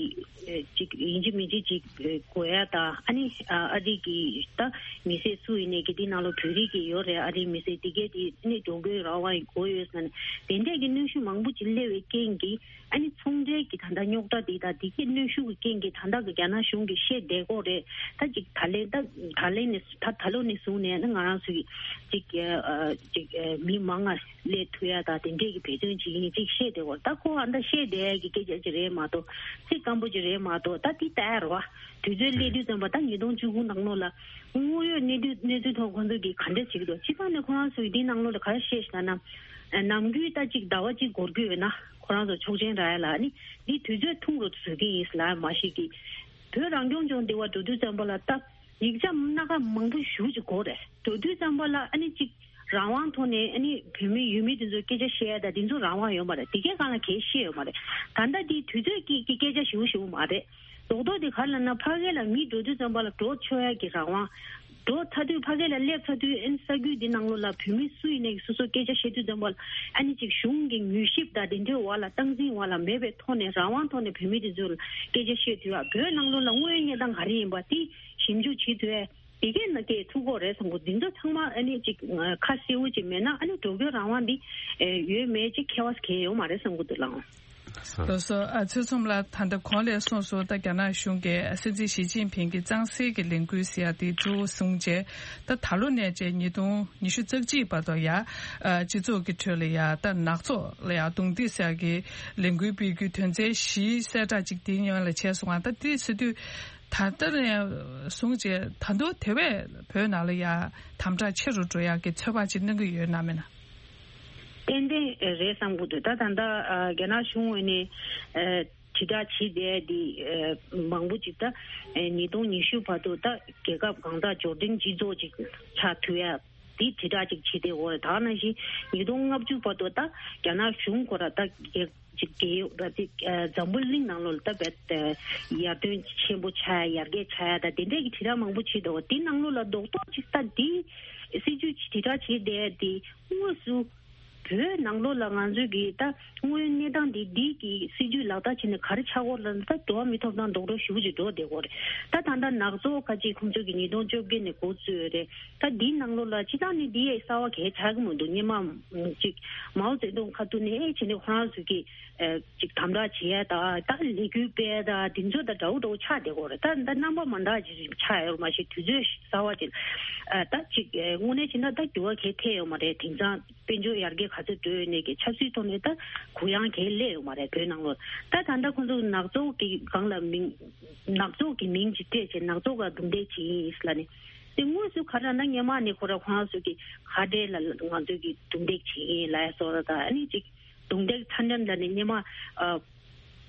ཨེ་ཅིག་ཡིན་གཅིག་མིན་གཅིག་ཅིག་ཨེ་དགོས་ཡ་ད། ཨ་ནི་ཨ་ཨ་རི་གི་ད་མི་སེར་སུ་ཡིན་ནའི་གི་འདི་ནང་ལོགས་བོད་རིགས་ཀྱི་ཡོད་རེད། ཨ་རིའི་མི་སེར་འདི་གས་འདི་ཨ་ནི་འགྲོ་སྐྱོད་རང་དབང་དགོས་ཡོད་ཟེར་ནས་དེ་འདྲས་ཀྱི་གནོན་ཤུགས་མང་པོ་ཅིག་སླེབས་པའི་རྐྱེན་གྱིས། ཨ་ནི་ཚོང་འབྲེལ་གྱི་ད་ལྟ་རྙོག་དྲ་འདི་དང་འདི་གའི་གནོན་ཤུགས་ཀྱི་རྐྱེན་གྱིས་ད་ལྟ་གི་རྒྱ་ནག་གཞུང་གིས་བཤད་བསྡད་ཀྱི་ཡོད་རེད། ད་ཅིག་ད་ལན་ད་ད་ལན་ནས་ད་ད་ལོ་ནས་བཟུང་ནས་ཨ་ནི་ང་རང་ཚོ་གི་ཅིག་ཨ་ཅིག་ཨ་མི་མང་ང་སླེབས་ཐུབ་ཡ་ད་དེ་འདྲས་ཀྱི་འབད་བརྩོན་བྱེད་ཀྱི་ཡིན་ཅིག་བཤད་བསྡད་ཀྱི་ཡོད་རེད། ད་ཁོ་ཨ་ད་བཤད་བསྡད་ཡ་གི་སྐད་ཆ་ཅིག་རེད་མ་གཏོགས་ཚིག་སྐམ་པོ་ཅིག་རེད་མ་གཏོགས། ད་འདི་ལྟ་ཡ་རེད་བ། དུས་ཚོད་སླེབས་དུས་ཙམ་པ་ད་ཉིས་སྟོང་བཅུ་དགུ་ནང་ལོགས་ལ་དངོས་ཡོད་གནས་དུས་གནས་ཚུལ་ཐོག་ཁོང་ཚོ་གིས་ག་འདྲས་བྱེད་ཀྱི་འདུག་སྤྱི་བཏང་ནས་ཁོ་རང་ཚོ་གིས་འདི་ནང་ལོགས་ལ་ག་རེ་བཤད་ཤག་ན། ནམ་རྒྱུན་ད་ཅིག་ཟླ་བ་གཅིག་འགོར་གྱི་ཡོད་ན་ཁོ་རང་ཚོ་ཆོག་མཆན་རག་ཡ་ལ་ཨ་ནི་འདི་དུས་ཚོད་ཐུང་རུ་བཟོ་གི་ཡིན་ལབ་མ་ཤེས་ཀྱི། བོད་རང་སྐྱོང་ལྗོངས་འདི་བ་འགྲོ་དུས་ཙམ་པ་ལ་ད་ཡིག་ཆ་སྣ་ཁ་མང་པོ་ཞེ་པོ་ཅིག་དགོས་རེད། འགྲོ་དུས་ཙམ་པ་ལ་ཨ་ནི་ཅིག་རང་དབང་ཐོག་ནས་ཨ་ནི་བོད་མི་ཡུལ་མི་དེ་ཚོ་སྐད་ཆ་བཤད་ཡ་ད་དེ་ཚོ་རང་དབང་ཡོད་མ་རེད། དེ་གའི་སྒང་ལ་གའི་བཤད་ཡོད་མ་རེད། ད་ལྟ་འདི་དུས་ཚོད་ཀྱི་ཀྱི་སྐད་ཆ་ཞེ་པོ་ཞེ་པོ་མ་རེད། རྡོག་རྡོག་དེ་ག་རེ་ལབ་ན་ཕ་གི་ལ་མི་འགྲོ་དུས་ཙམ་པ་ལ་འགྲོ་ཆོག་ཡ་གི་རང་དབང་། འགྲོ་ཚར་དུས་ཕ་གི་ལ་སླེབས་ཚར་དུས་ཨ་ནི་ས་ཁུལ་འདི་ནང་ལོགས་ལ་བོད་མི་སུ་ཡིན་ནའི་སོ་སོ་སྐད་ཆ་བཤད་དུས་ཙམ་པ་ལ་ཨ་ནི་ཅིག་གཞུང་གི་མྱུལ་ཞིབ་དང་དེ་འདྲའི་འོག་ལ་སྟངས་འཛིན་འོག་ལ་མེད་པའི་ཐོག་ནས་རང་དབང་ཐོག་ནས་བོད་མི་དེ་ཚོ་ལ་སྐད་ཆ་བཤད་དུས་ཨ་བོད་ནང་ལོགས་ལ་དངོས་ཡོད་གནས་སྟངས་ག་རེ་ཡིན་པ་དེ་ཞིབ་འཇུག་བྱེད་དུས་ཨ་དེ་གས་ན་སྐད་ཐུག་གོ་རེད་བསམ་གོ། འདི་ཚོ་ཚང་མ་ཨ་ནི་ཅིག་ཁ་གསལ་བོ་ཅིག་མེད་ན་ཨ་ནི་འགྲོ་སྐྱོད་རང་དབང་འདི་ཡོད་མེད་ཅིག་ཁྱད་པར་གང་ཡོད་མ་རེད་བསམ་གོ་འདུག་ལགས། ལགས་སོ། ཨ་ཚེ་ཚོམ་ལགས། ད་ལྟ་གོང་ལ་གསུངས་སོང་། ད་རྒྱ་ནག་གཞུང་གིས་སྲིད་འཛིན་ཞི་ཅིན་ཕིང་གི་གཙང་སེལ་གྱི་ལས་འགུལ་ཟེར་ཡ་དེ་གཙོ་བོ་བཟུང་བྱས། ད་ད་ལོ་ནས་བྱས་ཉིས་སྟོང་ཉི་ཤུ་རྩ་གཅིག་བར་དུ་ཡ། ཨ་སྤྱི་ཚོགས་ཀྱི་ཁྲོད་ལ་ཡ་ད་ནག་ཚོགས་ལ་ཡ་རྡུང་རྡེག་ཟེར་ཡ་གི་ལས་འགུལ་སྤེལ་རྒྱུའི་དོན་ཚན་བཞིའི་གསལ་བསྒྲགས་ཅིག་དེའི་སྔོན་ལ་བྱས་སོང་བ། ད་དེ་ཟེར་དུས་ད་ལྟ་ནས་བཟུང་བྱས་ད་དུང་དེ་བས་བོད་ནང་ལ་ཡ་དམ་དྲག་ཆེ་རུ་འགྲོ་ཡ་གི་ཚོད་དཔག་ཅིག་གནང་གི་ཡོད་ན་མེད་ན། ཏན་ཏན་རེད་བསམ་གྱི་འདུག་ད་ད་ལྟ་ཨ་རྒྱ་ནག་གཞུང་ངོས་ནས་ཨ་དྲིལ་བསྒྲགས་བྱེད་བསྡད་དེ་ཨ་མང་པོ་ཅིག་ད་ཨ་ཉིས་སྟོང་ཉི་ཤུ་བར་དུ་ད་རྒྱལ་ཁབ་གང་དག་འབྱོར་ལྡན་སྤྱི་ཚོགས་ཅིག་ཆགས་ཐུབ་ཡ་དེ་དྲིལ་བསྒྲགས་ཅིག་བྱེད་བསྡད་ཡོད་རེད། ད་ནང་བཞིན་ཉིས་སྟོང་ལྔ་བཅུ་བར་དུ་ད་རྒྱ་ནག་གཞུང་ཁོ་ར་ད་རྒྱལ་ཅིག་རྒྱལ་ཡོངས་ར་ཅིག་ཨ་འཛམ་བུ་གླིང་ནང་ལོགས་ལ་ད་བས་ཡར་ཐོན་ཆེན་པོ་ཆགས་ཡ་ཡར་རྒྱས་ཆགས་ཡ་ད་དེ་འདྲས་ཀྱི་དྲིལ་བསྒྲགས་མང་པོ་བྱེད་འདུག་དེ་ནང་ལོགས་ལ་རྡོག་རྡོག་ཅིག་ད་དེ་སྲིད་ཇུས་དྲིལ་བསྒྲགས་བྱེད་བསྡད་དེ་དངོས་སུ་བོད་ནང་ལོགས་ལ་ང་ཚོས་ཀྱི་ད་དངོས་ཡོད་གནས་སྟངས་འདི་འདི་གི་སྲིད་ཇུས་ལག་བསྟར་བྱས་ནས་ག་རེ་ཆགས་ཡོད་ལབ་ན་ད་འགྲོ་བ་མིའི་ཐོབ་ཐང་རྡོག་རྡོག་ཞེ་པོ་ཅིག་འགྲོ་བསྡད་ཡོད་རེད། ད་ད་ལྟ་ནག་ཚོགས་ཁ་ཅིག་ཁོང་ཚོས་ཀྱི་ཉིས་སྟོང་བཅོ་བརྒྱད་ནས་འགོ་བཙུགས་ཡོད་རེད། ད་འདིའི་ནང་ལོགས་ལ་སྤྱིར་བཏང་ནས་འདི་གསར་བ་གང་ཡང་ཆགས་ཀྱི་མི་འདུག་སྔོན་མ་ཅིག་མའོ་ཙེ་ཏུང་ཁ་ཐུག་ནས་བྱས་ནས་ཁོ་རང་ཚོས་ཀྱི་ཨ་ཅིག་དམ་དྲག་བྱེད་ཡ་དང་ད་ལས་འགུལ་སྤེལ་ཡ་དང་དེ་ཚོ་དང་འདྲ་བོ་འདྲ་བོ་ཆགས་བསྡད་ཡོད་རེད། ད་ད་རྣམ་པ་མ་འདྲ་ཅིག་ཆགས་ཡོད་མ་གཞི་དུས་ཚོད་གསར་བ་ཅིག་ཨ་ད་ཅིག་ཨ་དངོས་གནས་བྱས་ན་ད་འགྱུར་བ་གང་ཡང་ཐེབས་ཡོད་མ་རེད། དེང་སང་དཔལ་འབྱོར་ཡར་རྒྱས་ག་ཚོད་འགྲོ་ཡོད་ནས་ཀྱི་ཆབ་སྲིད་ཐོག་ནས་ད་གུ་ཡངས་གང་ཡང་སླེབས་ཡོད་མ་རེད་བོད་ནང་ལོགས། ད་ད་ལྟ་ཁོང་ཚོ་ནག་ཚོགས་ཀྱི་སྒང་ལ་མིང་ནག་ཚོགས་ཀྱི་མིང་ཅིག་སྤྲད་བྱས་ནག་ཚོགས་ཀ་རྡུང་རྡེག་བྱེད་ཀྱི་ཡིན་ལབ་ནས། དེ་དངོས་སུ་ག་རེ་ལབ་ན་སྔོན་མ་ནས་ཁོ་ར་ཁོ་རང་ཚོ་གི་ཁ་བྲལ་ལ་ང་ཚོས་ཀྱི་རྡུང་རྡེག་བྱེད་ཀྱི་ཡིན་ལབ་ཡ་བཟོ་འདྲ་དང་ཨ་ནི་ཅིག་རྡུང་རྡེག་ཚ་འདྲེན་ལ་ནི་སྔོན་མ་ཨ་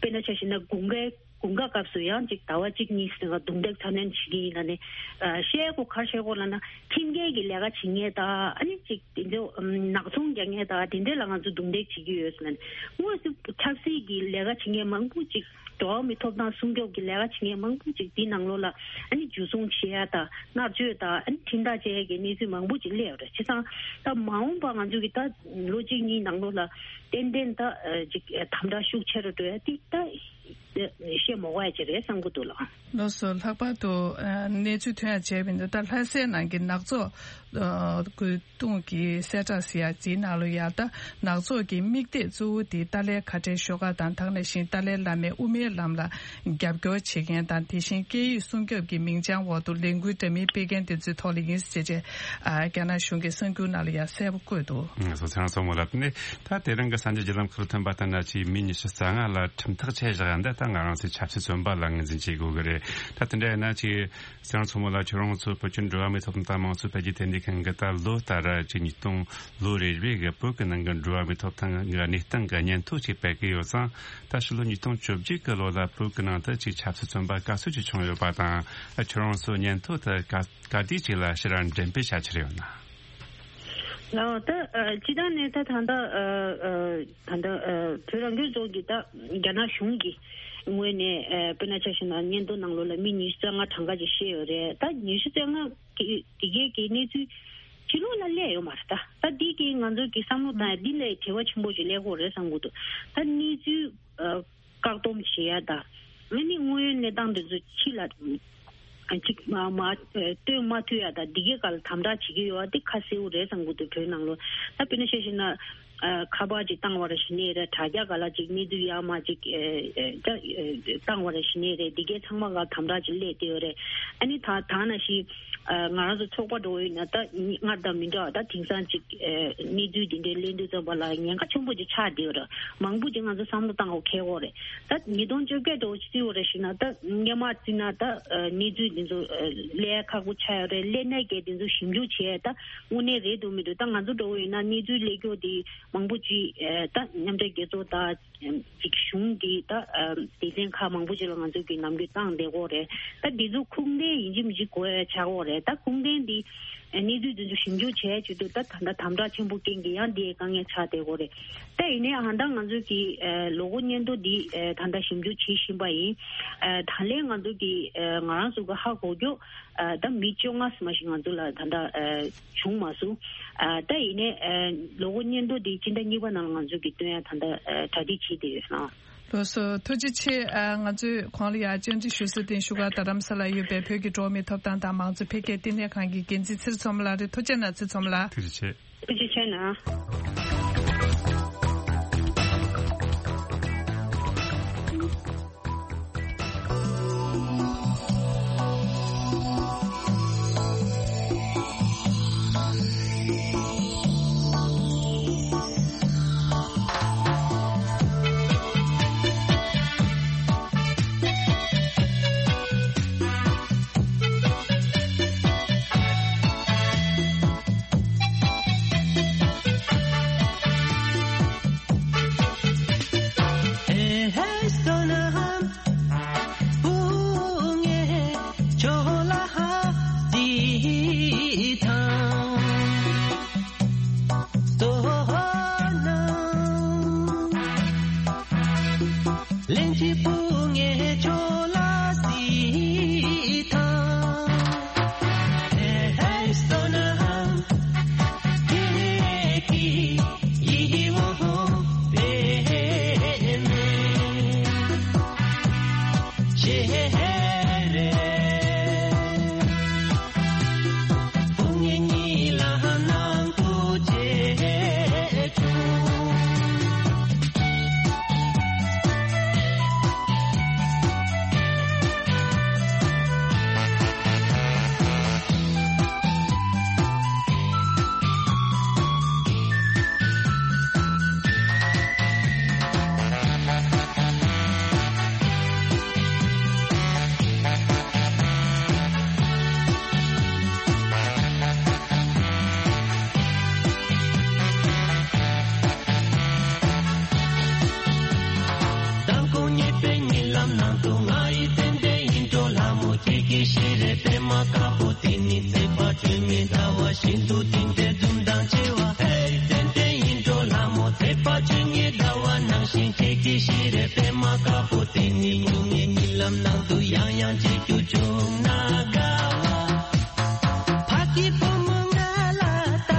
དཔེར་ན་ཆ་བཞག་ན་དགུན་ཁའི་དགུན་ཁ་སྐབས་སུ་ཡང་ཅིག་ཟླ་བ་གཅིག་གཉིས་ཟིན་ག་རྡུང་རྡེག་ཚ་འདྲེན་བྱེད་ཀྱི་ཡིན་ལབ་ནས་ཨ་བཤད་གོ་ག་རེ་བཤད་གོ་ལབ་ན་ཁྲིམས་འགལ་གྱི་ལས་ཀ་བྱེད་མཁན་དང་ཨ་ནི་ཅིག་དེ་ཚོ་ནག་ཚོང་རྒྱག་མཁན་དང་དེ་འདྲས་ལ་ང་ཚོ་རྡུང་རྡེག་བྱེད་ཀྱི་ཡོད་ཟེར་ནས་དངོས་སུ་ཆབ་སྲིད་ཀྱི་ལས་ཀ་བྱེད་མཁན་མང་པོ་ཅིག་འགྲོ་བ་མིའི་ཐོབ་ཐང་སྲུང་སྐྱོབ་ཀྱི་ལས་ཀ་བྱེད་མཁན་མང་པོ་ཅིག་དེའི་ནང་ལོགས་ལ་ཨ་ནི་འཇུ་བཟུང་བྱེད་ཡ་དང་མནར་གཅོད་དང་ཨ་ནི་ཁྲིམས་ཐག་བཅད་ཡ་གི་གནས་ཚུལ་མང་པོ་ཅིག་སླེབས་ཡོད་རེད། བྱས་ཙང་ད་མ་འོངས་པ་ང་ཚོ་གི་ད་ལོ་གཅིག་གཉིས་ནང་ལོགས་ལ་ཏན་ཏན་ད་ཅིག་དམ་དྲག་ཤུགས་ཆེ་རུ་འགྲོ་ཡ་དེ་ད་བཤད་མ་དགོས་ཡ་ཅིག་རེད་བསམ་གི་འདུག་ལགས། ལགས་སོ། ལྷག་པར་དུ་ཨ་གནས་ཚུལ་ཐོན་ཡ་བྱས་པ་ཡིན་ན་ད་ལྷ་སའི་ནང་གི་ནག་ཚོགས་ཨ་སྐུ་གདུང་གི་གསལ་བསྒྲགས་ཟེར་ཡ་དེའི་ནང་ལ་ཡ་ད་ནག་ཚོགས་ཀྱི་དམིགས་གཏད་གཙོ་བོ་དེ་ཏཱ་ལའི་ཁ་བྲལ་ཤོག་ཁག་དང་ད་ག་ནང་བཞིན་ཏཱ་ལའི་བླ་མའི་དབུ་མའི་ལམ་ལ་རྒྱབ་སྐྱོར་བྱེད་མཁན་དང་དེ་བཞིན་སྐད་ཡིག་སྲུང་སྐྱོབ་ཀྱི་མིང་བྱང་འོག་ཏུ་ལས་འགུལ་འདྲ་མིན་སྤེལ་མཁན་དེ་ཚོའི་ཐོག་ལ་ཡིན་ཟེར་བྱས་ཨ་རྒྱ་ནག་གཞུང་གི་གསར་འགྱུར་ནང་ལ་ཡ་གསལ་པོ་བཀོད་འདུག་ང་ཚོ་ཚང་སོང་མོ་ལབ་ནས་ད་དེ་རིང་གི་གསར་འགྱུར་བརྒྱུད་ལམ་ཁག་ཐོན་པ་ལྟར་ན་ཆེས་མི་ཉི་ཤུ་རྩ་ལྔ་ལ་ཁྲིམས་ཐག་བཅད་བཞག་འདི་ད་ང་རང་ཚོའི་ཆབ་སྲིད་བཙོན་པ་ལ་ངོས་འཛིན་བྱེད་དགོས་གི་རེད། ད་དེ་འདྲ་ཡིན་ན་ཆེས། གསེར་མཚོ་མོ་ལ་ཁྱོད་རང་ཚོ་བོད་ཀྱི་འགྲོ་བ་མིའི་ཐོབ་ཐང་དང་དམངས་གཙོ་འཕེལ་རྒྱས་ལྟེ་གནས་ཁང་གི་ད་ལོ་ལྟར་གྱི་ཉིས་སྟོང་ལོ་རེ་རེ་གི་བོད་ཀྱི་ནང་གི་འགྲོ་བ་མིའི་ཐོབ་ཐང་གི་གནས་སྟངས་ཀྱི་སྙན་ཐོ་ཅིག་སྤེལ་གི་ཡོད་ཙང་། ད་ཕྱི་ལོ་ཉིས་སྟོང་བཅོ་བརྒྱད་ཀྱི་ལོ་ལ་བོད་ཀྱི་ནང་དུ་ཅིག་ཆབ་སྲིད་བཙོན་པ་ག་ཚོད་ཅིག་བྱུང་ཡོད་པ་དང་། ཁྱོད་རང་ཚོ་སྙན་ཐོ་དེ་ག་ག་དུས་ཅིག་ལ་ཕྱིར་འགྲེམས་སྤེལ་བྱ་འཆར་ཡོད་ན། ལགས། ད་ཨ་སྤྱིར་བཏང་ནས་ད་ད་ལྟ་ཨ་ཨ་ད་ལྟ་ཨ་བོད་རང་སྐྱོང་ལྗོངས་ཀྱི་ད་རྒྱ་ནག་གཞུང་གི་ངོས་ནས་ཨ་དཔེར་ན་ཆ་བཞག་ན་སྙན་ཐོ་ནང་ལོགས་ལ་མི་ཉི་ཤུ་རྩ་ལྔ་གྲངས་ཀ་ཅིག་བཤད་ཡོད་རེད། ད་ཉི་ཤུ་རྩ་ལྔ་གི་དེ་གའི་གི་གནས་ཚུལ་ཕྱི་ལོགས་ལ་སླེབས་ཡོད་མ་རེད། ད་ད་འདི་གི་ང་ཚོ་གི་བསམ་བློ་བཏང་ཡ་འདི་ལས་བྲེལ་བ་ཆེན་པོ་ཞིག་སླེབས་ཀྱི་ཡོད་རེད་བསམ་གྱི་འདུག་ད་གནས་ཚུལ་ཨ་བཀག་སྡོམ་བྱེད་ཡ་དང་། ཨ་ནི་དངོས་ཡོད་གནས་སྟངས་འདི་ཚོ་ཕྱི་ལ་ཅིག་མ་མ་སྟོན་མ་ཐུབ་ཡ་དང་འདི་གའི་སྐབས་ལ་དམ་དྲག་བྱེད་ཀྱི་ཡོད་པ་འདི་ཁ་གསལ་པོ་རེད་བསམ་གྱི་འདུག་བོད་ནང་ལོགས། ད་དཔེར་ན་ཆ་བཞག་ན་ཨ་ཁ་པར་ཅིག་བཏང་བ་རེད་ཟེར་ནའི་རེད། དྲ་རྒྱ་སྒང་ལ་ཅིག་གནས་ཚུལ་ཡར་མར་ཅིག་ཨ་ཨ་བཏང་བ་རེད་ཟེར་ནའི་རེད། འདི་གའི་ཚང་མ་སྒང་དམ་དྲག་ཅིག་སླེབས་བསྡད་ཡོད་རེད། ཨ་ནི་ད་ད་ནང་བཞིན་ཨ་ང་རང་ཚོ་ཚོགས་པ་འདྲ་བོ་ཡིན་ན་ད་སྔར་དང་མི་འདྲ་བ་ད་དེང་སང་ཅིག་ཨ་གནས་ཚུལ་འདི་འདྲའི་གླེང་དུས་ཙམ་པ་ལ་ཉེན་ཁ་ཆེན་པོ་ཅིག་ཆགས་བསྡད་ཡོད་རེད། མང་པོ་ཅིག་ང་ཚོ་བསམ་བློ་བཏང་དགོས་ཁེལ་ཡོད་རེད། ད་ཉིས་སྟོང་བཅོ་བརྒྱད་འདྲ་བོ་ཅིག་བརྩི་བ་རེད་ཟེར་ན་ད་སྔོན་མ་བརྩིས་ན་ད་ཨ་གནས་ཚུལ་འདི་ཚོ་ཨ་སླེབས་ཁག་པོ་ཆགས་ཡོད་རེད། སླེབས་ནའི་གི་འདི་ཚོ་ཞིབ་འཇུག་བྱས་ད་དངོས་གནས་རེད་འདུག་མི་འདུག་ད་ང་ཚོ་འདྲ་བོ་ཡིན་ན་གནས་ཚུལ་སླེབས་རྒྱུ་དེ་མང་པོ་ཅིག་ཨ་ད་མཉམ་འབྲེལ་རྒྱལ་ཚོགས་དང་ཅིག་གཞུང་གི་ད་ཨ་སྡེ་ཚན་ཁག་མང་པོ་ཅིག་ལ་ང་ཚོ་གི་ལམ་སྟོན་བཏང་བསྡད་ཡོད་རེད། ད་འདི་ཚོ་ཁུངས་ལྡན་ཡིན་གཅིག་མིན་གཅིག་དགོས་ཡ་ཆགས་ཡོད་རེད། ད་ཁུངས་ལྡན་འདི་ཨ་གནས་ཚུལ་འདི་ཚོ་ཞིབ་འཇུག་བྱས་བྱེད་དུས་ད་ད་ལྟ་དམ་དྲག་ཆེན་པོ་རྐྱེན་གྱིས་ཡང་འདི་ཡི་དཀའ་ངལ་ཆགས་བསྡད་ཡོད་རེད། ད་ཡིན་ནའི་ཨ་ད་ང་ཚོ་གི་ཨ་ལོ་འཁོར་སྙན་ཐོ་འདི་ཨ་ད་ལྟ་ཞིབ་འཇུག་བྱེད་བཞིན་པ་ཡིན། ཨ་ད་ལན་ང་ཚོ་གི་ཨ་ང་རང་ཚོ་གི་ཧ་གོ་རྒྱུ་ཨ་ད་མི་བཅོ་ལྔ་ཙམ་ཞིག་ང་ཚོ་ལ་ད་ལྟ་ཨ་བྱུང་མ་སོང་། ཨ་ད་ཡིན་ནའི་ཨ་ལོ་འཁོར་སྙན་ཐོ་འདི་སྤྱི་ཟླ་གཉིས་པ་ནང་ལ་ང་ཚོ་གི་སྟོན་ཡ་ད་ལྟ་ཨ་གྲ་སྒྲིག་བྱེད་བསྡད་ཡོད་ལགས། ལགས་སོ། ཐུགས་རྗེ་ཆེ། ཨ་ང་ཚོས་གོང་ལ་ཡ་བཅར་འདྲི་ཞུ་ས་དེ་བཞུགས་སྒར་རྡ་རམ་ས་ལ་ཡོད་པའི་བོད་ཀྱི་འགྲོ་བ་མིའི་ཐོབ་ཐང་དང་མང་གཙོ་འཕེལ་རྒྱས་ལྟེ་གནས་ཁང་གི་འགན་འཛིན་ཚེ་རིང་མཚོ་མོ་ལགས་རེད། ཐུགས་རྗེ་གནང་ཚེ་རིང་མཚོ་མོ་ལགས། ཐུགས་རྗེ་ཆེ། ཐུགས་རྗེ་ཆེ་གནང་། དུ་དེ་འདྲའི་འཛུམ་མདངས་ཆེ་བ། ཧེ། ཏན་ཏན་ཡིན་འགྲོ་ལྷ་མོ། མཛེས་པ་ཆོས་ཉིད་ཟླ་བ་ནང་བཞིན། ཁྱེད་ཀྱི་ཞལ་རས་པད་མ་དཀར་པོ་དེ་ནི། སྨྱུང་གནས་གཉིད་ལམ་ནང་དུ་ཡང་ཡང་མཇལ་རྒྱུ་བྱུང་ན་དགའ་བ། ཕ་གི་བུ་མོ་ང་ལ་ལྟ་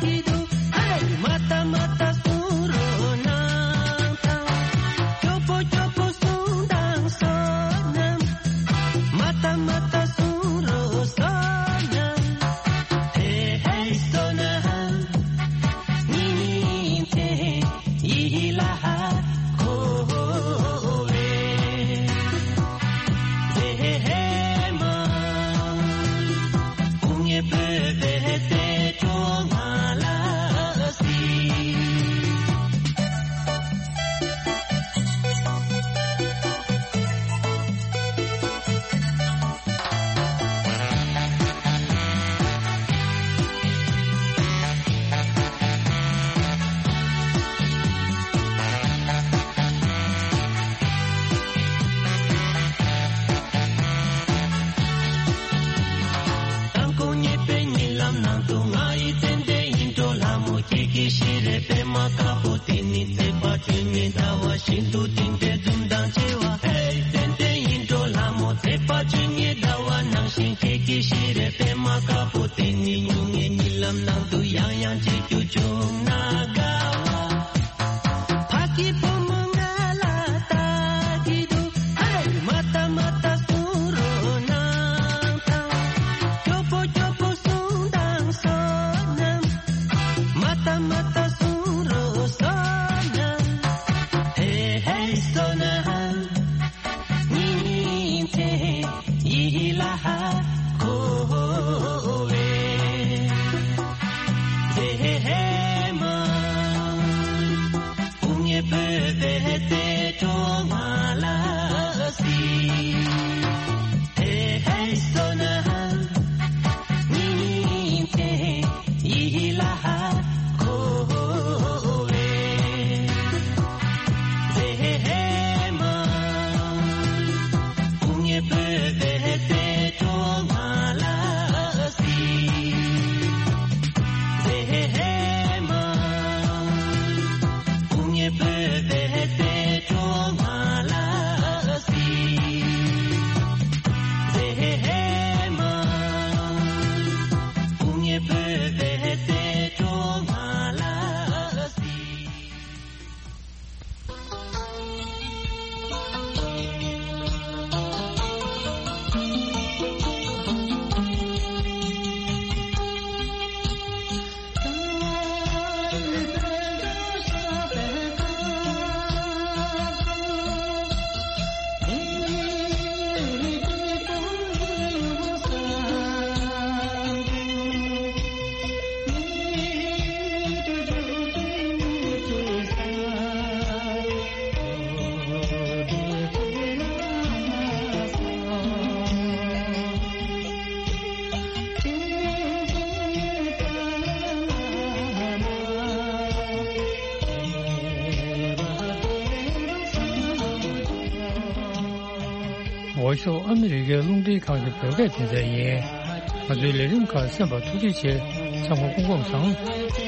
གི་འདུག་ཧེ། མ་ལྟ་མ་ལྟ་གསུང་རོགས་གནང་དང་། སྐྱོ་པོ་སྐྱོ་པོ་གསུང་དང་བསོད་ནམས། མ་ལྟ་མ་ལྟ་གསུང་རོགས་བསོད་ནམས། ཧེ་ཧེ་བསོད་ནམས། ཉིན་མཚན་ཡིད་ལ་འཁོར་བའི་མཛེས་མ། སྐུ་ངལ་བོད་པའི་བདེ་འགྲོ་ང་ལ་སྲིད། དང་པོ་ཉེས་པའི་གཉིད་ལམ་ནང་དུ། ང་ཡི་ཙན་དན་ཡིད་འཕྲོག་ལྷ་མོ། ཁྱེད་ཀྱི་ཞལ་རས་པད་མ་དཀར་པོ་དེ་ནི། མཛེས་པ་ཆོས་ཉིད་ཟླ་བ་བཞིན་དུ་དེ་འདྲའི་འཛུམ་མདངས་ཆེ་བ། ཧེ། ཙན་དན་ཡིད་འཕྲོག་ལྷ་མོ། མཛེས་པ་ཆོས་ཉིད་ཟླ་བ་ནང་བཞིན། ཁྱེད་ཀྱི་ཞལ་རས་པད་མ་དཀར་པོ་དེ་ནི། སྨྱུང་གནས་གཉིད་ལམ་ནང་དུ་ཡང་ཡང་མཇལ་རྒྱུ་བྱུང་ན་དགའ་བ། ཕ་གི་བུ་མོ་ང་ལ་ལྟ་གི་འདུག་ཧེ། མ་ལྟ་མ་ལྟ་གསུང་རོགས་གནང་དང་། སྐྱོ་པོ་སྐྱོ་པོ་གསུང་དང་བསོད་ནམས། མ་ལྟ་མ་ལྟ་གསུང་རོགས་བསོད་ནམས། ཧེ་ཧེ་བསོད་ནམས། ཉིན་མཚན་ཡིད་ལ་འཁོར་བའི་མཛེས་མ། སྐུ་ངལ་བོད་པའི་བདེ་འགྲོ་ང་ལ་སྲིད། ཧེ་ཧེ་བསོད་ནམས། ཉིན་མཚན་ཡིད་ལ་འཁོར་བའི་མཛེས་མ། སྐུ་ངལ་བོད་པའི་བདེ་འགྲོ་ང་ལ་སྲིད། མཛེས་མ། སྐུ་ངལ་བོད་པའི་བདེ་འགྲོ་ང་ལ་སྲིད། མཛེས་མ། སྐུ་ངལ་བོད་པའི་བདེ་འགྲོ་ང་ལ་སྲིད། འོས་ཤོག་ཨ་མི་རི་ཀའི་རླུང་འཕྲིན་ཁང་གི་བོད་སྐད་སྡེ་ཚན་ཡིན། ང་ཚོའི་ལས་རིམ་ཁག་གསན་པར་ཐུགས་རྗེ་ཆེ། ཚང་མ་སྐུ་ཁམས་བཟང་།